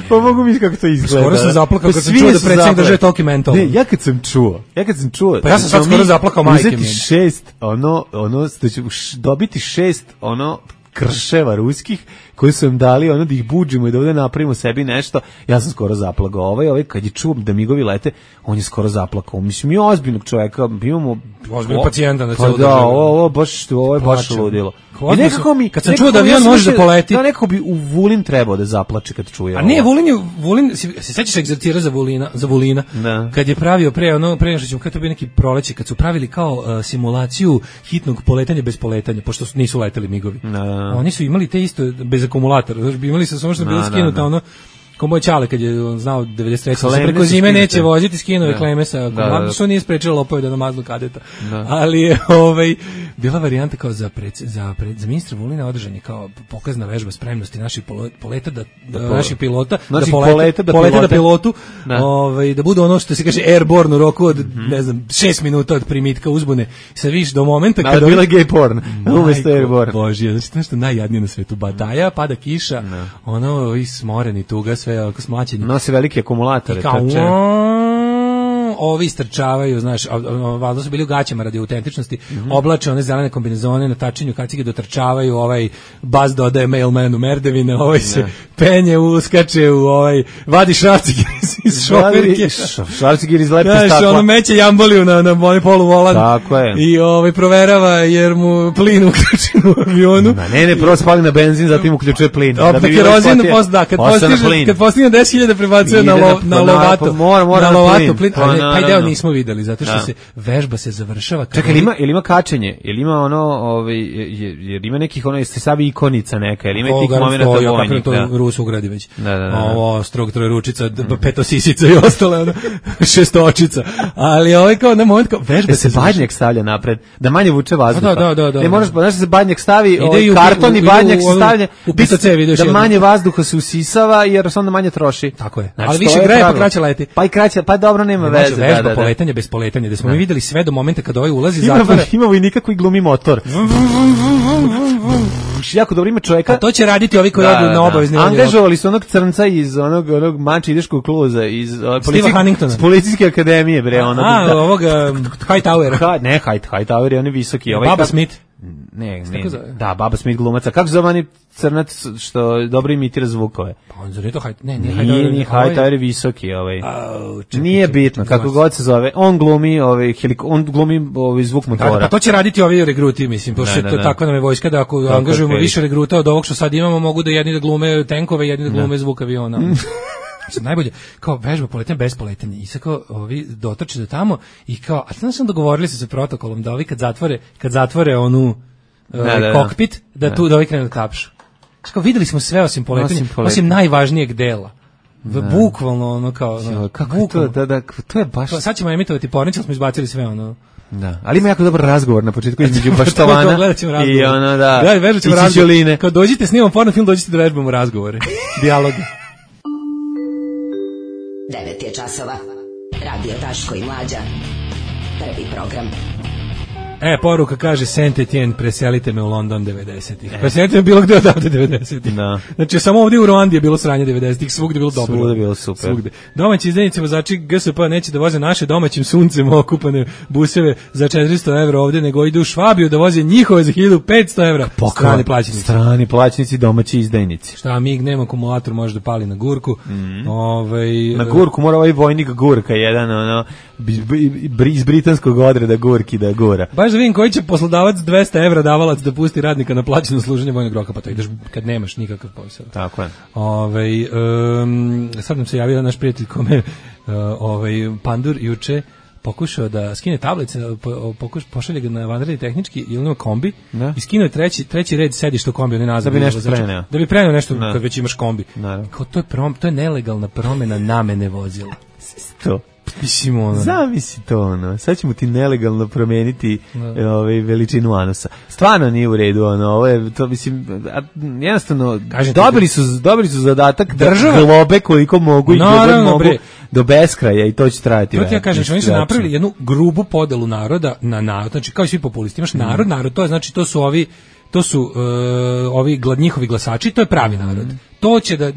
Pa mogu mi kako to izgleda. Skoro sam zaplakao kad sam čuo da predsjednik drže toliki mental. Ne, ja kad sam čuo, ja kad sam čuo. Pa ja sam sad skoro zaplakao majke mi. Uzeti šest, ono, ono, da ću dobiti šest, ono, krševa ruskih koji su im dali ono da ih buđimo i da ovdje napravimo sebi nešto. Ja sam skoro zaplakao. Ovaj, ovaj kad je čuo da migovi lete, on je skoro zaplakao. Mislim, mi ozbiljnog čovjeka, imamo ozbiljnog pacijenta na pa celu da, ovo, ovo baš, ovo je baš ludilo. I nekako mi, kad sam čuo da avion može da poleti, da nekako bi u Vulin trebao da zaplače kad čuje. A ne, Vulin je, Vulin, se sećaš egzercira za Vulina, za Vulina. Da. Kad je pravio pre ono pre što ćemo kad to bio neki proleće, kad su pravili kao uh, simulaciju hitnog poletanja bez poletanja, pošto su, nisu leteli migovi. Da. Oni su imali te isto bez akumulatora, znači imali su samo što bilo skinuto ono kao moj čale kad je znao devedeset treće se preko zime neće voziti skinove kleme sa akumulatora, što nije sprečilo lopove da namaznu kadeta. Da. Ali je ovaj bila varijanta kao za pred, za pred, za ministra Vulina održan je kao pokazna vežba spremnosti naših poleta da, da, da naših pilota znači, da polete, polete da, polete da pilotu da. Ovaj da bude ono što se kaže airborne u roku od mm-hmm. ne znam šest minuta od primitka uzbune sa viš do momenta kada bila gay porn umesto airborne. Bože, znači nešto najjadnije na svetu, badaja, pada kiša, no. Ono i smoreni tuga sve oko smlaćenje. Nosi velike akumulatore, trče. Ovi istrčavaju, znaš, valjda su bili u gaćama radi autentičnosti, mm-hmm. oblače one zelene kombinezone na tačenju kacige, dotrčavaju, ovaj Buzz dodaje mailmanu merdevine, ovaj se ne. penje, uskače u ovaj, vadi šrafcigir iz šoferke. Šrafcigir iz lepe znaš, stakla. Ono meće jamboliju na, na onaj poluvolan. Tako je. I ovaj proverava jer mu plin uključen u avionu. Na, ne, ne, prvo spali na benzin, zatim uključuje plin. Da, da kerozin, post, da, kad postiže, kad postigne deset hiljada prebacuje na, lo, na lovato. Mora, mora na lovato plin. Taj deo nismo videli, zato što da. se vežba se završava. Čekaj, ili ima, ili ima kačenje, ili ima ono, ovaj, jer ima nekih, ono, jeste savi ikonica neka, ili ima o, tih momenata vojnih. To, to Rus ugradi već. Da, da, da. Ovo, strog trojeručica, petosisica i ostale, ono, šestočica. Ali ovaj kao na moment, kao vežba da se badnjak stavlja napred, da manje vuče vazduha. Da, da, da, da. Ne možeš, znaš da se badnjak stavi, ovaj, karton i badnjak se stavlja, u pito cevi, da manje vazduha se usisava, jer se onda manje troši. Tako je. Ali više greje, pa kraće leti. Pa i kraće, pa dobro, nema veze. Vežba poletanje bez poletanja, da smo mi videli sve do momenta kada ovaj ulazi zatvara. Ima vojnika koji glumi motor. Jako dobro ima čovjeka. A to će raditi ovi koji odu na obavezni odjel. Angažovali su onog crnca iz onog onog Manči ideškog kluza iz policijske policijske akademije bre onog. A, ovoga Hightowera. Ha, ne Hight, Hightower je on visoki, ovaj Baba Smith. Ne, ne. Da, Baba Smith glumaca. Kako zove oni crnac što dobro imitira zvukove? Pa on zove to Hight, ne, nije Hightower. Nije Hightower je visoki, ovaj. Nije bitno kako god se zove. On glumi, ovaj on glumi ovaj zvuk motora. Pa to će raditi ovi regruti, mislim, pošto to tako nam je vojska da ako angažujemo više regruta od ovog što sad imamo, mogu da jedni da glume tenkove, jedni da glume zvuk aviona. Sad najbolje, kao vežba poletanja bez poletanja i sad kao ovi dotrče do tamo i kao, a znam sam dogovorili se sa protokolom da ovi kad zatvore, kad zatvore onu uh, da, da, kokpit, da, da tu da ovi krenu da tapšu. Kao videli smo sve osim poletanja, osim, poletanja. osim najvažnijeg dela. Da. Bukvalno ono kao, no, kako bukvalno. To, da, da, to je baš... Sad ćemo emitovati pornić, ali smo izbacili sve ono. Da, ali ima jako dobar razgovor na početku između Baštovana i ono da, da vežbat ćemo razgovor. Kao dođite snimamo porno film, dođite da vežbamo razgovore, dijaloge. devet je časova. Radio Daško i Mlađa. Prvi program. E, poruka kaže Saint Etienne, preselite me u London devedesetih. Preselite me bilo gde odavde devedesetih. Da. Znači, samo ovdje u Ruandi je bilo sranje devedesetih, svugde je bilo dobro. Svugde je bilo super. Svugde. Domaći izdajnici vozači G S P neće da voze naše domaćim suncem okupane buseve za četiristo evra ovdje, nego idu u Švabiju da voze njihove za hiljadu petsto evra. Strani plaćenici. Strani plaćenici, domaći izdajnici. Šta, mig nema akumulator, može da pali na gurku. Mm. Ovaj, na gurku mora ovaj vojnik gurka, jedan ono, iz britanskog odreda gurki da gura. Baš da vidim koji će poslodavac dvesta evra davalac da pusti radnika na plaćeno služenje vojnog roka, pa to ideš kad nemaš nikakav posao. Tako je. Ovaj um, sad nam se javio naš prijatelj kome uh, ovaj Pandur juče pokušao da skine tablice, pokuš, pošalje ga na vanredni tehnički ili na kombi da. I skinuo treći, treći red sedišta u kombi, on je nazad. Da bi nešto preneo. Da bi preneo nešto da. Kad već imaš kombi. Kao, to, je prom, to je nelegalna promjena namene vozila. To. Mislim, ono. Zamisli to, ono. Sad ćemo ti nelegalno promeniti no. ovaj, veličinu anusa. Stvarno nije u redu, ono. Ovo je, to, mislim, jednostavno, dobili su, dobili su zadatak država da globe koliko mogu i no, mogu bre. Do beskraja i to će trajati. To ti ja kažem, što oni su napravili jednu grubu podelu naroda na narod, znači kao i svi populisti. Imaš narod, mm. narod, to je, znači, to su ovi, to su uh, ovi glad, njihovi glasači, to je pravi narod. Mm. To će da,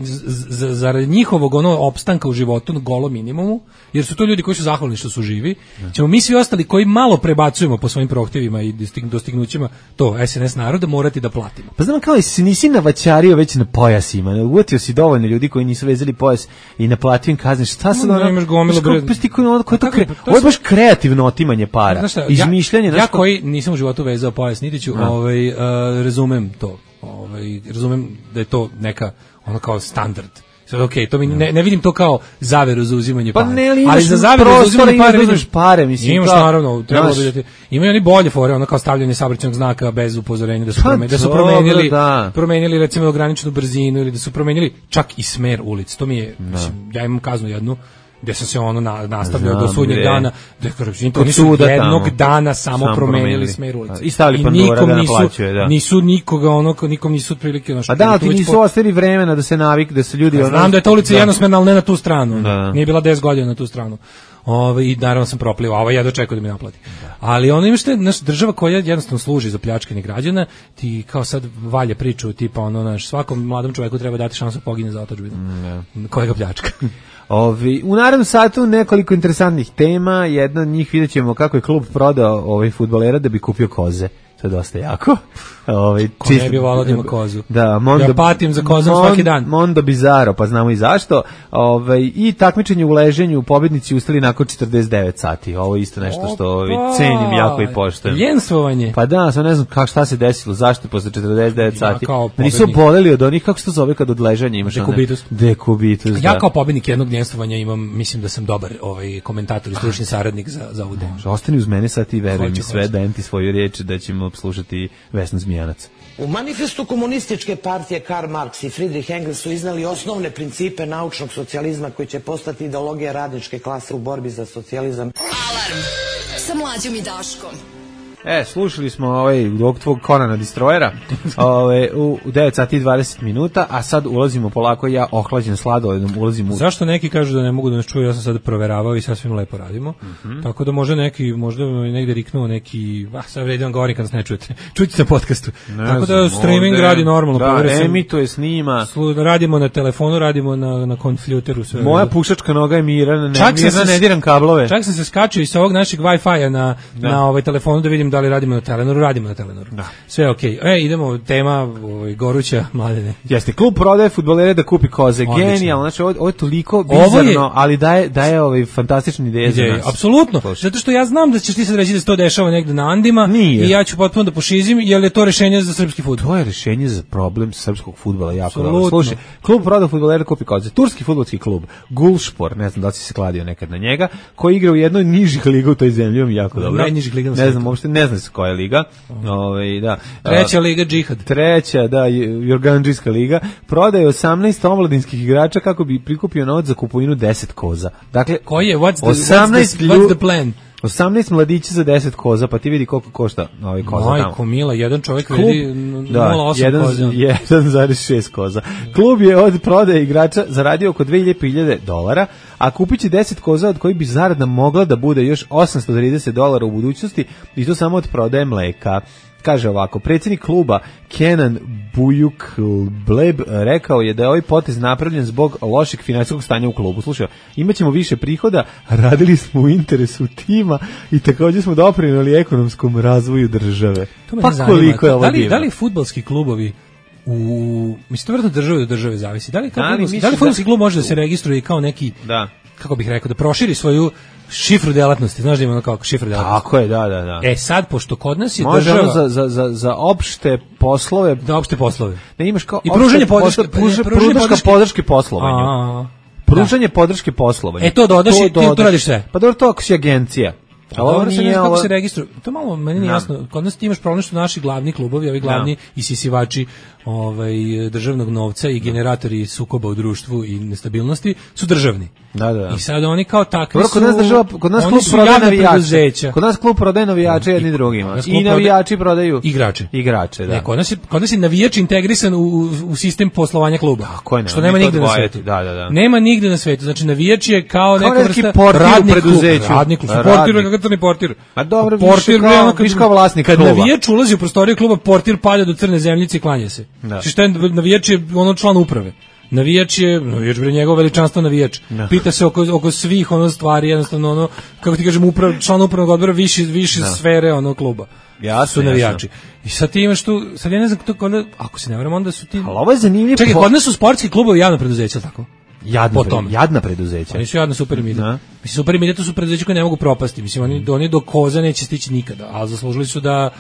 zarad njihovog ono opstanka u životu na golom minimumu, jer su to ljudi koji su zahvalni što su živi, ćemo mi svi ostali koji malo prebacujemo po svojim prohtjevima i dostignućima to S N S naroda morati da platimo. Pa znam kao si nisi navaćario već na pojasima, uvatio si dovoljno ljudi koji nisu vezali pojas i naplatio im kazne, šta sad no, ono, imaš gomilo bre... Ovo je baš kreativno otimanje para, šta, izmišljanje. Ja, ja koji nisam u životu vezao pojas, niti ću, no. ovaj, uh, razumem to, ovaj, razumem da je to neka ono kao standard. Sad okej, okay, to mi ne, ne vidim to kao zaveru za uzimanje para. Pa ne, ali, ali za zaveru za uzimanje para vidiš pare, mislim. Imaš kao, naravno, trebalo bi da ti, imaju oni bolje fore, ono kao stavljanje saobraćajnog znaka bez upozorenja da su, prome, da su promenili, da. promenili recimo ograničenu brzinu ili da su promenili čak i smer ulic. To mi je, da. Mislim, ja imam kaznu jednu gde sam se ono na, nastavljao do sudnjeg dana, da oni su jednog tamo. dana samo Sam promenili, promenili smer ulice. I stavili pandura da naplaćuje, da. Nisu nikoga, ono, nikom nisu otprilike... A da, ti nisu ostavili vremena da se navik, da se ljudi... Ja, ono, znam da je ta ulica jednosmerna, ali ne na tu stranu. Da. Nije bila deset godina na tu stranu. Ove, I naravno sam proplivao, a ovaj ja dočekao da mi naplati. Da. Ali ono imaš te, naša država koja jednostavno služi za pljačkanje građana, ti kao sad valje priču, tipa ono, naš, svakom mladom čoveku treba dati šansu da pogine za otadžbinu. Mm, koja ga pljačka. Ovi, u narednom satu nekoliko interesantnih tema, jedna od njih vidjet ćemo kako je klub prodao ovaj fudbalera da bi kupio koze. To je dosta jako. Ovaj ko ne bi volao da ima kozu. Da, Mondo, ja patim za kozom mon, svaki dan. Mondo Bizarro, pa znamo i zašto. Ovaj i takmičenje u leženju, pobednici ustali nakon četrdeset devet sati. Ovo je isto nešto što ovaj cenim jako i poštujem. Ljenstvo,vanje. Pa da, sam ne znam kako šta se desilo, zašto posle četrdeset devet sati. Nisu boleli od onih, kako se to zove kad od ležanja imaš dekubitus. Dekubitus. Ja kao pobednik jednog ljensthovanja imam, mislim da sam dobar ovaj komentator i stručni saradnik za za ovu temu. Ostani uz mene sad i veruj mi sve, dajem ti svoju riječ da ćemo slušati Vesnu Zmijanac. U manifestu komunističke partije Karl Marx i Friedrich Engels su iznali osnovne principe naučnog socijalizma koji će postati ideologija radničke klase u borbi za socijalizam. Alarm sa Mlađom i Daškom. E, slušali smo ovaj dok tvog Konana Distrojera ovaj, u devet sati i dvadeset minuta, a sad ulazimo polako, ja ohlađen sladoledom ulazim u... Zašto neki kažu da ne mogu da nas čuju, ja sam sad proveravao i sasvim lepo radimo, mm-hmm. tako da može neki, možda negde riknuo neki, ah, sad vredi vam govorim kad nas ne čujete, čujte na podcastu, ne tako znam, da streaming ovde, radi normalno, da, emituje, snima, slu, radimo na telefonu, radimo na, na konfljuteru, sve. Moja pušačka noga je mirana, ne, čak se, ne diram kablove. Čak sam se skačio i sa ovog našeg Wi-Fi-a na, na ovaj telefonu da vidim da li radimo na Telenoru, radimo na Telenoru. Da. Sve okej. Okay. E, idemo, tema ovaj, goruća, Mladene. Jeste, klub prodaje fudbalere da kupi koze. Genijalno, znači ovo, ovo je toliko bizarno, je, ali daje, daje ovaj fantastične ideje za nas. Apsolutno, zato što ja znam da ćeš ti sad reći da se to dešava negde na Andima. Nije. I ja ću potpuno da pošizim, jer je to rešenje za srpski fudbal. To je rešenje za problem srpskog fudbala, jako dobro. Slušaj, klub prodaje fudbalere da kupi koze. Turski fudbalski klub, Gulspor, ne znam da li si se kladio nekad na njega, koji igra u jednoj nižih liga u toj zemlji, jako dobro. Najnižih liga. Ne znam, uopšte ne znam se koja je liga. Ovaj da. Treća liga džihad. Treća, da, Jorgandžijska liga prodaje osamnaest omladinskih igrača kako bi prikupio novac za kupovinu deset koza. Dakle, koji je what's the, osamnaest what's the, what's the plan? osamnaest mladića za deset koza, pa ti vidi koliko košta ovaj koza tamo. Majko mila, jedan čovjek vredi nula zarez osam koza. jedan zarez šest koza. Klub je od prodaje igrača zaradio oko dve hiljade dolara, a kupit će deset koza od kojih bi zarada mogla da bude još osamsto trideset dolara u budućnosti i to samo od prodaje mleka. Kaže ovako, predsjednik kluba Kenan Buyukbleb rekao je da je ovaj potez napravljen zbog lošeg finansijskog stanja u klubu. Slušaj, imaćemo više prihoda, radili smo u interesu tima i također smo doprinijeli ekonomskom razvoju države. To pa koliko je ovo da li, divno? da li fudbalski klubovi u mislim to vjerojatno države do države zavisi. Da li kao da li, fudbalski, da li fudbalski da... klub može da se registruje kao neki da. Kako bih rekao, da proširi svoju šifru delatnosti, znaš da ima ono kao šifru delatnosti. Tako je, da, da, da. E sad, pošto kod nas je može država... za, za, za, za opšte poslove... Za opšte poslove. Ne imaš kao... I pružanje podrške... Pružanje podrške, podrške poslovanju. A, pružanje da. podrške poslovanju. E to dodaš i ti to radiš sve. Pa dobro, to ako si agencija. A ovo nije kako se registruje. To malo meni nije jasno. Kod nas ti imaš problem što naši glavni klubovi, ovi glavni isisivači ovaj državnog novca i generatori sukoba u društvu i nestabilnosti su državni. Da, da. I sad oni kao takvi Dobro, su kod nas država, kod nas klub prodaje navijače. Kod nas klub prodaje navijače jedni drugima. I navijači prodaju igrače. Igrače, da. Ne, kod nas je kod nas je navijač integrisan u, u sistem poslovanja kluba. Tako je, što nema nigde na svetu. Da, da, da. Nema nigde na svetu. Znači navijač je kao, kao neka vrsta radnik preduzeća. Radnik, portir, kakav portir. A dobro, portir kao, viš kao vlasnik kad kluba. Kad navijač ulazi u prostoriju kluba, portir pada do crne zemljice i klanja se. Znači šta je navijač je ono član uprave. Navijač je, navijač bre njegov veličanstvo navijač. No. Pita se oko, oko svih ono stvari, jednostavno ono, kako ti kažem, uprav, član upravnog odbora više, više no. sfere ono kluba. Jasno, su navijači. Jasno. I sad ti imaš tu, sad ja ne znam to kod, ako se ne varam, onda su ti... Ali ovo je zanimljivo. Čekaj, kod nas su sportski klubovi javno preduzeća, tako? Jadna, pre, jadna preduzeća. Oni su jadna Supermide. Mislim, Supermide to su preduzeća koje ne mogu propasti. Mislim, oni, oni do koza neće stići nikada, ali zaslužili su da...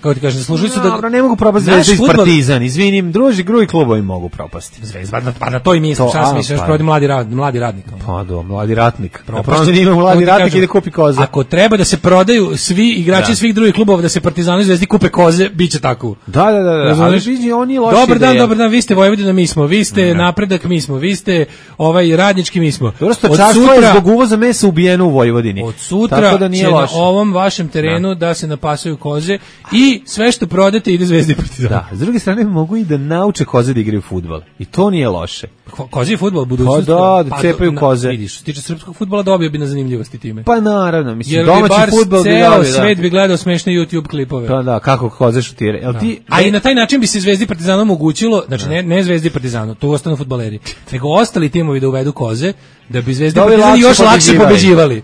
Kako ti kažem, zaslužili su da... Dobro, ne mogu propasti Zvezda iz Partizan, izvinim, druži, drugi klubovi mogu propasti. Zvezda, pa na to i mislim, šta sam mislio, još provodi mladi, rad, mladi radnik. Pa do, mladi ratnik. Propasti ima mladi ratnik i da kupi koze. Ako treba da se prodaju svi igrači svih drugih klubova, da se Partizanu i Zvezdi kupe koze, bit će tako. Da, da, da, da. Ali vidi, oni loši Dobar dan, dobar dan, vi ste Vojvodina, mi smo, vi ste Napredak, mi smo, vi ste ovaj radnički, mi smo. Dobro, stočarstvo je zbog uvoza mesa ubijeno u Vojvodini. Od sutra će na ovom vašem terenu da se napasaju koze i sve što prodate ide Zvezdi i Partizan. Da, s druge strane mogu i da nauče koze da igraju fudbal. I to nije loše. Ko, kozi je fudbal budućnost. Pa da, da cepaju pa, koze. Vidiš, što tiče srpskog fudbala dobio bi na zanimljivosti time. Pa naravno, mislim, jer domaći fudbal bi dobio, da. Svet bi gledao smešne YouTube klipove. Pa da, kako koze šutire. Jel ti... A i na taj način bi se Zvezdi i Partizanu omogućilo, znači ne, ne Zvezdi i Partizanu, to ostanu fudbaleri, nego ostali timovi da uvedu koze, da bi Zvezdi i Partizan još lakše pobeđivali.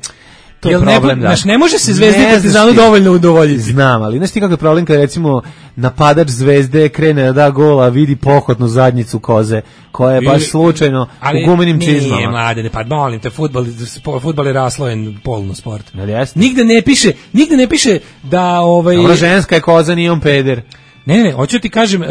To je problem, ne, da. Znaš, ne može se Zvezdi i Partizanu dovoljno udovoljiti. Znam, ali znaš ti kako je problem kada recimo napadač Zvezde krene da da gola, vidi pohotnu zadnjicu koze, koja je baš slučajno u gumenim čizmama. Nije, mlade, ne, pa molim te, fudbal, fudbal je raslojen polno sport. Nigde ne piše, nigde ne piše da... Ovaj, Dobra, ženska je koza, nije on peder. Ne, ne, ne, hoću ti kažem, e,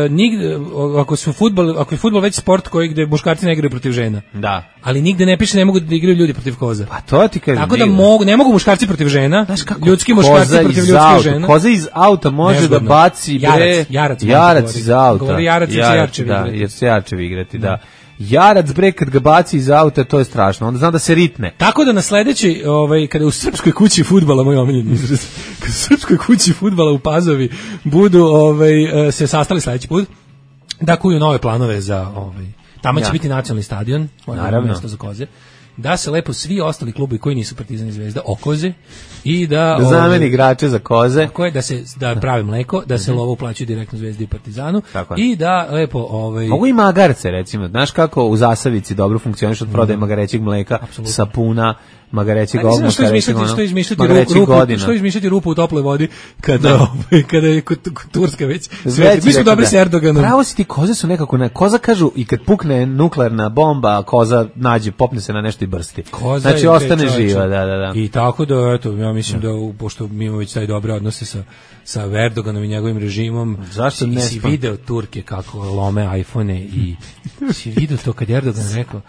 nigde, ako su fudbal, ako je fudbal već sport koji gde muškarci ne igraju protiv žena. Da. Ali nigde ne piše ne mogu da igraju ljudi protiv koza. Pa to ti kažem. Tako da mogu, ne mogu muškarci protiv žena, ljudski muškarci protiv ljudskih žena. Koza iz auta može Nezgodno. Da baci bre jarac, jarac, jarac iz auta. Govori jarac, jarac, jarčevi da, igrati. Jer se jarčevi igrati, da. da. Jarac bre kad ga baci iz auta, to je strašno. Onda znam da se ritne. Tako da na sledećoj, ovaj kada u srpskoj kući fudbala, moj omiljeni izraz, kad u srpskoj kući fudbala u Pazovi budu ovaj se sastali sledeći put da kuju nove planove za ovaj tamo će ja. biti nacionalni stadion, naravno mesto za koze. Da se lepo svi ostali klubovi koji nisu Partizan i Zvezda okoze i da da zameni igrače za koze. Tako je, da se da pravi mleko, da se lovo uplaćuje direktno Zvezdi i Partizanu i da lepo ovaj mogu i magarce recimo. Znaš kako u Zasavici dobro funkcioniše od prodaje mm. magarećeg mleka, Absolutno. sapuna, magarećeg ogmuka, što izmišljati, što izmišljati rupu, što izmišljati rupu u toploj vodi kada ovaj kada je Turska već sve. Mi smo dobri s Erdoganom. Pravo si ti, koze su nekako na koza kažu i kad pukne nuklearna bomba, koza nađe, popne se na nešto i brsti. Koza znači ostane živa, da, da, da. I tako da eto, ja mislim da, da pošto mi imamo već taj dobre odnose sa sa Erdoganom i njegovim režimom. Zašto ne si video Turke kako lome iPhone i si video to kad Erdogan rekao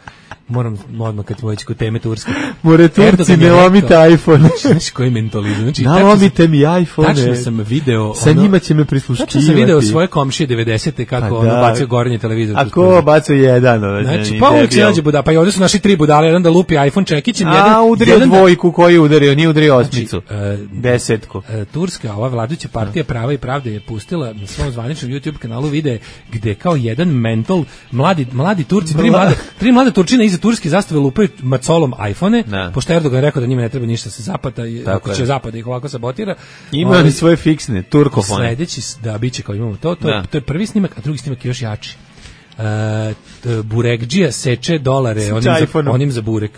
moram odmah kad smo već kod teme Turske. More Turci, ne lomite iPhone. Znaš koji mentalizam? Znači, nalomite mi iPhone. Tačno sam video... Sa njima će me prisluškivati. Tačno sam video svoje komšije devedesete kako pa ono bacio gornji televizor. A ko bacio jedan? Ove, znači, pa uvijek se nađe buda. Pa i ovdje su naši tri budale, jedan da lupi iPhone čekićem. A, udario dvojku, koji je udario? Nije udario osmicu. Znači, desetku. Turska, ova vladajuća partija Prava i pravde je pustila na svom zvaničnom YouTube kanalu vide gde kao jedan mentol, mladi, mladi Turci, tri mlade, tri mlade Turčine iza turske zastave lupaju macolom iPhone, pošto Erdogan je rekao da njima ne treba ništa se zapata, ako će zapad ih ovako sabotira. Imaju oni svoje fiksne, turkofone. Sledeći, da, bit će kao imamo to, to, je, to je prvi snimak, a drugi snimak je još jači. Uh, Burekđija seče dolare onim za, onim za burek.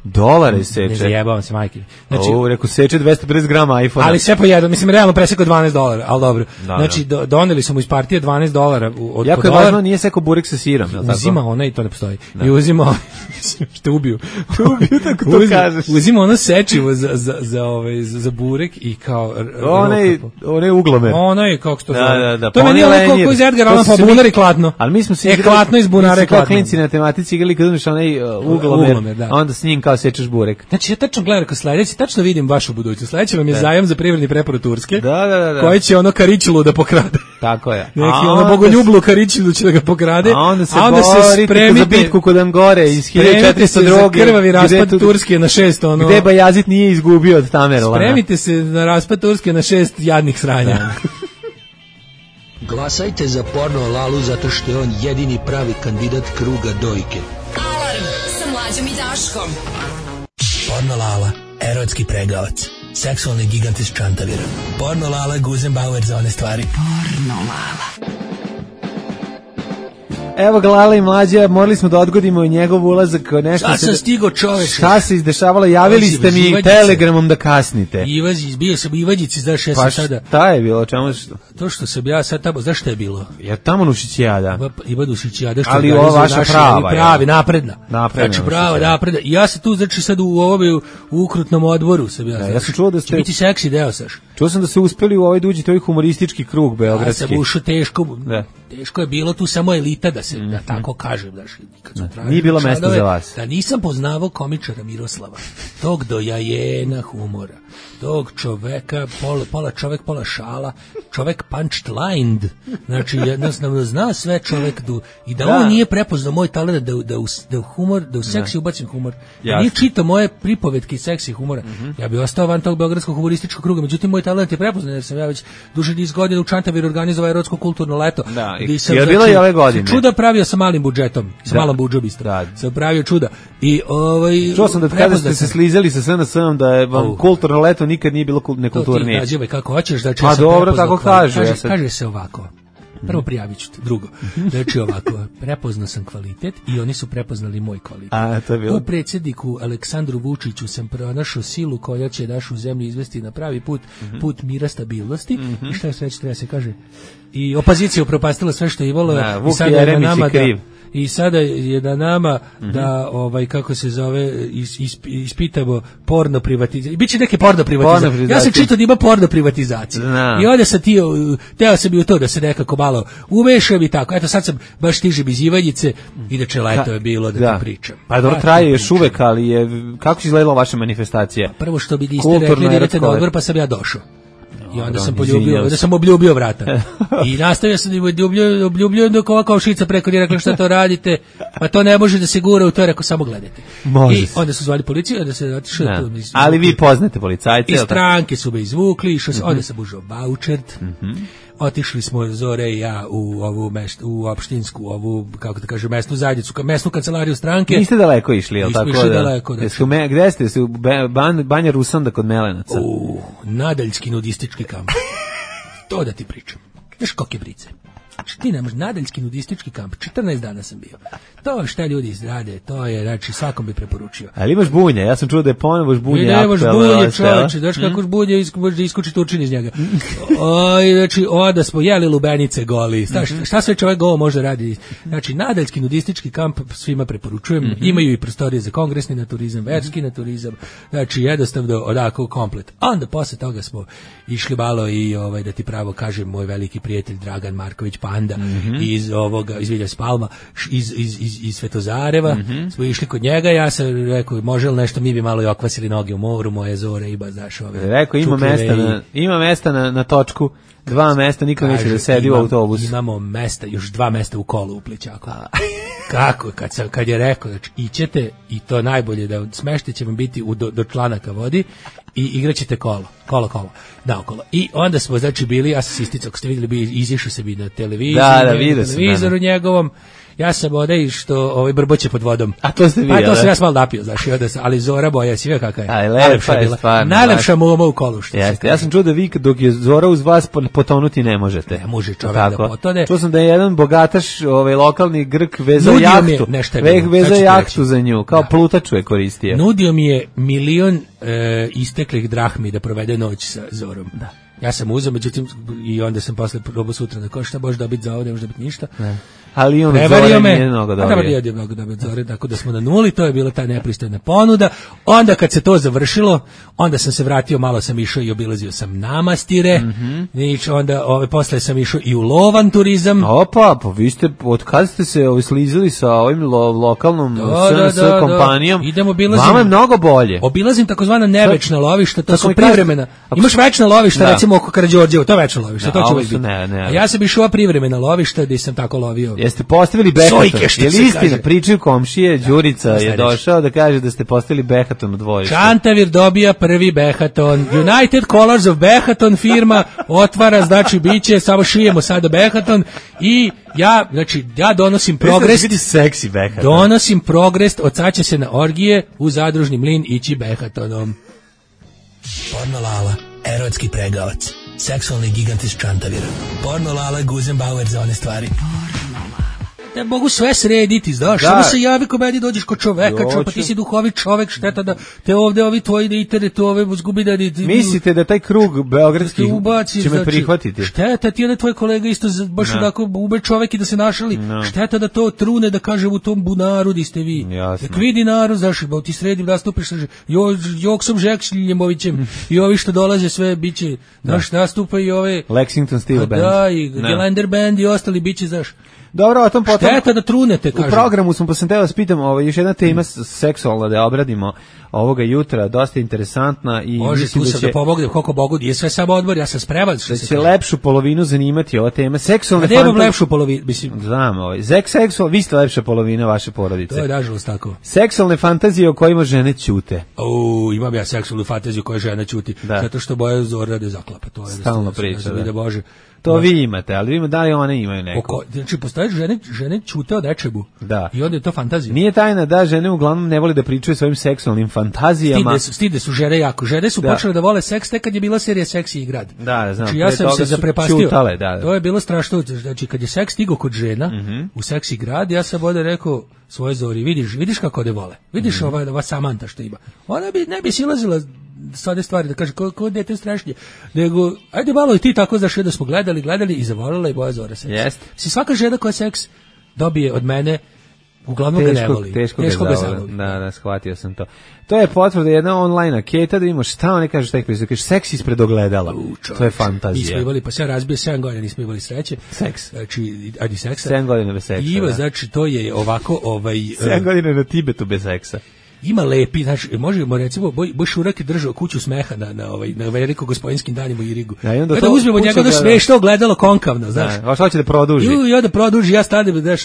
Dolare seče. Ne zajebavam se, majke. Znači, o, reku, seče dvesta pedeset grama iPhone. Ali sve po jedan, mislim, realno presekao dvanaest dolara, ali dobro. Da, znači, do, doneli su mu iz partije dvanaest dolara. Od, jako je dolar, važno, nije sekao burek sa sirom. Uzima ona i to ne postoji. Da. I uzima, što ubiju. ubiju, tako to uzima, kažeš. Uzima ono sečivo za, za, za, ovaj, za, za burek i kao... Onaj, onaj uglomer. Onaj, kako se to zove. Da, da, da. To je meni ono koliko iz Edgar Allan Poe, bunar i klatno. Ali mi smo se igrali... E, klatno iz bunara i klatno. Klinci na tematici igrali kad uzmeš onaj uglomer, onda s njim kao sečeš burek. Znači, ja tačno gledam kao sledeći, tačno vidim vašu budućnost. Sledeći vam je da. Zajam za privredni preporod Turske, da, da, da, da. koji će ono Karićulu da pokrade. Tako je. Neki ono bogoljublu Karićulu će da ga pokrade. A onda se, a onda se spremite za bitku kod Angore iz hiljadu četiristo druge. Krvavi raspad tu, Turske na šest. Ono, gde Bajazit nije izgubio od Tamerlana. Spremite se na raspad Turske na šest jadnih sranja. Glasajte za Porno Lalu zato što je on jedini pravi kandidat kruga dojke. Alarm sa Mlađom i Daškom. Porno Lala, erotski pregavac, seksualni gigant iz Čantavira. Porno Lala, Guzenbauer za one stvari. Porno Lala. Evo ga Lala i Mlađa, morali smo da odgodimo njegov ulazak. Nešto šta sam stigo čoveče? Šta se izdešavalo? Javili ste mi Ivađice. Telegramom da kasnite. Ivađić, bio sam u Ivađici, znaš ja sam pa sada... Pa šta je bilo? Čemu što? To što sam ja sad tamo, znaš šta je bilo? Ja tamo Nušićijada. Iva Nušićijada, što ali ova vaša naši, prava. Pravi, napredna. Napredna. Znači prava, napredna. I ja se tu, znači sad u ovome, u ukrutnom odboru sam ja. Da, ja sam čuo da ste... biti seksi deo, saš. Čuo sam da ste uspeli u ovaj duđi, to je humoristički krug beogradski. Ja sam ušao teško, da. Teško je bilo tu samo elita da se, mm-hmm. da tako kažem, da kad su tražili. Nije bilo mesta za vas. Da nisam poznavao komičara Miroslava, tog dojajena humora, tog čoveka, pola, pola čovek, pola šala, čovek punchlined, znači jednostavno zna sve čovek du, i da, da on nije prepoznao moj talent da, da, u, da u humor, da u seksi ubacim humor, da nije čitao moje pripovetke i seksi humora, mm-hmm. ja bih ostao van tog beogradskog humorističkog kruga, međutim moj talent je prepoznao jer sam ja već duže niz godina u Čantaviru organizovao erotsko kulturno leto. Da, i sam, je bilo i ove godine. Čuda pravio sa malim budžetom, sa da. malom budžom isto. Da. Sam pravio čuda. I ovaj čuo sam da kada ste se slizali sa S N S-om da je vam oh. kulturno leto nikad nije bilo nekulturnije. To ti nađe kako hoćeš, znači pa ja sam dobro, tako kaže. Kaže, ja sad... kaže se ovako. Prvo prijavit ću te, drugo. Znači ovako, prepoznao sam kvalitet i oni su prepoznali moj kvalitet. A, to je bilo. U predsjedniku Aleksandru Vučiću sam pronašao silu koja će našu zemlju izvesti na pravi put, mm-hmm. put mira, stabilnosti. Mm-hmm. I šta je sve treba se kaže? I opozicija upropastila sve što je imalo. Da, Vuk Jeremić je kriv. I sada je na nama mm-hmm. da ovaj kako se zove is, is, ispitamo porno privatizaciju. Biće neke porno privatizacije. Ja sam čitao da ima porno privatizacija. No. I onda sam ti teo sam bi u to da se nekako malo umešam i tako. Eto sad sam baš stižem iz Ivanjice i da čeleto je bilo da, da ti pričam. Pa dobro, traje još uvek, ali je kako će izgledala vaša manifestacija? Prvo što bi niste rekli da idete na odbor, pa sam ja došao. I onda sam poljubio, onda sam obljubio vrata. I nastavio sam da obljubio, obljubio dok ova kao šica preko nije rekla šta to radite, pa to ne može da se gura u to, rekao samo gledajte. Može I onda su zvali policiju, onda se otišao tu. Ali vi poznate policajce. I stranke su me izvukli, išao mm-hmm. onda sam užao vaučert. Mm-hmm. Otišli smo Zore i ja u ovu mest, u opštinsku, ovu, kako da kažem, mesnu zajednicu, mesnu kancelariju stranke. Niste daleko išli, jel tako? Nismo išli daleko. Da. Jesu me, gde ste? U ban, Banja Rusanda kod Melenaca? U Nadaljski nudistički kamp. To da ti pričam. Znaš koke brice. Znači ti nemaš Nadaljski nudistički kamp, četrnaest dana sam bio. To je šta ljudi izrade, to je, znači svakom bi preporučio. Ali imaš bunje, ja sam čuo da je ponovo bunje. Ne, nemaš bunje, čovječe, znaš kako bunje, može da iskuči tučin iz njega. O, znači, onda smo jeli lubenice goli, šta, šta sve čovjek golo može radi. Znači, Nadaljski nudistički kamp svima preporučujem, mm-hmm. imaju i prostorije za kongresni naturizam, verski naturizam, znači jednostavno odako komplet. A onda posle toga smo išli malo i ovaj, da ti pravo kažem, moj veliki prijatelj Dragan Marković, Panda, mm-hmm. iz ovoga, iz Vilja Spalma, iz, iz, iz, iz Svetozareva, mm-hmm. smo išli kod njega, ja sam rekao, može li nešto, mi bi malo i okvasili noge u moru, moje zore, iba, znaš, ove. Rekao, ima mesta, na, ima mesta na, na točku, dva mesta, niko neće da sedi imam, u autobusu. Imamo mesta, još dva mesta u kolu u Plićaku. Kako, kad, sam, kad je rekao, znači, ićete, i to najbolje, da smešte će vam biti u, do, do članaka vodi, i igraćete kolo, kolo, kolo, naokolo. I onda smo, znači, bili, ja sam isticao, ako ste vidjeli, bi izišao se bi na televiziju, da, da, na vidio televizoru njegovom, ja sam odaj što ovaj brboće pod vodom. A to ste vi, pa to sam ja malo napio, znači, onda sam, ali Zora boja, si veo kakva je. Aj, lepa je stvarno. Najlepša moma u kolu, što jeste, ja sam čuo da vi dok je Zora uz vas potonuti ne možete. Ne može čovjek da potone. Čuo sam da je jedan bogataš, ovaj lokalni Grk vezao Nudio jahtu. Veh vezao jahtu za nju, kao da. Plutaču je koristio. Nudio mi je milion e, isteklih drahmi da provede noć sa Zorom. Da. Ja sam uzeo, međutim, i onda sam posle probao sutra da ko šta možeš dobiti za ovo, ne može dobiti ništa. Ne. Ali on Zore nije mnogo dobio. Prevario je mnogo dobio Zore, tako da smo na nuli, to je bila ta nepristojna ponuda. Onda kad se to završilo, onda sam se vratio, malo sam išao i obilazio sam Namastire, mm-hmm. Nič, onda ove, posle sam išao i u lovan turizam. Opa, pa vi ste, od kada ste se ovi slizili sa ovim lo, lokalnom da, S N S da, da, kompanijom, da. Idem, obilazim, vama je mnogo bolje. Obilazim takozvana nevečna lovišta, to su mi privremena. Ako Imaš večna lovišta, da. recimo oko Karađorđevo, to je večno lovište, da, to će uvijek biti. Ne, ne, a ja sam išao privremena lovišta gdje sam tako lovio. Jeste postavili behaton? Je li istina, pričaju komšije, Đurica je došao da kaže da ste postavili behaton u dvorište. Čantavir dobija prvi behaton. United Colors of Behaton firma otvara, znači biće, samo šijemo sada behaton i ja, znači, ja donosim progres. Vidi seksi behaton. Donosim progres, od sad će se na orgije u zadružni mlin ići behatonom. Porno Lala, erotski pregavac, seksualni gigant iz Čantavira. Porno Lala, Guzenbauer za one stvari. Ne mogu sve srediti, znaš, da. Samo se javi ko meni, dođeš kod čoveka, čo, pa ti si duhovit čovek, šteta da te ovde ovi tvoji da internet ove zgubi da... Mislite da taj krug beogradski ubaci, će me znači, prihvatiti? Šteta, ti je tvoj kolega isto baš no. Onako ube čovek i da se našali, no. Šteta da to trune, da kaže u tom bunaru di ste vi. Jasno. Nek vidi narod, znaš, ba ti sredim, nastupiš sa jo, Joksom Žekšljemovićem i ovi što dolaze sve biće, znaš, nastupa i ove... Lexington Steel Band. Da, i no. Gelander Band i ostali biće, znaš. Dobro, o tom potom... Šteta da trunete, kažem. U programu smo, pa sam teo vas pitam, ovaj, još jedna tema mm. seksualna da obradimo ovoga jutra, dosta interesantna i može, mislim tu da će... da pomognem, koliko Bogu, je sve samo odbor, ja sam spreman. Da će lepšu polovinu zanimati ova tema. Seksualne fantasije... Nemam lepšu polovinu, mislim. Znam, ovaj. Zek seksual, vi ste lepša polovina vaše porodice. To je nažalost tako. Seksualne fantazije o kojima žene ćute. O, imam ja seksualnu fantaziju koja žena ćuti, da. Zato što boja Zora da zaklapa. To je stalno priča, da. Da Bože. To vi imate, ali vi ima, da li one imaju neko? Oko, znači, postoje žene, žene ćute od nečemu. Da. I onda je to fantazija. Nije tajna da žene uglavnom ne vole da pričaju svojim seksualnim fantazijama. Stide su, stide su žene jako. Žene su da. Počele da vole seks tek kad je bila serija Seksi i grad. Da, znam. Znači, ja sam se zaprepastio. Čutale, da, da. To je bilo strašno. Znači, kad je seks stigao kod žena mm-hmm. u Seksi grad, ja sam ovdje rekao svoje Zori, vidiš, vidiš kako ne vole. Vidiš mm-hmm. ova, ova Samanta što ima. Ona bi, ne bi silazila sade stvari, da kaže, ko, ko dete strašnije. Nego, ajde malo i ti tako, znaš, da smo gledali, gledali i zavolila i boja Zora seks. Jest. Si svaka žena koja seks dobije od mene, uglavnom teško, ga ne voli. Teško, teško ga zavoli. Da, da, shvatio sam to. To je potvrda jedna online anketa da imamo šta oni kažu tek kaže seks ispred ogledala. U, to je fantazija. Nismo imali, pa se ja razbio sedam godina, nismo imali sreće. Seks. Znači, ajde seksa. sedam godina bez seksa. Ima, da. Znači, to je ovako, ovaj... sedam godina na Tibetu bez seksa. Ima lepi, znači možemo recimo Boj, Boj Šurak je držao kuću smeha na na ovaj na veliko gospodinskim danima u Irigu. Ja, onda kada uzmemo njega da smešno gledalo konkavno, znaš. Da, hoće da produži. I ja da produži, ja stanem, znaš,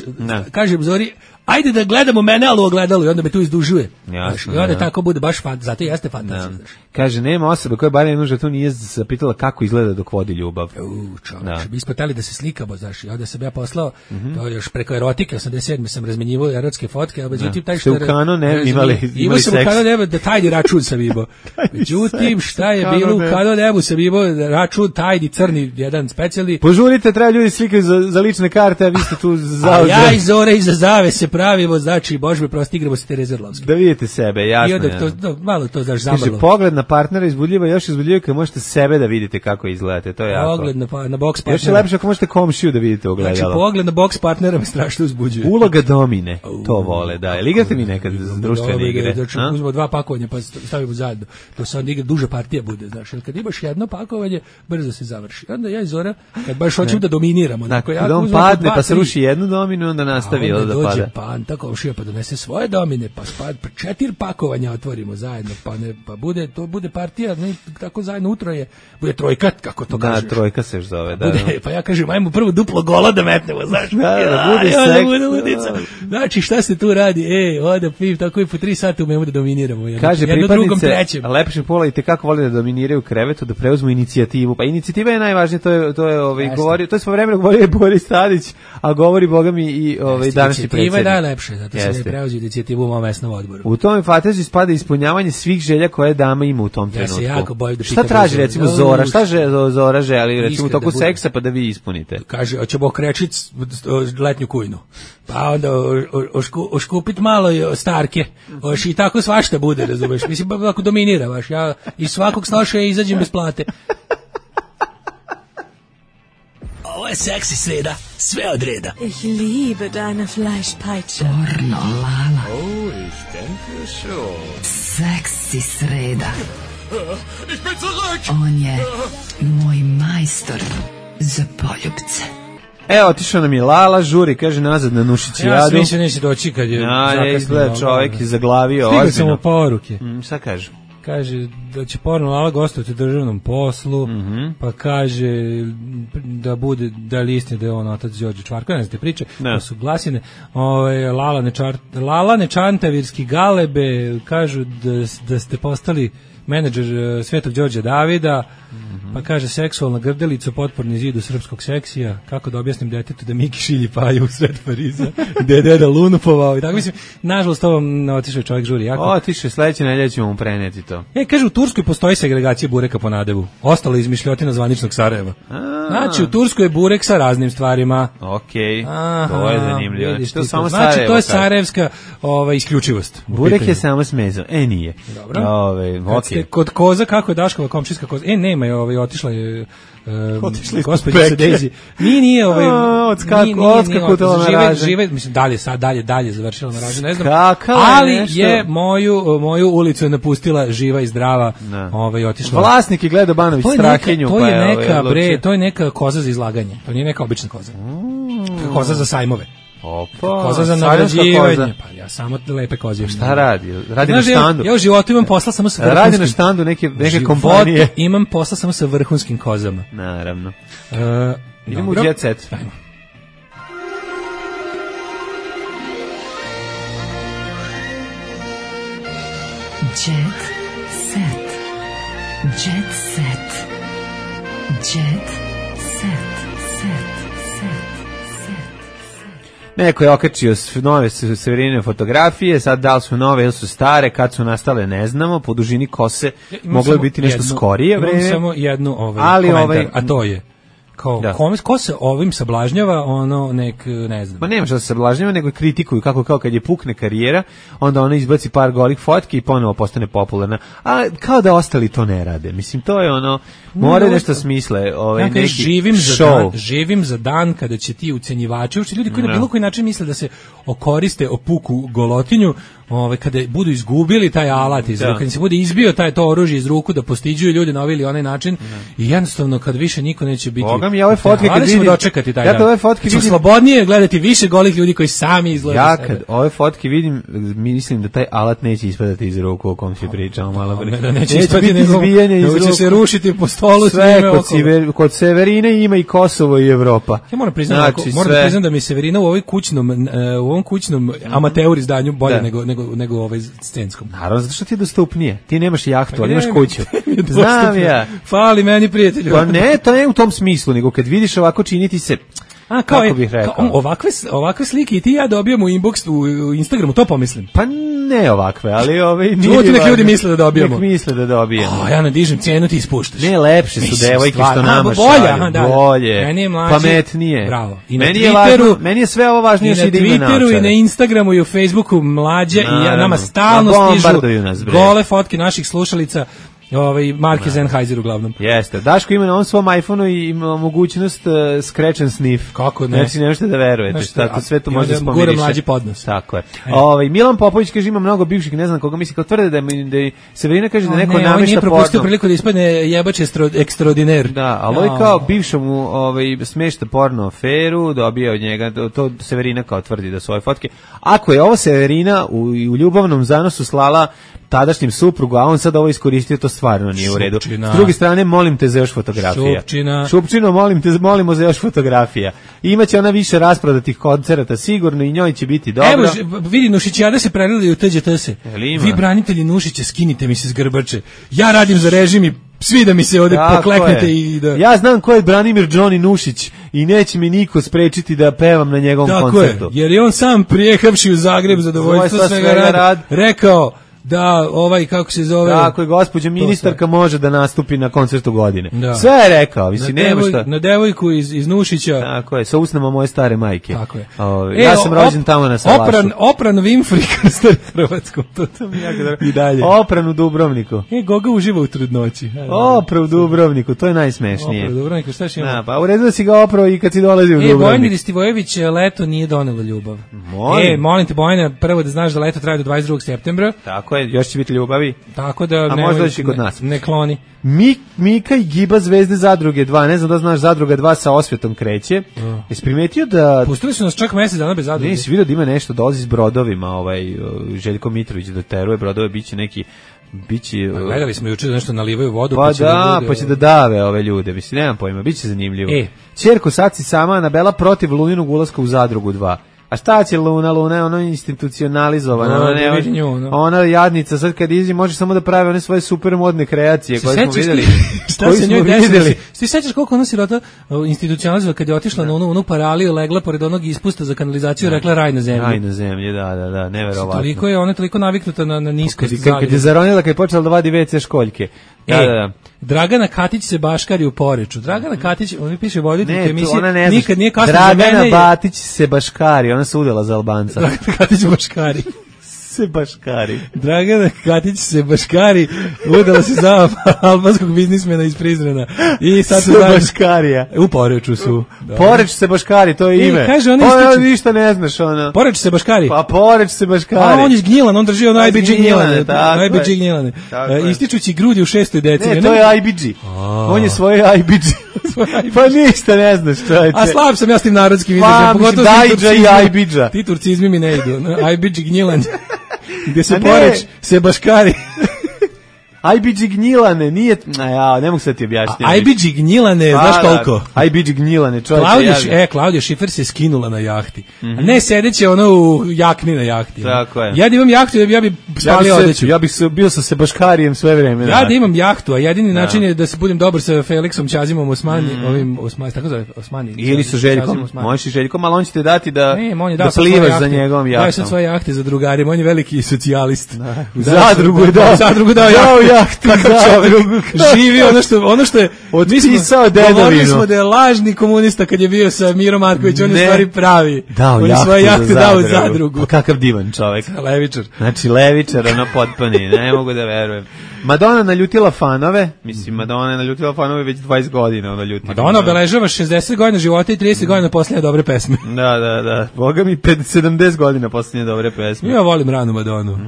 kažem Zori, ajde da gledamo mene, ali u ogledalu i onda me tu izdužuje. Jasno, i onda ja. Tako bude baš fan, zato jeste fantazija. Ja. Kaže, nema osobe koja bar jednu žrtvu nije zapitala kako izgleda dok vodi ljubav. U, čovječ, mi smo teli da se slikamo, znaš, i onda sam ja poslao, mm-hmm. to još preko erotike, osamdeset sedme sam razmenjivao erotske fotke, a međutim, taj što... Ste u kano ne imali, imali sam u kano nebu, da tajni račun sam imao. Međutim, šta je bilo u kano nebu, sam imao račun, tajni, crni, jedan specijalni. Požurite, treba ljudi slikaju za, za lične karte, a vi ste tu zauzeli. A ja iz Zore iza zavese pravimo, znači, Bože me prosti, igramo se Tereze Orlovske. Da vidite sebe, jasno. I onda to, to, malo to, znaš, zamrlo. Kaže, pogled na partnera izbudljiva, još izbudljiva kad možete sebe da vidite kako izgledate, to je jako. Pogled na, na box partnera. Još je lepše ako možete komšiju da vidite ogledalo. Znači, pogled na box partnera me strašno uzbuđuje. Uloga domine, to vole, da. Jel igrate mi nekad društvene igre? Znači, uzmemo dva pakovanja pa stavimo zajedno. To se onda igra, duža partija bude, znaš. Jer kad imaš jedno pakovanje, brzo se završi. Onda ja i Zora, kad baš hoćemo da dominiramo. Dakle, kad on padne pa se ruši jednu dominu, onda nastavi da pada. Dođe panta, komšija, pa donese svoje domine, pa spad, pa četiri pakovanja otvorimo zajedno, pa ne, pa bude, to bude partija, ne, tako zajedno utroje, bude trojka, kako to da, kažeš. Da, trojka se zove, da. Bude, da. Pa ja kažem, ajmo prvo duplo gola da metnemo, znaš. Da, da, bude ja, seks. Bude ludica. Znači, šta se tu radi? Ej, oda, pim, tako i po tri sata umemo da dominiramo. Jedno, kaže, jedno pripadnice lepšeg pola i tekako vole da dominiraju krevetu, da preuzmu inicijativu. Pa inicijativa je najvažnija, to je, to je ovaj, govorio, to je svo vremena govorio Boris Tadić, a govori, boga mi, i ovaj, današnji predsjednik. Inicijativa je najlepše, zato se ne preuzio inicijativu u mom mesnom odboru. U tome fantaziji spada ispunjavanje svih želja koje dama ima u tom trenutku. Ja se jako bojim da šta traži, recimo, Zora? Šta že, Zora želi, recimo, u toku seksa, pa da vi ispunite? Kaže, hoćemo okrećit letnju kujnu. Pa onda ošku, oškupit malo starke. Oš i tako svašta bude, razumeš? Mislim, ako dominira baš. Ja iz svakog snoša izađem bez plate. Ovo je seksi sreda, sve od reda. Ich liebe deine Fleischpeitsche. Pornolala. Oh, ich denke schon. Seksi sreda. Ich bin zurück. On je moj majstor za poljubce. Evo, otišao nam je Lala, žuri, kaže nazad na Nušićijadu. Ja sam mislio neće doći kad je ja, zakasnio. Izgleda čovjek je zaglavio. Stigao sam mu poruke. Mm, šta kaže? Kaže da će porno Lala gostovati u državnom poslu, mm -hmm. pa kaže da bude, da li istina da je on otac Đorđe Čvarko, ne znam te priče, ne. Da su glasine. Ove, Lala, nečar, Lala Nečantavirski Galebe kažu da, da ste postali menadžer Svetog Đorđa Davida, mm-hmm. pa kaže seksualna grdelica, potporni zid u srpskog seksija, kako da objasnim detetu da Miki šilji paju u sred Pariza, gde je deda lunupovao i tako, mislim, nažalost ovom otišao čovjek žuri jako. Otišao, sledeće nedelje ćemo mu preneti to. E, kaže, u Turskoj postoji segregacija bureka po nadevu, ostala izmišljotina zvaničnog Sarajeva. A. Znači, u Turskoj je burek sa raznim stvarima. Okej, okay. To je zanimljivo. Vidiš, to samo znači, to je sarajevska ova, isključivost. Burek je samo smezo, e nije. Dobro. Ove, okay. Kod koza, kako je Daškova komšijska koza? E, nema je, ovaj, otišla je um, gospođa Sedezi. Nije, nije, ovaj, odskakutala na ražen. Žive, mislim, dalje, sad, dalje, dalje završila na ražen, ne znam. Ali nešto? je moju, moju ulicu je napustila živa i zdrava, ovaj, otišla. Vlasnik je gledao Banović Strahinju. To je neka, bre, to je neka koza za izlaganje. To nije neka obična koza. Koza za sajmove. Opa, koza za nagrađivanje. Pa ja samo lepe koze. Šta radi? Radi na štandu. Ja u životu imam posla samo sa vrhunskim. Radi na štandu neke neke kompanije. Imam posla samo sa vrhunskim kozama. Naravno. Uh, Idemo u jet set. Ajmo. Jet set. Jet set. Jet set. Neko je okačio nove Severine fotografije, sad da li su nove ili su stare, kad su nastale ne znamo, po dužini kose ja, moglo je biti nešto jednu, skorije vreme. Imam samo jednu ovaj, ali komentar, ovaj, a to je kao da. Kome, ko se ovim sablažnjava, ono nek, ne znam. Ma nema što se sablažnjava, nego kritikuju kako kao kad je pukne karijera, onda ona izbaci par golih fotki i ponovo postane popularna. A kao da ostali to ne rade. Mislim, to je ono, more no, nešto smisle. Ovaj, ja, neki živim za, dan, živim za dan kada će ti ucenjivači, uopšte ljudi koji no. na bilo koji način misle da se okoriste o puku golotinju, ove, kada budu izgubili taj alat iz ruke, kada se bude izbio taj to oružje iz ruku da postiđuju ljude na ovaj ili onaj način no. i jednostavno kad više niko neće biti Boga mi, ja ove fotke kad vidim, dočekati taj ja dan. Ove fotke vidim, slobodnije gledati više golih ljudi koji sami izgledaju ja kad ove fotke vidim, mislim da taj alat neće ispadati iz ruku o kom se pričamo malo pre. Ne, da neće ispadati nego izbijanje iz ruku. Će se rušiti po stolu sve kod, Sever, kod Severine ima i Kosovo i Evropa. Ja moram priznati, znači, moram priznati da mi Severina u ovoj kućnom u ovom kućnom amateur izdanju bolje da. nego nego nego ovaj scenskom. Naravno, zato što ti je dostupnije. Ti nemaš jahtu, ali imaš kuću. Znam ja. Fali meni, prijatelju. Pa ne, to ne u tom smislu, nego kad vidiš ovako činiti se, a, kao kako je, bih rekao. Kao, ovakve, ovakve slike i ti ja dobijamo u inbox u, u Instagramu, to pomislim. Pa ne ovakve, ali ove... Čuti nek ljudi misle da dobijamo. Nek misle da dobijamo. O, ja nadižem cenu, ti ispuštaš. Ne, lepše su Mislim, devojke stvar, što aha, nama bolje, šalju. aha, da, da. Bolje, Meni je mlađi, pametnije. Bravo. I na meni, je Twitteru, važno, meni je sve ovo važnije i na što ide ime Twitteru, i naočare. na Instagramu, i u Facebooku mlađe, i ja, nama stalno Ma, stižu bombarduju nas, bre. gole fotke naših slušalica, ovaj Marke Sennheiser uglavnom. Jeste. Daško ima na ovom svom iPhoneu i ima mogućnost uh, scratch and sniff. Kako ne? Znači, ne možete da verujete. Znači, Tako sve to i može da onda spomiriše. gura mlađi podnos. Tako je. E. Ovaj Milan Popović kaže ima mnogo bivših, ne znam koga misli, kao tvrde da je, da je Severina kaže da neko ne, on namešta nije porno. propustio priliku da ispadne jebač ekstraordiner. Da, ali ovaj kao bivšemu ovaj, smešta porno aferu, dobio od njega, to, to Severina kao tvrdi da su ove fotke. Ako je ovo Severina u, u ljubavnom zanosu slala tadašnjem suprugu, a on sad ovo iskoristio, to stvarno nije u redu. Šupčina. S druge strane, molim te za još fotografija. Šupčina. Šupčino, molim te, molimo za još fotografija. Imaće ona više rasprodatih koncerata, sigurno, i njoj će biti dobro. Evo, ž- vidi, Nušićijada se prelili u T Đ T se. ima? Vi, branitelji Nušića, skinite mi se s grbače. Ja radim za režim i svi da mi se ovde Tako pokleknete je. i da... Ja znam ko je Branimir Johnny Nušić i neće mi niko sprečiti da pevam na njegovom Tako koncertu. je, jer je on sam prijehavši u Zagreb za dovoljstvo Zadovoljstva svega, svega rad, rad. rekao da ovaj, kako se zove... Tako je, gospođa ministarka može da nastupi na koncertu godine. Da. Sve je rekao, mislim, na, nema devoj, šta. na devojku iz, iz Nušića. Tako je, sa usnama moje stare majke. Tako je. O, E, ja sam op- rođen tamo na Salašu. Opran, opran Winfrey krster Hrvatskom, to to mi jako dobro. I dalje. Opran u Dubrovniku. E, Goga uživa u trudnoći. Opra u Dubrovniku, to je najsmešnije. Opra u Dubrovniku, šta še ima? Da, pa u redu da si ga oprao i kad si dolazi u E, Bojani Dubrovnik. Ristivojević, leto nije donelo ljubav. Molim. E, molim te, Bojana, prvo da znaš da leto traje do dvadeset drugog septembra, Tako je, još će biti ljubavi. tako da... A nemoj- možda doći i kod ne- nas. Ne kloni. Mik, Mika i Giba Zvezde Zadruge dva, ne znam da znaš, Zadruga dva sa Osvetom kreće. Jesi primetio da... Pustili su nas čak mesec dana bez zadruge. Nisi vidio da ima nešto, dolazi s brodovima, ovaj, Željko Mitrović da teruje brodove, biće neki... Biće, Pa gledali smo juče da nešto nalivaju vodu, Pa, pa će da, bude- pa će da dave ove ljude, mislim, nemam pojma, bit će zanimljivo. E. Ćerko Saci sama Anabela protiv Luninog ulaska u Zadrugu dva. A šta će Luna? Luna je ono institucionalizovana. Da, Ona, da ne, vidi nju, ono. ona jadnica, sad kad izi može samo da pravi one svoje super modne kreacije Se koje smo sećaš ti- videli. šta koje se smo njoj desilo? videli. Ti se sećaš koliko ona sirota institucionalizova kad je otišla na onu, onu paraliju, legla pored onog ispusta za kanalizaciju, rekla raj na zemlji. Raj na zemlji, da, da, da, neverovatno. Toliko je ona toliko naviknuta na, na niskost Kad, kad, kad je Zagreba. zaronila, kad je počela da vadi ve ce školjke. Da, E, da, da. Dragana Katić se baškari u Poreču. Dragana Katić, on mi piše voditeljka Ne, to emisije, ona ne znaš. nikad nije kasno za Dragana mene. je- Batić se baškari, ona se udala za Albanca. Dragana Katić baškari. se baškari. Dragana Katić se baškari, udala se za albanskog biznismena iz Prizrena. I sad su Se zajedno- baškarija. U Poreču su. Da. Poreć se baškari, to je E, ime. kaže ona Pa, ističe- ništa ne znaš, ona. Poreč se baškari. Pa Poreć se baškari. A on je gnjilan, on drži ono Pa, I B G Gnjilane, gnjilane. tako I B G je. gnjilane. Tako E, je. Ističući grudi u šestoj deci. Ne, to je I B G. On je svoje I B G. Pa ništa ne znaš, čovječe. A slab sam ja s tim narodskim Pa, izrazom, mislim, pogotovo s tim Dajđa i turcizmima. Ajbidža. Ti turcizmi mi ne idu. no, I B G gnjilanje. Gde se A ne. Poreč se baškari. I B G gnjilane, nije... A ja, ne mogu sad ti objasniti. I B G gnjilane, znaš koliko? I B G gnjilane, čovječe. Klaudija, ja Š- bi- e, Klaudija Šifer se skinula na jahti. A ne sedeće ono u jakni na jahti. Tako je. Ja da imam jahtu, ja bi, ja bi Ja bih spalio se, odeću. ja bih se, bio sa Sebaškarijem sve vreme. Ja da imam jahtu, a jedini način je da se budem dobar sa Felixom Ćazimom Osmani, ovim Osmani, tako zove Osmani. Ili sa Ćazim Željkom, Osmani. možeš i Željkom, ali on će te dati da, Ne, on je da dao sad svoje plivaš jahte. za njegovom Dao je jahtom. sad svoje jahte za drugarima, on je veliki socijalist. U zadrugu je dao. U zadrugu dao Dao jahtu. jahtu, Kakav čovek. zadrugu. Živi ono što, ono što je... Otpisao mi smo- dedovinu. Govorili smo da je lažni komunista kad je bio sa Miro Marković, on je Ne. u stvari pravi. Dao on je jahtu svoje jahte za dao u zadrugu. zadrugu. Pa kakav divan čovek. Levičar. Znači, levičar, ono potpuni, ne mogu da verujem. Madonna naljutila fanove, mislim, Madonna je naljutila fanove već dvadeset godina, ona ljuti. Madonna obeležava šezdeset godina života i trideset godina posljednje dobre pesme. Da, da, da. Boga mi, pet- sedamdeset godina posljednje dobre pesme. Ja volim ranu Madonu.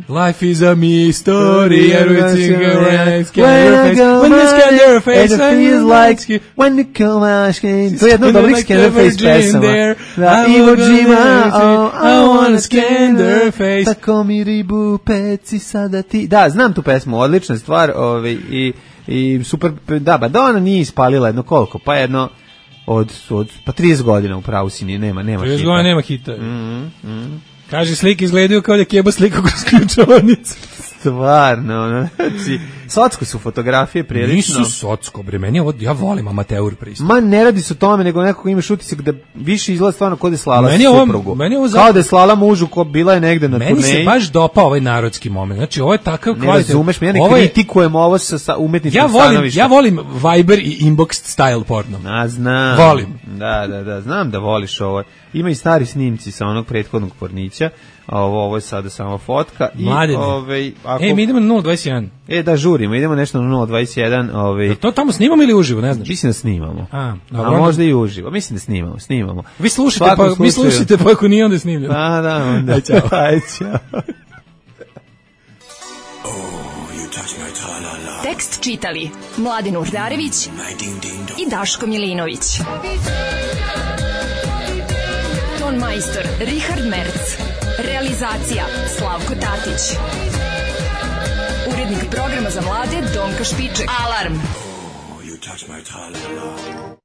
Life is a mystery, everything around When When the Scanner face it feels like when we come out, to je jedna od dobrih Scannerface pesama. Da, Iwo Jima, oh, I wanna Scannerface, tako mi ribu peci sada ti. Da, znam tu pesmu, odlična stvar, ovaj, i, i super, da, Madonna nije ispalila jedno koliko, pa jedno od, od pa trideset godina u pravu si nije, nema, nema trideset hita. godina nema hita. Mm, mm. Kaže, slike izgledaju kao da je keba slika kroz ključavnicu. Stvarno, ono, znači, Socko su fotografije prilično. Nisu socko, bre, meni ovo, ja volim amateur pristup. Ma ne radi se o tome, nego nekako imaš utisak da više izgleda stvarno kod je slala meni suprugu. Ovo, meni ovo kao da je slala mužu ko bila je negde na meni turneji. Meni se baš dopao ovaj narodski moment. Znači, ovo je takav kvalitet. Ne razumeš, ja ne ovo je, kritikujem ovo sa, sa umetničkog ja volim, stanovišta. Ja volim Viber i inbox style porno. A, znam. Volim. Da, da, da, znam da voliš ovo. Ima i stari snimci sa onog prethodnog pornića. Ovo, ovo je sada samo fotka. Mladine. I, ovaj, ako... E, mi idemo na nula dvadeset jedan. E, da, žurimo, idemo nešto na nula dvadeset jedan. Ovaj... To tamo snimamo ili uživo, ne znaš? Mislim da snimamo. A, dobro, A možda i uživo. Mislim da snimamo, snimamo. Vi slušate, pa, mi slušate, pa ako nije, onda snimljamo. A, da, onda. Aj, čao. Aj, čao. Tekst čitali Mladin Urdarević i Daško Milinović. Ton majstor Richard Merc. Realizacija Slavko Tatić. Urednik programa za mlade Donka Špiček. Alarm! Oh, you touch my